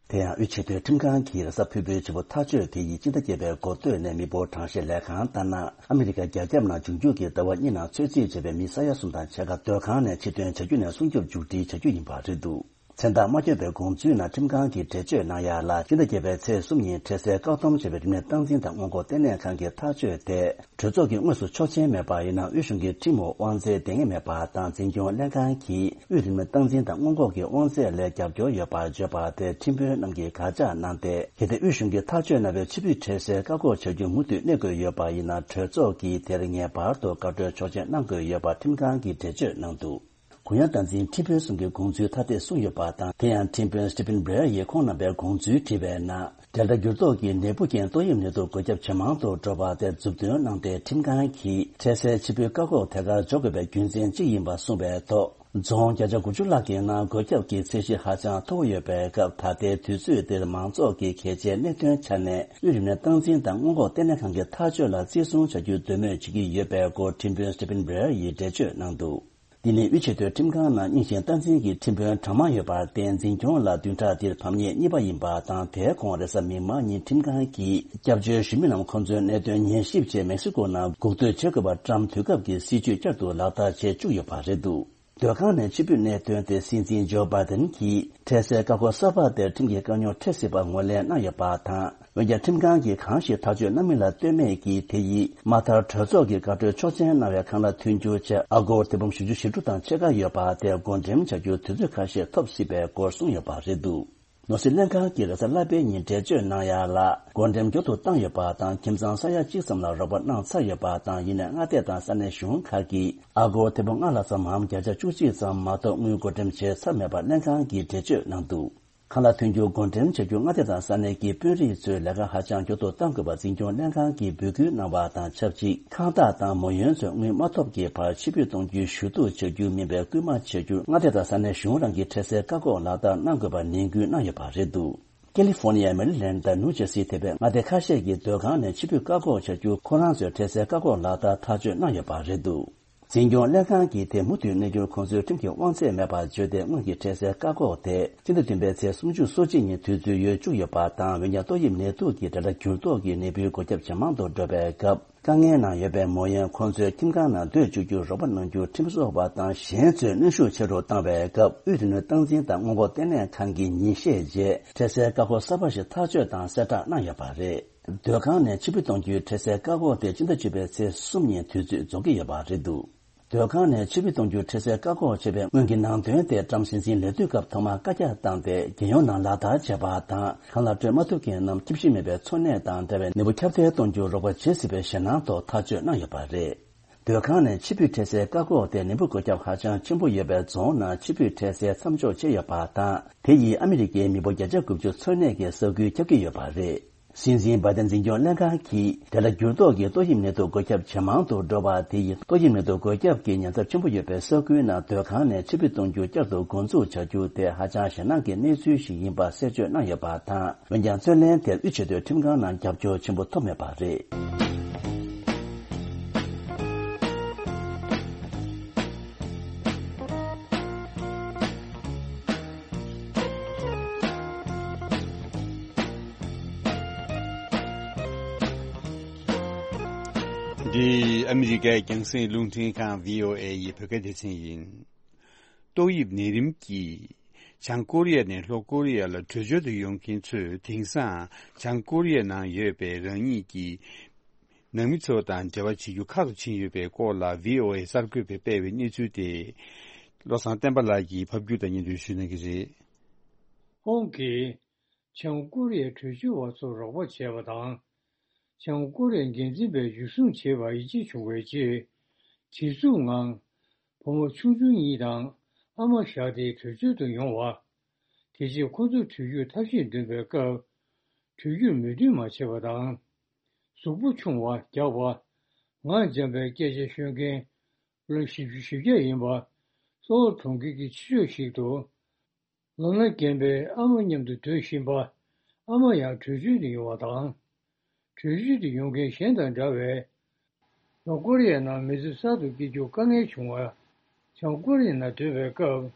དེ་ཡང་དབུས་ཆེས་མཐོའི་ཁྲིམས་ཁང་གིས་རེས་གཟའ་ཕུར་བུའི་ཆུ་ཚོད་ཐག་གཅོད་དེ་ཡིས་སྤྱི་ཟླ་བརྒྱད་པའི་འགོ་སྟོད་ནས་མི་འབོར་གྲངས་བཤེར་ལས་ཁང་ལྟར་ན། ཨ་མི་རི་ཀ་རྒྱ་ཁྱབ་ནང་འབྱུང་འགྱུར་གྱི་ཟླ་བ་གཉིས་ནང་ཚོད་རྩིས་བྱས་པའི་མི་ས་ཡ་གསུམ་དང་ཕྱེད་ཀ་སྡོད་ཁང་ནས་ཕྱིར་ཐོན་བྱ་རྒྱུ་ནས་སྲུང་སྐྱོབ་མཇུག་སྒྲིལ་བྱ་རྒྱུ་ཡིན་པ་རེད་འདུག་མཚན་རྟགས་མ་བསྐྱོན་པའི་དགོངས་ཚུལ་ནང་ཁྲིམས་ཁང་གིས་འགྲེལ་བརྗོད་གནང་ཡ་ལ། སྤྱི་ཟླ་བརྒྱད་པའི་ཚེས་གསུམ་ཉིན་འཕྲལ་སེལ་བཀག་སྡོམ་བྱས་པའི་རིམས་ནད་སྟངས་འཛིན་དང་སྔོན་འགོག་ལྟེ་གནས་ཁང་གི་ཐག་གཅོད་དེ། གྲོས་ཚོགས་ཀྱིས་དངོས་སུ་ཆོག་མཆན་མེད་པ་ཡིན་ན། དབུས་གཞུང་གི་ཁྲིམས་འོག་དབང་ཚད་ལྡན་ངེས་མེད་པ་དང་། འཛིན་སྐྱོང་ལྷན་ཁང་གིས་དབུས་རིམས་ནད་སྟངས་འཛིན་དང་སྔོན་འགོག་གི་དབང་ཚད་ལས་རྒྱབ་སྐྱོར་ཡོད་པར་བརྗོད་པ་དེ་ཁྲིམས་དཔོན་རྣམས་ཀྱིས་དགག་བྱ་གནང་སྟེ། གལ་ཏེ་དབུས་གཞུང་གིས་ཐག་གཅོད་གནང་བའི་ཕྱིར་འབུད་འཕྲལ་སེལ་བཀག་འགོག་བྱ་རྒྱུ་མུ་མཐུད་གནས་དགོས་ཡོད་པ་ཡིན་ན། གྲོས་ཚོགས་ཀྱིས་དེར་ངེས་པར་དུ་བཀའ་འཁྲོལ་ཆོག་མཆན་གནང་དགོས་ཡོད་པ་ཁྲིམས་ཁང་གིས་འགྲེལ་བརྗོད་གནང་འདུག་གུ་ཡངས་སྟངས་འཛིན་ཁྲིམས་དཔོན་གསུམ་གྱི་དགོངས་ཚུལ་ཐ་དད་གསུངས་ཡོད་པ་དང་། དེ་ཡང་ཁྲིམས་དཔོན་Stephen Breyer ཡིས་ཁོང་རྣམ་པའི་དགོངས་ཚུལ་དྲིས་པའི་ནང་། Delta འགྱུར་ལྡོག་གི་ནད་འབུ་རྐྱེན་ཏོག་དབྱིབས་ནད་དུག་འགོས་ཁྱབ་ཇེ་མང་དུ་འགྲོ་བ་དེ་མཛུབ་སྟོན་གནང་སྟེ། ཁྲིམས་ཁང་གིས་འཕྲལ་སེལ་ཕྱིར་འབུད་བཀག་འགོག་དེ་གར་འཇོག་དགོས་པའི་རྒྱུ་མཚན་གཅིག་ཡིན་པ་གསུངས་པའི་ཐོག་རྫོང་བརྒྱ་ཆ་དགུ་བཅུ་ལྷག་གི་ནང་འགོས་ཁྱབ་ཀྱི་ཚད་གཞི་ཧ་ཅང་མཐོ་བོ་ཡོད་པའི་སྐབས། ད་ལྟའི་དུས་ཚོད་འདིར་མང་ཚོགས་ཀྱི་གལ་ཆེའི་གནད་དོན་ཆ་ནས། དབུས་རིམས་ནད་སྟངས་འཛིན་དང་སྔོན་འགོག་ལྟེ་གནས་ཁང་གི་ཐག་གཅོད་ལ་བརྩི་སྲུང་བྱ་རྒྱུའི་འདོད་མོས་བྱེད་ཀྱི་ཡོད་པའི་སྐོར་ཁྲིམས་དཔོན་Stephen Breyer ཡིས་འགྲེལ་བརྗོད་གནང་འདུག་འདི་ནི་དབུས་ཆེས་མཐོའི་ཁྲིམས་ཁང་ནང་རྙིང་ཞིང་སྟངས་འཛིན་གྱི་ཁྲིམས་དཔོན་གྲངས་མང་ཡོད་པར་བརྟེན། འཛིན་སྐྱོང་ལ་བདུན་ཕྲག་འདིར་ཕམ་ཉེས་གཉིས་པ་ཡིན་པ་དང་། དེའི་གོང་རེས་གཟའ་མིག་དམར་ཉིན་ཁྲིམས་ཁང་གིས་སྐྱབས་བཅོལ་གཞིས་མི་རྣམས་ཁོ་ཚོའི་གནད་དོན་ཉན་ཞིབ་ཆེད་མེག་སི་ཀོ་ནང་འགོག་སྡོད་བྱེད་དགོས་པ་བཀྲམ། དུས་སྐབས་ཀྱི་སྲིད་བྱུས་བསྐྱར་དུ་ལག་བསྟར་བྱེད་བཅུག་ཡོད་པ་རེད་འདུག་སྡོད་ཁང་ནས་ཕྱིར་འབུད་གནད་དོན་དེ་སྲིད་འཛིན་ཇོ་བྷའི་ཏན་གྱིས་འཕྲལ་སེལ་བཀག་འགོག་གསར་པ་དེར་ཁྲིམས་ཀྱི་དཀའ་རྙོག་འཕྲད་སྲིད་པ་ངོས་ལེན་གནང་ཡོད་པ་དང་། འོན་ཀྱང་། ཁྲིམས་ཁང་གིས་གང་ཞིག་ཐག་གཅོད་གནང་མིན་ལ་ལྟོས་མེད་ཀྱིས། དེ་ཡིས་མ་མཐར་གྲོས་ཚོགས་ཀྱིས་བཀའ་འཁྲོལ་ཆོག་མཆན་གནང་བའི་ཁང་གླ་མཐུན་འགྱུར་ཆེད། ཨ་སྒོར་ཐེར་འབུམ་བཞི་བཅུ་ཞེ་དྲུག་དང་ཕྱེད་ཀ་ཡོད་པ་དེ་བགོ་འགྲེམས་བྱ་རྒྱུར་དུས་ཚོད་ཁ་ཤས་ཐོབ་སྲིད་པའི་སྐོར་གསུངས་ཡོད་པ་རེད་འདུག་ནོར་སྲིད་ལྷན་ཁང་གིས་རེས་གཟའ་ལྷག་པའི་ཉིན་འགྲེལ་བརྗོད་གནང་ཡ་ལ། བགོ་འགྲེམས་མགྱོགས་དུ་བཏང་ཡོད་པ་དང་། ཁྱིམ་ཚང་ས་ཡ་གཅིག་ཙམ་ལ་རོགས་པ་གནང་ཚར་ཡོད་པ་དང་། ཡིན་ནའི་མངའ་སྡེ་དང་ས་གནས་གཞུང་ཁག་གིས་ཨ་སྒོར་ཐེར་འབུམ་ལྔ་ལྷག་ཙམ་མམ། བརྒྱ་ཆ་བཅུ་གཅིག་ཙམ་མ་གཏོགས་དངུལ་བགོ་འགྲེམས་བྱས་ཚར་མེད་པ་ལྷན་ཁང་གིས་འགྲེལ་བརྗོད་གནང་འདུག་ཁང་གླ་ཐོན་རྒྱུ་བགོ་འགྲེམས་བྱ་རྒྱུ། མངའ་སྡེ་དང་ས་གནས་ཀྱི་དཔོན་རིགས་ཚོས་ལས་ཀ་ཧ་ཅང་མགྱོགས་སུ་གཏང་དགོས་པ་འཛིན་སྐྱོང་ལྷན་ཁང་གིས་འབོད་སྐུལ་གནང་བ་དང་ཆབས་ཅིག་ཁང་བདག་དང་མོ་ཡོན་ཚོས་དངུལ་མ་ཐོབ་ཀྱི་བར་ཕྱིར་འབུད་གཏོང་རྒྱུའི་ཞུ་གཏུག་བྱ་རྒྱུ་མིན་པའི་སྐུལ་མ་བྱ་རྒྱུར་མངའ་སྡེ་དང་ས་གནས་གཞུང་རང་གིས་འཕྲལ་སེལ་བཀག་འགོག་ལག་བསྟར་གནང་དགོས་པ་ནན་སྐུལ་གནང་ཡོད་པ་རེད་འདུག་ཀེ་ལི་ཧྥོར་ནི་ཡ། མེ་རི་ལེན་དང་ནིའུ་ཇར་སི་ཐེ་བའི་མངའ་སྡེ་ཁ་ཤས་ཀྱི་སྡོད་ཁང་ནས་ཕྱིར་འབུད་བཀག་འགོག་བྱ་རྒྱུ་ཁོ་རང་ཚོས་འཕྲལ་སེལ་བཀག་འགོག་ལག་བསྟར་ཐག་གཅོད་གནང་ཡོད་པ་རེད་འདུག་འཛིན་སྐྱོང་ལྷན་ཁང་གིས་དེ་མུ་མཐུད་གནས་རྒྱུར་ཁོང་ཚོའི་ཁྲིམས་ཀྱི་དབང་ཚད་མེད་པར་བརྗོད་དེ། སྔོན་གྱི་འཕྲལ་སེལ་བཀག་འགོག་དེ་སྤྱི་ཟླ་བདུན་པའི་ཚེས་སུམ་ཅུ་སོ་གཅིག་ཉིན་དུས་ཚོད་ཡོལ་བཅུག་ཡོད་པ་དང་། འོན་ཀྱང་ཏོག་དབྱིབས་ནད་དུག་གི་འབྲེལ་སྒྲ་འགྱུར་ལྡོག་གི་ནད་འབུའི་འགོས་ཁྱབ་ཇེ་མང་དུ་འགྲོ་བའི་སྐབས། དཀའ་ངལ་ནང་ཡོད་པའི་མོ་ཡན་ཁོང་ཚོའི་ཁྱིམ་ཁང་ནང་སྡོད་བཅུག་རྒྱུར་རོགས་པ་གནང་རྒྱུར་ཁྲིམས་བཟོ་བ་དང་གཞན་ཚོས་གནོན་ཤུགས་ཆེ་རུ་བཏང་བའི་སྐབས། དབུས་རིག་ནུས་སྟངས་འཛིན་དང་སྔོན་འགོག་ལྟེ་གནས་ཁང་གིས་ཉིན་ཤས་རྗེས་འཕྲལ་སེལ་བཀག་འགོག་གསར་པ་ཞིག་ཐག་གཅོད་དང་གསལ་བསྒྲགས་གནང་ཡོད་པ་རེད། སྡོད་ཁང་ནས་ཕྱིར་འབུད་གཏོང་རྒྱུའི་འཕྲལ་སེལ་བཀག་འགོག་དེ་སྤྱི་ཟླ་བཅུ་པའི་ཚེས་གསུམ་ཉིན་དུས་ཚོད་རྫོགས་ཀྱི་ཡོད་པ་རེད་འདུག་སྡོད་ཁང་ནས་ཕྱིར་འབུད་གཏོང་རྒྱུའི་འཕྲལ་སེལ་བཀག་འགོག་བྱས་པའི་སྔོན་གྱི་ནང་དོན་དེ་ཊམ་སྲིད་འཛིན་ལས་དུས་སྐབས་ཐོག་མར་བཀའ་རྒྱ་བཏང་སྟེ། རྒྱལ་ཡོངས་ནང་ལག་བསྟར་བྱས་པ་དང་། ཁང་གླ་སྤྲོད་མ་ཐུབ་མཁན་རྣམས་ཁྱིམ་གཞིས་མེད་པའི་འཚོ་གནས་དང་འབྲེལ་བའི་ནད་འབུ་ཁྱབ་གདལ་གཏོང་རྒྱུར་རོགས་པ་བྱེད་སྲིད་པའི་ཞེད་སྣང་ཐོག་ཐག་གཅོད་གནང་ཡོད་པ་རེད། སྡོད་ཁང་ནས་ཕྱིར་འབུད་འཕྲལ་སེལ་བཀག་འགོག་དེ་ནད་འབུ་འགོས་ཁྱབ་ཧ་ཅང་ཆེན་པོ་ཡོད་པའི་རྫོང་ནང་ཕྱིར་འབུད་འཕྲལ་སེལ་མཚམས་འཇོག་བྱས་ཡོད་པ་དང་། དེ་ཡིས་ཨ་མི་རི་ཀའི་མི་འབོར་བརྒྱ་ཆ་དགུ་བཅུ་འཚོ་གནས་ཀྱི་ས་ཁུལ་ཁྱབ་ཀྱི་ཡོད་པ་རེད། སྲིད་འཛིན་བྷའི་ཏན་འཛིན་སྐྱོང་ལྷན་ཁང་གིས། དེ་ལ་འགྱུར་ལྡོག་གིས་ཏོག་དབྱིབས་ནད་དུག་འགོས་ཁྱབ་ཇེ་མང་དུ་འགྲོ་བ་དེ་ཡིས། ཏོག་དབྱིབས་ནད་དུག་འགོས་ཁྱབ་ཀྱི་ཉེན་ཚབས་ཆེན་པོ་ཡོད་པའི་ས་ཁུལ་ནང་སྡོད་ཁང་ནས་ཕྱིར་འབུད་གཏོང་རྒྱུ་བསྐྱར་དུ་འགོ་འཛུགས་བྱ་རྒྱུ་དེ་ཧ་ཅང་ཞེད་སྣང་གི་གནས་ཚུལ་ཞིག་ཡིན་པ་གསལ་བརྗོད་གནང་ཡོད་པ་དང་། འོན་ཀྱང་། རྩོད་ལེན་དེར་དབུས་ཆེས་མཐོའི་ཁྲིམས་ཁང་ནང་རྒྱབ་སྐྱོར་ཆེན་པོ་ཐོབ་མེད་པ་རེད། འདི་ཨ་མི་རི་ཀའི་རྒྱང་སྲིང་རླུང་འཕྲིན་ཁང་བྷི་ཨོ་ཨེ་ཡི་བོད་སྐད་སྡེ་ཚན་ཡིན། ཏོག་དབྱིབས་ནད་རིམས་ཀྱིས་བྱང་ཀོ་རི་ཡ་ནས་ལྷོ་ཀོ་རི་ཡ་ལ་བྲོས་བྱོལ་དུ་ཡོང་མཁན་ཚོས་དེང་སང་བྱང་ཀོ་རི་ཡ་ནང་ཡོད་པའི་རང་ཉིད་ཀྱི་ནང་མི་ཚོ་དང་འབྲེལ་བ་བྱེད་རྒྱུ་ཁག་ཏུ་ཕྱིན་ཡོད་པའི་སྐོར་ལ་བྷི་ཨོ་ཨེ་གསར་འགོད་པས་སྤེལ་བའི་གནས་ཚུལ་དེ། བློ་བཟང་བསྟན་པ་ལགས་ཀྱིས་ཕབ་སྒྱུར་དང་སྙན་སྒྲོན་ཞུ་གནང་གི་རེད། ཧོང་གིས་བྱང་ཀོ་རི་ཡའི་བྲོས་བྱོལ་བ་ཚོར་རོགས་པ་བྱས་པ་དང་། བྱང་ཀོ་རི་ཡའི་འགན་འཛིན་པས་འཇུ་བཟུང་བྱས་པར་ཡིད་ཆེས་བྱུང་བའི་རྗེས། བྱེད་རྩོལ་ངང་བུ་མོ་ཆུང་ཆུང་གཉིས་དང་ཨ་མ་བཞག་སྟེ་བྲོས་བྱོལ་དུ་ཡོང་བ། དེ་རྗེས་ཁོ་ཚོ་བྲོས་རྒྱུར་ཐབས་ཤེས་འདོན་པའི་སྐབས། བྲོས་རྒྱུར་མོས་མཐུན་མ་བྱས་པ་དང་། གཟུགས་པོ་ཆུང་བ། རྒྱགས་པ། ངག་འཇམ་པའི་སྐད་ཆ་ཤོད་མཁན་ལོ་བཞི་བཅུ་ཞེ་བརྒྱད་ཡིན་པ། གཙོ་བོ་གྲོང་ཁྱེར་གྱི་ཕྱི་ཕྱོགས་ཤིག་ཏུ། ལོ་ན་རྒན་པའི་ཨ་མ་མཉམ་དུ་སྡོད་བཞིན་པ། ཨ་མ་ཡང་བྲོས་བྱོལ་དུ་ཡོང་བ་དང་། བྲོས་བྱོལ་དུ་ཡོང་མཁན་གཞན་དང་འདྲ་བའི། ལྷོ་ཀོ་རི་ཡའི་ནང་མི་ཚེ་གསར་དུ་སྐྱེལ་རྒྱུར་དཀའ་ངལ་བྱུང་བ། བྱང་ཀོ་རི་ཡའི་ནང་སྡོད་པའི་སྐབས།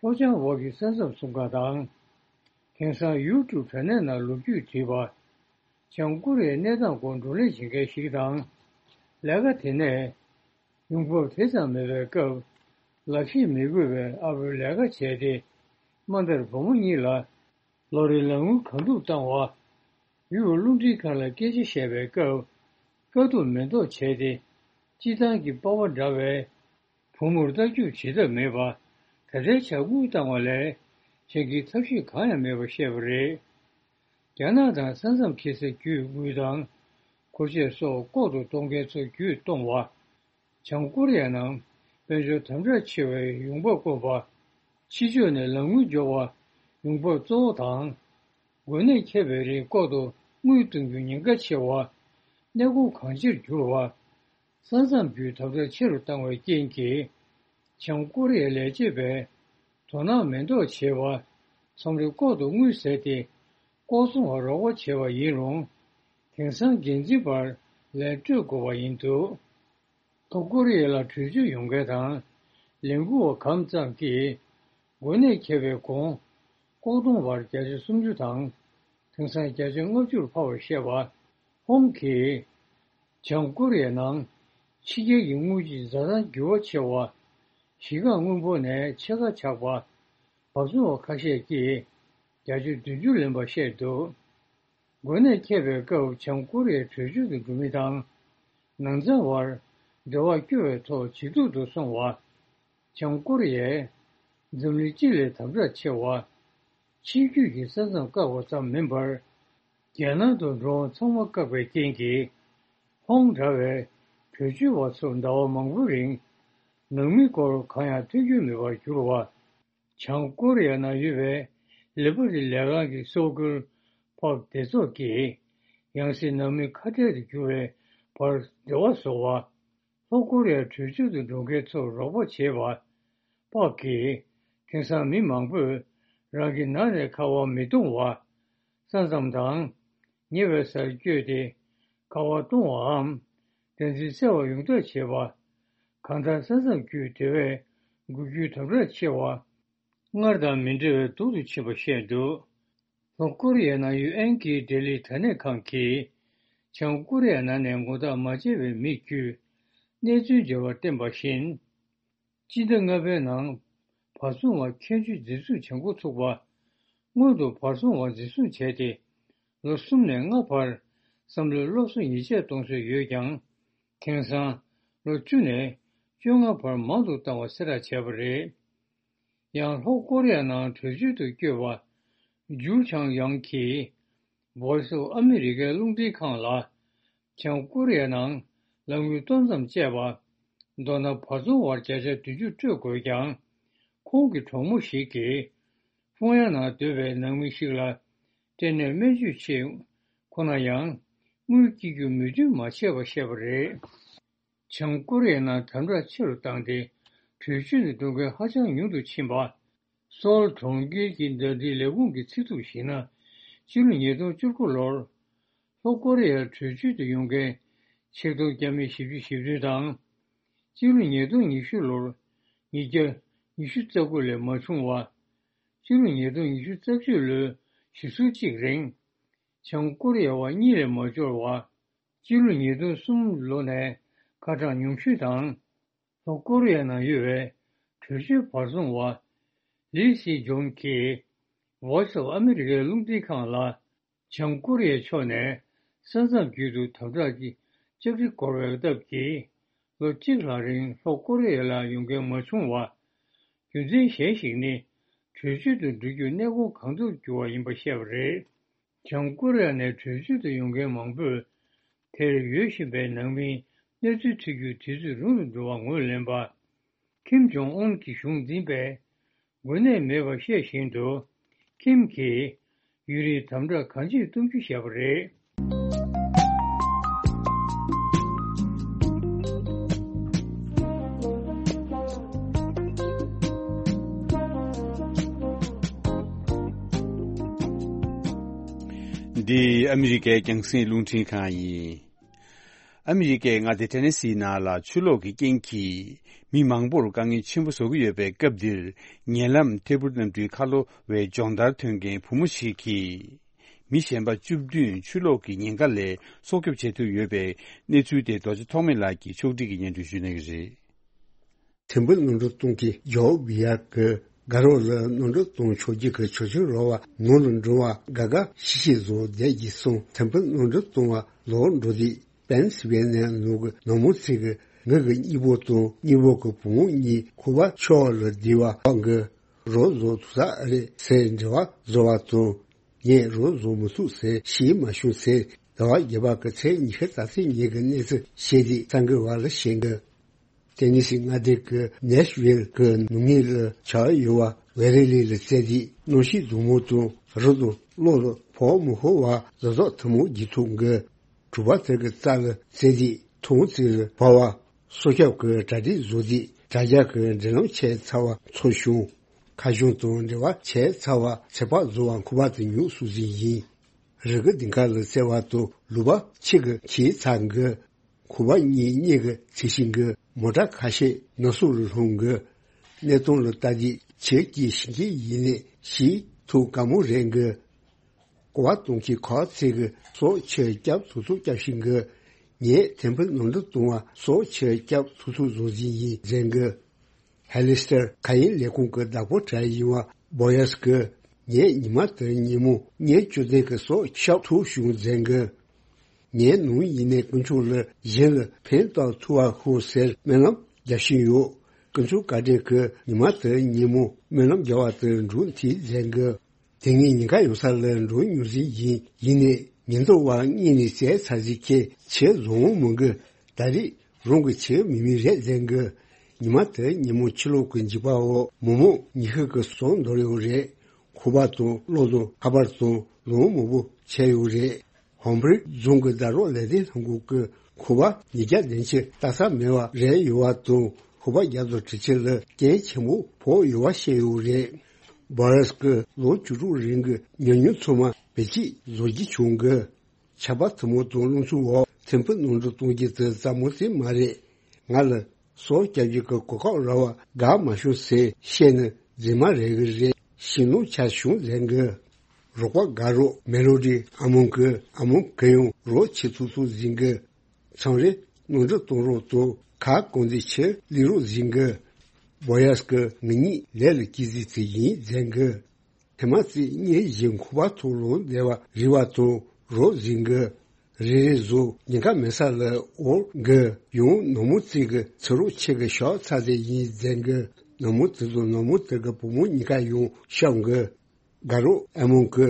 ལྷོ་བྱང་འོག་གི་ས་མཚམས་སྲུང་ཁང་དང་། དེང་སང་ཡུ་ཊུབ་དྲ་གནས་ནང་ལོ་རྒྱུས་བྲིས་པ། བྱང་ཀོ་རི་ཡའི་གནས་སྟངས་སྐོར་བགྲོ་གླེང་བྱེད་མཁན་ཞིག་དང་། ལས་ཀ་དེ་ནས། ཡོང་འབབ་དེ་ཙམ་མེད་པའི་སྐབས། ལག་ཤེས་མི་དགོས་པའི་ཨ་ཕོའི་ལས་ཀ་བྱས་ཏེ། དམའ་མཐར་བུ་མོ་གཉིས་ལ། ལོ་རེའི་ལག་དངུལ་གང་ཐུབ་བཏང་བ། ཡུལ་རླུང་འཕྲིན་ཁང་ལ་སྐད་ཆ་བཤད་པའི་སྐབས། དཀའ་སྡུག་མེ་ཏོག་བྱས་ཏེ། སྤྱིར་བཏང་གི་པ་ཕ་འདྲ་བའི། བུ་མོར་ལྟ་རྒྱུག་བྱེད་ཐབས་མེད་པ། ད་ལྟའི་ཆར་དངུལ་བཏང་བ་ལས། གཞན་གྱི་ཐབས་ཤེས་གང་ཡང་མེད་པ་བཤད་པ་རེད། རྒྱ་ནག་དང་ས་མཚམས་འཁེལ་སའི་རྒྱུད་དངུལ་དང་། འཁོར་ཆས་སོགས་ལྐོག་ཏུ་གཏོང་མཁན་ཚོ་རྒྱུད་གཏོང་བ། བྱང་ཀོ་རི་ཡ་ནང་དཔལ་འབྱོར་དམ་དྲག་ཆེ་བའི་ཡོང་འབབ་དཀོན་པ། ཕྱི་ཕྱོགས་ནས་ལག་དངུལ་འབྱོར་བ་ཡོང་འབབ་གཙོ་བོ་དང་། འགོ་ནད་ཁྱབ་པའི་རིང་ལྐོག་ཏུ་དངུལ་གཏོང་རྒྱུ་ཉེན་ཁ་ཆེ་བ། གནས་སྐོར་གང་ཆེར་གྱུར་བ། ས་མཚམས་བརྒྱུད་དམ་དྲག་ཆེ་རུ་བཏང་བའི་རྐྱེན་གྱིས། བྱང་ཀོ་རི་ཡའི་ལས་བྱེད་པས་དོ་སྣང་མེད་མདོག་བྱས་པ། མཚམས་རེ་ལྐོག་ཏུ་དངུལ་ཟས་ཏེ། ལྐོག་ཚོང་བར་རོགས་པ་བྱས་པ་ཡིན་རུང་། དེང་སང་འགན་འཛིན་པར་ལན་སྤྲོད་དགོས་པ་ཡིན་འདུག་ལྷོ་ཀོ་རི་ཡ་ལ་བྲོས་བྱོལ་ཡོང་མཁན་དང་། ལས་འགུལ་བ་གང་ཙམ་གྱིས། འགོ་ནད་ཁྱབ་པའི་གོང་། ལྐོག་གཏོང་བར་བརྒྱ་ཆ་སུམ་ཅུ་དང་། དེང་སང་བརྒྱ་ཆ་ལྔ་བཅུར་འཕར་བར་བཤད་པ། ཧོང་གིས། བྱང་ཀོ་རི་ཡའི་ནང་ཕྱི་རྒྱལ་གྱི་དངུལ་གྱི་འཛའ་ཐང་འགྱུར་བ་ཆེ་བ། གཞིས་ཀ་དངུལ་འབོར་ནས་ཕྱེད་ཀ་ཆག་པ། བབ་བཟོ་བ་ཁ་ཤས་ཀྱིས་བརྒྱ་ཆ་བདུན་ཅུ་ལེན་པ་བཤད་འདུག་འགོ་ནད་ཁྱབ་པའི་སྐབས་བྱང་ཀོ་རི་ཡའི་བྲོས་བྱོལ་དུ་འགྲོ་མི་དང་། ནང་ཚང་བར་འབྲེལ་བ་སྐྱོ་བའི་ཐོག་ཇེ་སྡུག་ཏུ་སོང་བ། བྱང་ཀོ་རི་ཡས་འཛམ་གླིང་སྤྱི་ལས་དམ་དྲག་ཆེ་བ། ཕྱི་རྒྱུད་ཀྱི་ས་མཚམས་བཀག་པ་ཙམ་མིན་པར། རྒྱལ་ནང་དུ་འགྲོ་འོང་ཚང་མ་བཀག་པའི་རྐྱེན་གྱིས། ཧོང་འདྲ་བའི་བྲོས་བྱོལ་བ་ཚོར་ཟླ་བ་མང་པོའི་རིང་། ནང་མིའི་སྐོར་གང་ཡང་ཐོས་རྒྱུ་མེད་པར་གྱུར་བ། བྱང་ཀོ་རི་ཡ་ནང་ཡོད་པའི་ ལི་པ་རི་ལས་ཁང་གི་གསར་འགྱུར་པག་སྡེ་ཚོགས་ཀྱིས་ཡང་སྲིད་ནང་མི་ཁ་བྲལ་དུ་གྱུར་བའི་བར་འབྲེལ་བ་བཟོ་བ། ལྷོ་ཀོ་རི་ཡ་བྲོས་བྱོལ་དུ་འགྲོ་མཁན་ཚོར་རོགས་པ་བྱེད་པ། པག་གིས་དེང་སང་མི་མང་པོས་རང་གི་ནང་ནས་ཁ་པར་མི་གཏོང་བ། ས་མཚམས་དང་ཉེ་བའི་སར་བསྐྱོད་དེ་ཁ་པར་གཏོང་བའམ་བདེན་འཛིན་བསལ་བ་ཡོངས་བསྒྲགས་བྱེད་པ། གང་ལྟར་ས་མཚམས་བརྒྱུད་དེ་བས་འགུལ་སྐྱོད་དམ་དྲག་ཆེ་བ། སྔར་དང་མི་འདྲ་བའི་སྡུག་ཏུ་ཕྱིན་པ་བཤད་འདུག་ལྷོ་ཀོ་རི་ཡའི་ནང་ཡོད་ཨན་ཀི་ལྡི་ལི་དྲ་གནས་ཁང་གིས་བྱང་ཀོ་རི་ཡའི་ནང་ནས་ངོ་རྟགས་མ་བྱས་པའི་མི་བརྒྱུད་གནས་ཚུལ་འབྱོར་བར་བསྟན་པ་བཞིན། སྤྱི་ཟླ་ལྔ་པའི་ནང་བར་སྲུང་བ་ཁྱད་ཆོས་འཛིན་བཟུང་བྱེད་འགོ་ཚུགས་པ། སྔོན་དུ་བར་སྲུང་བ་འཛིན་བཟུང་བྱས་ཏེ། ལོ་གསུམ་ནས་ལྔ་བར་བསམ་བློའི་སློབ་གསོ་ཉེས་ཆད་གཏོང་སྲོལ་ཡོད་ཀྱང་། དེང་སང་ལོ་བཅུ་ནས་བཅོ་ལྔ་བར་མང་དུ་བཏང་བ་གསལ་བསྒྲགས་བྱས་པ་རེད། ཡང་ལྷོ་ཀོ་རི་ཡ་ནང་བྲོས་བྱོལ་དུ་བསྐྱོད་པ། ཇུ་ཆང་ཡང་གིས་Voice of America རླུང་འཕྲིན་ཁང་ལ། བྱང་ཀོ་རི་ཡ་ནང་ལག་དངུལ་ཏོག་ཙམ་སྤྱད་པ། མདོར་ན་བར་སྲུང་བར་བརྒྱ་ཆ་བདུན་ཅུ་སྤྲོད་དགོས་ཀྱང་། ཁོང་གི་གྲོགས་མོ་ཞིག་གིས་ཧྥུང་ཡན་ནང་སྡོད་པའི་ནང་མི་ཞིག་ལ་སྤྲད་ནས་སྨན་བཅོས་ཆེད་ཁོ་ན་ཡང་དངུལ་སྐྱེལ་རྒྱུ་མོས་མཐུན་མ་བྱས་པ་བཤད་པ་རེད། བྱང་ཀོ་རི་ཡའི་ནང་དམ་དྲག་ཆེ་རུ་བཏང་སྟེ་བྲོས་བྱོལ་དུ་འགྲོ་མཁན་ཧ་ཅང་ཉུང་དུ་ཕྱིན་པ། སོལ་གྲོང་ཁྱེར་གྱི་ཟླ་སྒྲིལ་ལས་ཁུངས་ཀྱི་ཚིག་ཐོ་ཞིག་ན། སྤྱི་ལོ་ཉིས་སྟོང་བཅུ་དགུ་ལོར་ལྷོ་ཀོ་རི་ཡར་བྲོས་བྱོལ་དུ་ཡོང་མཁན་ཆིག་སྟོང་བརྒྱ་མེད་བཞི་བཅུ་ཞེ་བདུན་དང་། སྤྱི་ལོ་ཉིས་སྟོང་ཉི་ཤུ་ལོར་ཉིས་བརྒྱ་ཉི་ཤུ་རྩ་དགུ་ལས་མ་བྱུང་བ། སྤྱི་ལོ་ཉིས་སྟོང་ཉི་ཤུ་རྩ་གཅིག་ལོའི་ཞེ་ཟུར་གཅིག་རིང་། བྱང་ཀོ་རི་ཡ་བ་གཉིས་ལས་མ་འབྱོར་བ། སྤྱི་ལོ་ཉིས་སྟོང་གསུམ་ལོ་ནས་ཁ་གྲངས་ཉུང་ཤོས་དང་། ལྷོ་ཀོ་རི་ཡ་ནང་ཡོད་པའི་བྲོས་བྱོལ་བར་སྲུང་བ་ལི་སི་ཇོན་གྱིས་Voice of America རླུང་འཕྲིན་ཁང་ལ། བྱང་ཀོ་རི་ཡའི་ཕྱོགས་ནས་ས་མཚམས་བརྒྱུད་དུ་དམ་དྲག་གི་ལྕགས་རི་བསྐོར་བའི་སྟབས་ཀྱིས། ལོ་གཅིག་ལྷག་རིང་ལྷོ་ཀོ་རི་ཡ་ལ་ཡོང་མཁན་མ་བྱུང་བ། རྒྱུ་མཚན་གཞན་ཞིག་ནི། བྲོས་བྱོལ་དུ་འགྲོ་རྒྱུར་གནས་སྐོར་གང་ཐུབ་བསྒྱུར་བ་ཡིན་པ་བཤད་པ་རེད། བྱང་ཀོ་རི་ཡ་ནས་བྲོས་བྱོལ་དུ་ཡོང་མཁན་མང་པོས། དེར་ཡོད་བཞིན་པའི་ནང་མིའི་གནས་ཚུལ་ཐོས་རྒྱུར་དུས་ཚོད་རིང་རུ་འགྲོ་བར་ངོས་ལེན་པ། ཁིམ་ཇོང་ཨུན་གྱི་གཞུང་འཛིན་པས་འགོས་ནད་མེད་པར་བཤད་བཞིན་དུ། ཁིམ་གྱིས་ཡུན་རིང་དམ་དྲག་གང་ཆེ་གཏོང་རྒྱུ་བྱས་པ་རེད། འདི་ཨ་མི་རི་ཀའི་རྒྱང་སྲིང་རླུང་འཕྲིན་ཁང་ཡིན། ཨ་མི་རི་ཀའི་མངའ་སྡེ་ཊེ་ནེ་སི་ནང་ལ་ཆུ་ལོག་གི་རྐྱེན་གྱིས་མི་མང་པོར་དཀའ་ངལ་ཆེན་པོ་བཟོ་གི་ཡོད་པའི་སྐབས་འདིར། ཉེ་ལམ་ཐད་འཕུར་གནམ་གྲུའི་ཁ་ལོ་བའི་སྦྱོང་བརྡར་ཐོན་མཁན་བུ་མོ་ཞིག་གིས། མི་གཞན་པ་བཅུ་བདུན་ཆུ་ལོག་གི་ཉེན་ཁ་ལས་སྲོག་སྐྱོབ་བྱེད་ཐུབ་ཡོད་པའི་གནས་ཚུལ་དེ་རྡོ་རྗེ་ཐོགས་མེད་ལགས་ཀྱིས་ཕྱོགས་སྒྲིག་གིས་སྙན་སྒྲོན་ཞུ་གནང་གི་རེད། ཐེམ་ཕུ་གནམ་གྲུ་གཏོང་མཁན་ཇོ་བི་ཡར་གྱིས་དགའ་རོགས་ལ་གནམ་གྲུ་གཏོང་ཆོག་རྒྱུ་གི་ཆོག་མཆན་རག་པ་ནང་ལ་འགྲོ་བར་དགའ་དགའ་ཤི་ཤི་བཟོ་བསྡད་ཀྱི་སོང་། ཐེམ་ཕུ་གནམ་གྲུ་གཏོང་བ་ལོག་འགྲོ་དུས་པེན་སི་ཝེ་ནི་ཡ་ནང་གི་ནང་མི་ཚོས་ཀྱིས་ངེད་ཀྱི་གཉེན་པོ་དང་གཉེན་པོ་གི་བུ་མོ་གཉིས་ཁོ་པ་ཆུ་ལ་བསྡད་པ་གི་རོགས་བཟོ་ཐུབ་ས་ཨེ་རེད་ཟེར་འབྲེལ་བ་བཟོ་བ་དང་། ངས་རོགས་བཟོ་མི་ཐུབ་ཟེར་ཞུས་མ་བྱུང་ཟེར། ཟླ་བ་བརྒྱད་པ་གི་ཚེས་ཉི་ཤུ་རྩ་གཅིག་ཉིན་གྱི་གནས་ཚུལ་བཤད་དུས་གསར་འགོད་པ་ལ་བཤད་འདུག་ཏེ་ནི་སི་མངའ་སྡེ་གི་ནེ་ཤི་ཝིལ་གི་ནུབ་ངོས་ལ་ཆགས་ཡོད་པ་ཝེ་རི་ལི་ལ་བཙལ་དུས། གནམ་གཤིས་སྡུག་མོ་དང་རི་དང་གློ་ལ་བབས་མི་ཤོར་བ་ལ་སོགས་ཐུན་མོང་བརྒྱུད་ཐུབ་འགི། གྲུ་པ་དེ་གི་རྩ་ལ་བཙལ་དུས་ཐུང་ཙི་ལ་བབས་པ། སྲོག་སྐྱོབ་ཀྱི་གྲ་སྒྲིག་བཟོ་དུས་དྲ་རྒྱ་གི་འབྲེལ་ལམ་ཆད་ཚར་བ་ཚོར་བྱུང་། ཁ་གཞུང་དང་འབྲེལ་བ་ཆད་ཚར་བ་ཚེ་དཔག་བཟོ་བ་ཁོ་པ་དང་ཉུང་སུ་ཟིན་ཡིན། རི་གི་ལྡིང་ཁ་ལ་བཙལ་བ་དང་ལུད་པ་ཕྱི་གི་ཁྱེར་ཚར་འགི། ཁོ་པ་གཉིས་གཉེན་གྱི་ཚེ་ཤིང་གི་མོ་ཊ་ཁ་ཤས་ནག་སུབ་ལ་ལྷུང་གི། གནས་སྟངས་ལ་ལྟ་དུས་ཆེ་སྐྱེས་ཤིང་སྐྱེས་ཡིན་ནས་ཤི་ཐུབ་དཀའ་མོ་རེད་འགི། ཀོ་བ་གཏོང་མཁན་ཁག་ཅིག་གིས་སྲོག་ཕྱིར་སྐྱབས་ཐུབ་ཐུབ་སྐྱབས་ཤིང་གི། ངས་ཐེམ་ཕུ་གནམ་གྲུ་གཏོང་བ་སྲོག་ཕྱིར་སྐྱབས་ཐུབ་ཐུབ་བཟོ་བཞིན་ཡིན་ཟེར་གི། ཧེ་ལི་སི་ཏར་མཁའ་དབྱིངས་ལས་ཁུངས་ཀྱི་བདག་པོ་གྲས་ཡིན་པ་བོ་ཡས་ཀྱིས། ངས་ཉི་མ་དེར་ཉིན་མོ་བརྙན་བཅོས་ལྡན་གྱི་སྲོག་སྐྱབས་ཐུབ་བྱུང་ཟེར་གི། ངའི་ནང་ཡིན་ནའི་དཀོན་མཆོག་ལ་གཞན་ལ་ཕན་བཏགས་ཐུབ་པ་ཤོག་ཟེར་སྨོན་ལམ་རྒྱག་བཞིན་ཡོད། དཀོན་མཆོག་བཀའ་དྲིན་གྱིས་ཉི་མ་དེར་ཉིན་མོ་སྨོན་ལམ་རྒྱག་པ་དེར་འབྲུ་འཐིབས་ཟེར་གི། དེ་སྔའི་ཉེན་ཁ་ཡོད་ས་ལ་འགྲོ་མྱོང་བཞིན་ཡིན། ཡིན་ནའི་ཉེན་རྟོག་པ་གཉིས་ནས་བཙལ་ཚར་ཟིན་ཁྱེད་ཆེས་བཟང་བོ་མི་འགི། ད་རེས་རང་གི་ཆེས་མི་མི་རེད་ཟེར་གི། ཉི་མ་དེར་ཉིན་མོ་ཆུ་ལོག་གི་འཇིགས་པ་འོག་མོག་མོག་ཉི་ཤུ་གི་སོང་འདོར་ཡོད་རེད། ཁུ་པ་དང་བློ་བཟང་ཁ་པར་དང་ལུང་མང་པོ་བྱས་ཡོད་རེད། ཧོམ་རིག་རྫོང་གི་ཟླ་རོགས་ལས་དོན་ལྷན་ཁང་གི་ཁུ་པ་ཉིས་བརྒྱ་ལན་ཆེ་ལྟ་ས་མེད་པ་རེད་ཡོད་པ་དང་ཁུ་པ་བརྒྱ་དང་དྲུག་ཅུ་ལ་རྐྱེན་ཆེན་པོ་ཕོག་ཡོད་པ་བཤད་ཡོད་རེད། བྷ་རས་ཀྱི་ལོ་བཅུ་དྲུག་རིང་གི་ཉམས་མྱོང་ཚང་མ་བེད་སྤྱད་བཟོ་རྒྱུ་བྱུང་གི། ཆར་པ་ཐུན་མོང་དང་རླུང་འཚུབ་འོག་ཐོན་ཕུད་ནང་འདྲེན་གཏོང་རྒྱུ་དེ་རྩ་མོ་དེ་མ་རེད། ང་ལ་སོ་སྐྱབས་རྒྱུ་གི་གོ་སྐབས་རག་པ་དགའ་མ་བྱུང་ཟེར་བཤད་ན་རྫུན་མ་རེད་གི་རེད། ཕྱི་ནང་ཆ་བྱུང་ཟེར་གི། རོགས་པ་དགའ་རོགས་མེ་ལོ་ཌི་ཨ་མོང་གི་ཨ་མོང་གི་ཡང་རོགས་ཆེ་ཐུག་ཐུག་ཟིན་གི། ཚང་རེ་ནང་འདྲེན་གཏོང་རོགས་དང་ཁ་སྐོང་འདི་ཆེ་ལི་རོགས་ཟིན་གི། བོ་ཡས་ཀི་ང་གཉིས་ལས་ལ་སྐྱིད་ཟིག་ཚེ་ཡིན་ཟེར་གི། ཐེངས་མ་ཚེ་གཉིས་བཞིན་ཁུ་པ་ཐོག་ལོང་བདེ་བ་རི་བ་ཐོག་རོགས་ཟིན་གི། རེ་རེ་བཟོ་ཉེན་ཁ་མེད་ས་ལ་འོར་གི། ཡང་ནོར་མོ་རྩིས་གི་ཚེ་རོགས་ཆེ་གི་ཤོག་ཚ་ཟེར་ཡིན་ཟེར་གི། ནོར་མོ་དེ་ཚོ་ནོར་མོ་དེ་གི་བུ་མོ་གཉིས་ཀ་ཡང་ཤོག་གི། དགའ་རོགས་ཨ་མོང་གི་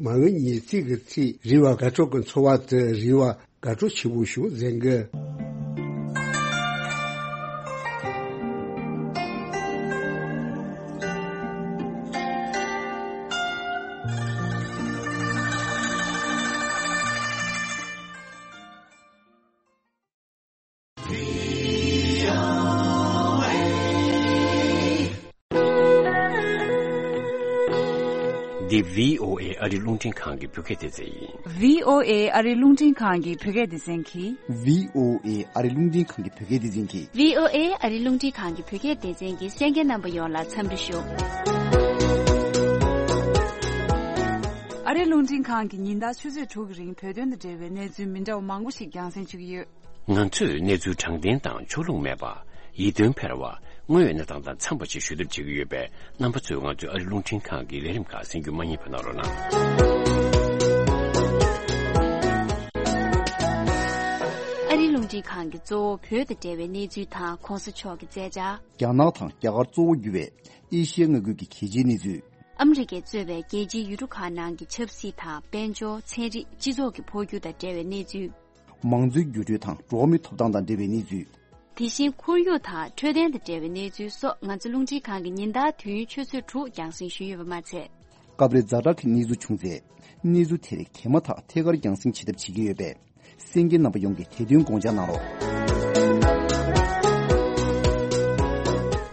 མ་འོས་ཉེས་རྩིས་ཀྱི་ཚེ་རི་བ་དགའ་སྤྲོ་གི་འཚོ་བ་དེ་རི་བ་དགའ་སྤྲོ་ཆེ་བོ་ཞིག་ཟེར་གི། འདི་བྷི་ཨོ་ཨེ་ཨ་རི་རླུང་འཕྲིན་ཁང་གི་བོད་སྐད་སྡེ་ཚན་ཡིན། བྷི་ཨོ་ཨེ་ཨ་རི་རླུང་འཕྲིན་ཁང་གི་བོད་སྐད་སྡེ་ཚན་གྱིས། བྷི་ཨོ་ཨེ་ཨ་རི་རླུང་འཕྲིན་ཁང་གི་བོད་སྐད་སྡེ་ཚན་གྱིས། བྷི་ཨོ་ཨེ་ཨ་རི་རླུང་འཕྲིན་ཁང་གི་བོད་སྐད་སྡེ་ཚན་གྱི་གསན་མཁན་རྣམ་པ་ཡོངས་ལ་འཚམས་འདྲི་ཞུ། ཨ་རི་རླུང་འཕྲིན་ཁང་གིས་ཉིན་ལྟར་ཆུ་ཚོད་དྲུག་གི་རིང་བོད་དོན་དང་འབྲེལ་བའི་གནས་ཚུལ་མི་འདྲ་བ་མང་པོ་ཞིག་རྒྱང་སྲིང་ཞུ་གི་ཡོད། ང་ཚོས་གནས་ཚུལ་དྲང་བདེན་དང་ཕྱོགས་ལྷུང་མེད་པ། ཡིད་རྟོན་འཕེར་བ། དངོས་ཡོད་གནས་སྟངས་དང་འཚམས་པ་ཞིག་ཞུ་ཐབས་བྱེད་ཀྱི་ཡོད་པས། རྣམ་པ་ཚོས་ང་ཚོའི་ཨ་རི་རླུང་འཕྲིན་ཁང་གི་ལས་རིམ་ཁག་གསན་རྒྱུ་མ་བསྙེལ་བ་གནང་རོགས་གནང་། ཨ་རི་རླུང་འཕྲིན་ཁང་གི་གཙོ་བོ་བོད་དང་འབྲེལ་བའི་གནས་ཚུལ་དང་གོང་ས་མཆོག་གི་མཛད་འཆར། རྒྱ་ནག་དང་རྒྱ་གར་གཙོ་བོ་གྱུར་བའི་ཨེ་ཤི་ཡ་མངའ་ཁུལ་གྱི་གལ་ཆེའི་གནས་ཚུལ། ཨ་མི་རི་ཀས་གཙོས་པའི་རྒྱལ་སྤྱིའི་ཡུལ་གྲུ་ཁག་ནང་གི་ཆབ་སྲིད་དང་དཔལ་འབྱོར། ཚན་རིག་སྤྱི་ཚོགས་ཀྱི་འཕོ་འགྱུར་དང་འབྲེལ་བའི་གནས་ཚུལ། མང་གཙོའི་འགྱུར་འགྲོས་དང་འགྲོ་བ་མིའི་ཐོབ་ཐང་དང་འབྲེལ་བའི་གནས་ཚུལ། དེ་བཞིན་ཁོར་ཡུག་དང་འཕྲོད་བསྟེན་དང་འབྲེལ་བའི་གནས་ཚུལ་སོགས་ང་ཚོ་རླུང་འཕྲིན་ཁང་གིས་ཉིན་ལྟར་དུས་ཡུན་ཆུ་ཚོད་དྲུག་རྒྱང་སྲིང་ཞུས་ཡོད་པ་མ་ཚད། སྐབས་རེ་ཛ་དྲག་གི་གནས་ཚུལ་བྱུང་ཚེ། གནས་ཚུལ་དེ་རིགས་དེ་མ་ཐག་ཐད་ཀར་རྒྱང་སྲིང་བྱེད་ཐབས་བྱེད་ཀྱི་ཡོད་པས། གསན་མཁན་རྣམ་པ་ཡོངས་ཀྱིས་དེ་དོན་དགོངས་འཇགས་གནང་རོགས།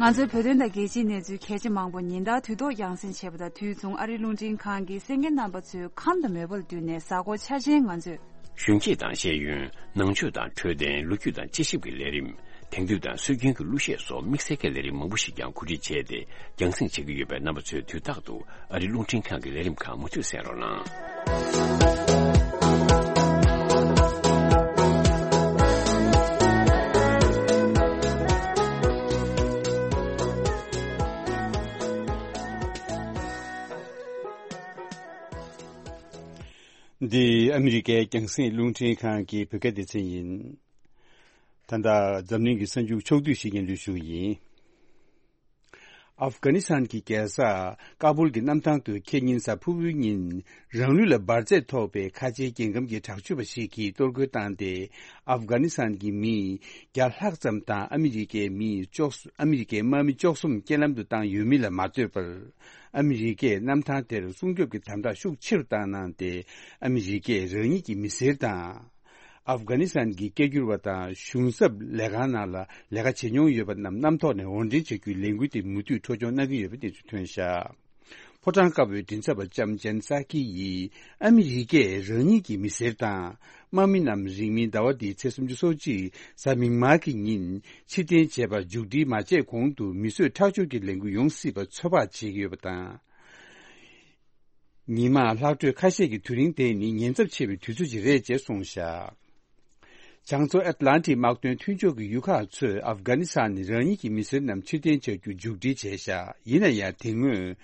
ང་ཚོའི་བོད་དོན་དང་རྒྱལ་སྤྱིའི་གནས་ཚུལ་གལ་ཆེ་མང་པོ་ཉིན་ལྟར་དུས་ཐོག་རྒྱང་སྲིང་བྱེད་པ་དང་དུས་མཚུངས་ཨ་རིའི་རླུང་འཕྲིན་ཁང་གིས་གསན་མཁན་རྣམ་པ་ཚོའི་ཁམས་དང་མོས་པ་ལ་བསྟུན་ནས་གཟའ་འཁོར་འཆར་ཅན་ང་ཚོས། གཞོན་སྐྱེས་དང་ཤེས་ཡོན། ནང་ཆོས་དང་འཕྲོད་བསྟེན། ལོ་རྒྱུས་དང་དཔྱད་ཞིབ་ཀྱི་ལས་རིམ། དེང་དུས་དང་སྲོལ་རྒྱུན་གྱི་གླུ་གཞས་སོགས་དམིགས་བསལ་གྱི་ལས་རིམ་མང་པོ་ཞིག་ཀྱང་གོ་སྒྲིག་བྱས་ཏེ་རྒྱང་སྲིང་བྱེད་ཀྱི་ཡོད་པས། རྣམ་པ་ཚོས་དུས་རྟག་ཏུ་ཨ་རིའི་རླུང་འཕྲིན་ཁང་གི་ལས་རིམ་ཁག་མུ་མཐུད་གསན་རོགས་གནང་། འདི་ཨ་མི་རི་ཀའི་རྒྱང་སྲིང་རླུང་འཕྲིན་ཁང་གི་བོད་སྐད་སྡེ་ཚན་ཡིན། ད་ལྟ་འཛམ་གླིང་གི་གསར་འགྱུར་ཕྱོགས་བསྡུས་ཤིག་སྙན་སྒྲོན་ཞུ་གི་ཡིན། ཨབ་གྷ་ནི་སི་ཐན་གྱི་རྒྱལ་ས་ཀ་བུལ་གྱི་གནམ་ཐང་དུ་ཁེ་ཉིན་གཟའ་ཕུར་བུའི་ཉིན་རང་ལུས་ལ་འབར་རྫས་ཐོགས་པའི་ཁ་ཆེའི་རྒྱལ་ཁམས་ཀྱི་དྲག་སྤྱོད་པ་ཞིག་གིས་གཏོར་རྒོལ་བཏང་སྟེ། ཨབ་གྷ་ནི་སི་ཐན་གྱི་མི་བརྒྱ་ལྷག་ཙམ་དང་ཨ་མི་རི་ཀའི་མི་བཅུ་ཨ་མི་རི་ཀའི་དམག་མི་བཅུ་གསུམ་རྐྱེན་ལམ་དུ་བཏང་ཡོད་མིན་ལ་མ་ལྟོས་པར། ཨ་མི་རི་ཀས་གནམ་ཐང་དེར་སྲུང་སྐྱོབ་ཀྱི་དམ་དྲག་ཤུགས་ཆེ་རུ་བཏང་གནང་སྟེ། ཨ་མི་རི་ཀས་རང་ཉིད་ཀྱི་མི་སེར་དང་། ཨབ་གྷ་ནི་སི་ཐན་གྱི་སྐད་སྒྱུར་བ་དང་གཞུང་ཚབ་ལས་ཁང་ནང་ལ་ལས་ཀ་བྱེད་མྱོང་ཡོད་པ་རྣམས་གནམ་ཐོག་ནས་དབོར་འདྲེན་བྱ་རྒྱུའི་ལས་འགུལ་དེ་མུ་མཐུད་འཕྲོ་སྐྱོང་གནང་གི་ཡོད་པའི་གནས་ཚུལ་ཐོན་བཞག་ཕོ་བྲང་དཀར་པོའི་མགྲིན་ཚབ་པ་ལྕམ་ཇན་སཱ་ཀི་ཡིས་ཨ་མི་རི་ཀས་རང་ཉིད་ཀྱི་མི་སེར་དང་དམག་མི་རྣམས་རིང་མིན་ཟླ་བ་འདིའི་ཚེས་སུམ་ཅུ་སོ་གཅིག་གཟའ་མིག་དམར་གྱི་ཉིན་ཕྱིར་འཐེན་བྱས་པར་མཇུག་སྒྲིལ་མ་བྱས་གོང་དུ་མི་གསོད་ཁྲག་སྦྱོར་གྱི་ལས་འགུལ་ཡོང་སྲིད་པ་ཚོད་དཔག་བྱེད་ཀྱི་ཡོད་པ་དང་། ཉི་མ་ལྷག་འཕྲོས་ཁ་ཤས་ཀྱི་དུས་རིང་དེ་ནི་ཉེན་ཚབས་ཆེ་བའི་དུས་ཚོད་ཅིག་རེད་ཅེས་གསུངས་བཞག་བྱང་མཚོ་ཨེཊ་ལན་ཊིག་དམག་དོན་མཐུན་ཕྱོགས་ཀྱི་ཡུལ་ཁག་ཚོས་ཨབ་གྷ་ནི་སི་ཐན་ནས་རང་ཉིད་ཀྱི་མི་སེར་རྣམས་ཕྱིར་འཐེན་བྱ་རྒྱུ་མཇུག་སྒྲིལ་བྱས་བཞག་ཡིན་ན་ཡང་དེ་སྔོན་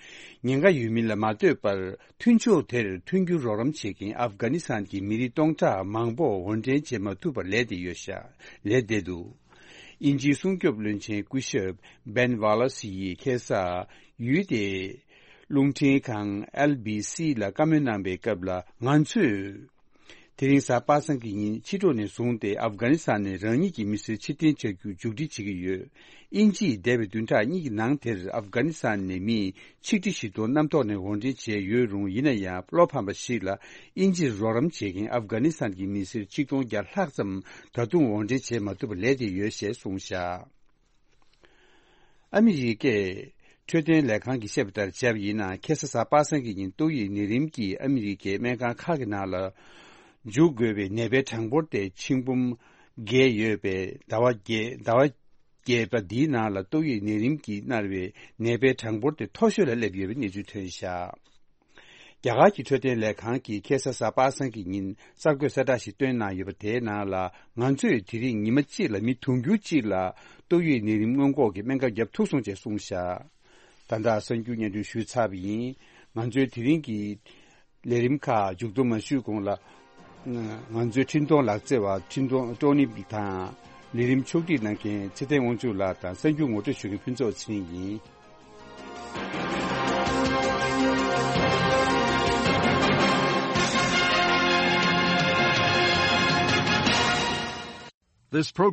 ཉེན་ཁ་ཡོད་མིན་ལ་མ་ལྟོས་པར་མཐུན་ཕྱོགས་དེར་མཐུན་འགྱུར་རོགས་རམ་བྱེད་མཁན་ཨབ་གྷ་ནི་སི་ཐན་གྱི་མི་རིགས་སྟོང་ཕྲག་མང་པོ་དབོར་འདྲེན་བྱེད་མ་ཐུབ་པར་ལས་བསྡད་ཡོད་བཞག་ལས་བསྡད་འདུག་དབྱིན་ཇིའི་སྲུང་སྐྱོབ་བློན་ཆེན་སྐུ་ཞབས་བེན་ཝ་ལ་སི་ཡིས་ཁ་སང་ཡུལ་དེའི་རླུང་འཕྲིན་ཁང་ཨེལ་བི་སི་ལ་བཀའ་མོལ་གནང་པའི་སྐབས་ལ། ང་ཚོས་ དེ་རིང་གཟའ་པ་སངས་ཀྱི་ཉིན་ཕྱི་དྲོ་ནས་བཟུང་སྟེ་ཨབ་གྷ་ནི་སི་ཐན་ནས་རང་ཉིད་ཀྱི་མི་སེར་ཕྱིར་འཐེན་བྱ་རྒྱུ་མཇུག་སྒྲིལ་བྱེད་ཀྱི་ཡོད། དབྱིན་ཇིས་འདས་པའི་བདུན་ཕྲག་གཉིས་ཀྱི་ནང་དེར་ཨབ་གྷ་ནི་སི་ཐན་ནས་མི་ཆིག་ཁྲི་བཞི་སྟོང་གནམ་ཐོག་ནས་འོར་འདྲེན་བྱས་ཡོད་རུང་། ཡིན་ན་ཡང་། བློ་ཕམ་པ་ཞིག་ལ། དབྱིན་ཇིར་རོགས་རམ་བྱེད་མཁན་ཨབ་གྷ་ནི་སི་ཐན་གྱི་མི་སེར་ཆིག་སྟོང་བརྒྱ་ལྷག་ཙམ་ད་དུང་འོར་འདྲེན་བྱེད་མ་ཐུབ་པར་ལུས་བསྡད་ཡོད་ཞེས་གསུངས་བཞག། ཨ་མི་རི་ཀའི་འཕྲོད་བསྟེན་ལས་ཁང་གིས་བཤད་པ་ལྟར་བྱས་པ་ཡིན་ན། ཁ་སང་གཟའ་པ་སངས་ཀྱི་ཉིན་ཏོག་དབྱིབས་ནད་རིམས་ཀྱིས་ཨ་མི་རི་ཀའི་སྨན་ཁང་ཁག་གི་ནང་ལ་འཇུག་དགོས་པའི་ནད་པའི་གྲངས་འབོར་དེ་ཆིག་འབུམ་བརྒལ་ཡོད་པས། ཟླ་བ་བརྒྱད་ཟླ་བ་བརྒྱད་པ་འདིའི་ནང་ལ་ཏོག་དབྱིབས་ནད་རིམས་ཀྱིས་མནར་བའི་ནད་པའི་གྲངས་འབོར་དེ་མཐོ་ཤོས་ལ་སླེབས་ཡོད་པའི་གནས་ཚུལ་ཐོན་བཞག། རྒྱ་གར་གྱི་འཕྲོད་བསྟེན་ལས་ཁང་གིས་ཁ་སང་གཟའ་པ་སངས་ཀྱི་ཉིན་གསར་འགོད་གསལ་བསྒྲགས་ཤིག་བཏོན་གནང་ཡོད་པ། དེའི་ནང་ལ། ང་ཚོས་དེ་རིང་ཉི་མ་གཅིག་ལ་མི་དུང་ཕྱུར་གཅིག་ལ་ཏོག་དབྱིབས་ནད་རིམས་སྔོན་འགོག་གི་སྨན་ཁབ་བརྒྱབ་ཐུབ་སོང་ཅེས་གསུངས་བཞག། ད་ལྟ་གསར་འགྱུར་སྙན་སྒྲོན་ཞུས་ཚར་བ་ཡིན། ང་ཚོའི་དེ་རིང་གི་ལས་རིམ་ཁག་མཇུག་བསྡོམས་མ་ཞུས་གོང་ལ། ང་ཚོའི་འཕྲིན་གཏོང་ལག་རྩལ་བ་འཕྲིན་གཏོང་ཀྲོ་ནི་དང་། ལས་རིམ་ཕྱོགས་སྒྲིག་གནང་མཁན་ཚེ་བརྟན་དབང་ཕྱུག་ལགས་དང་། གསར་འགྱུར་ངོ་སྤྲོད་ཞུ་མཁན་ཕུན་ཚོགས་ཚེ་རིང་ཡིན། This program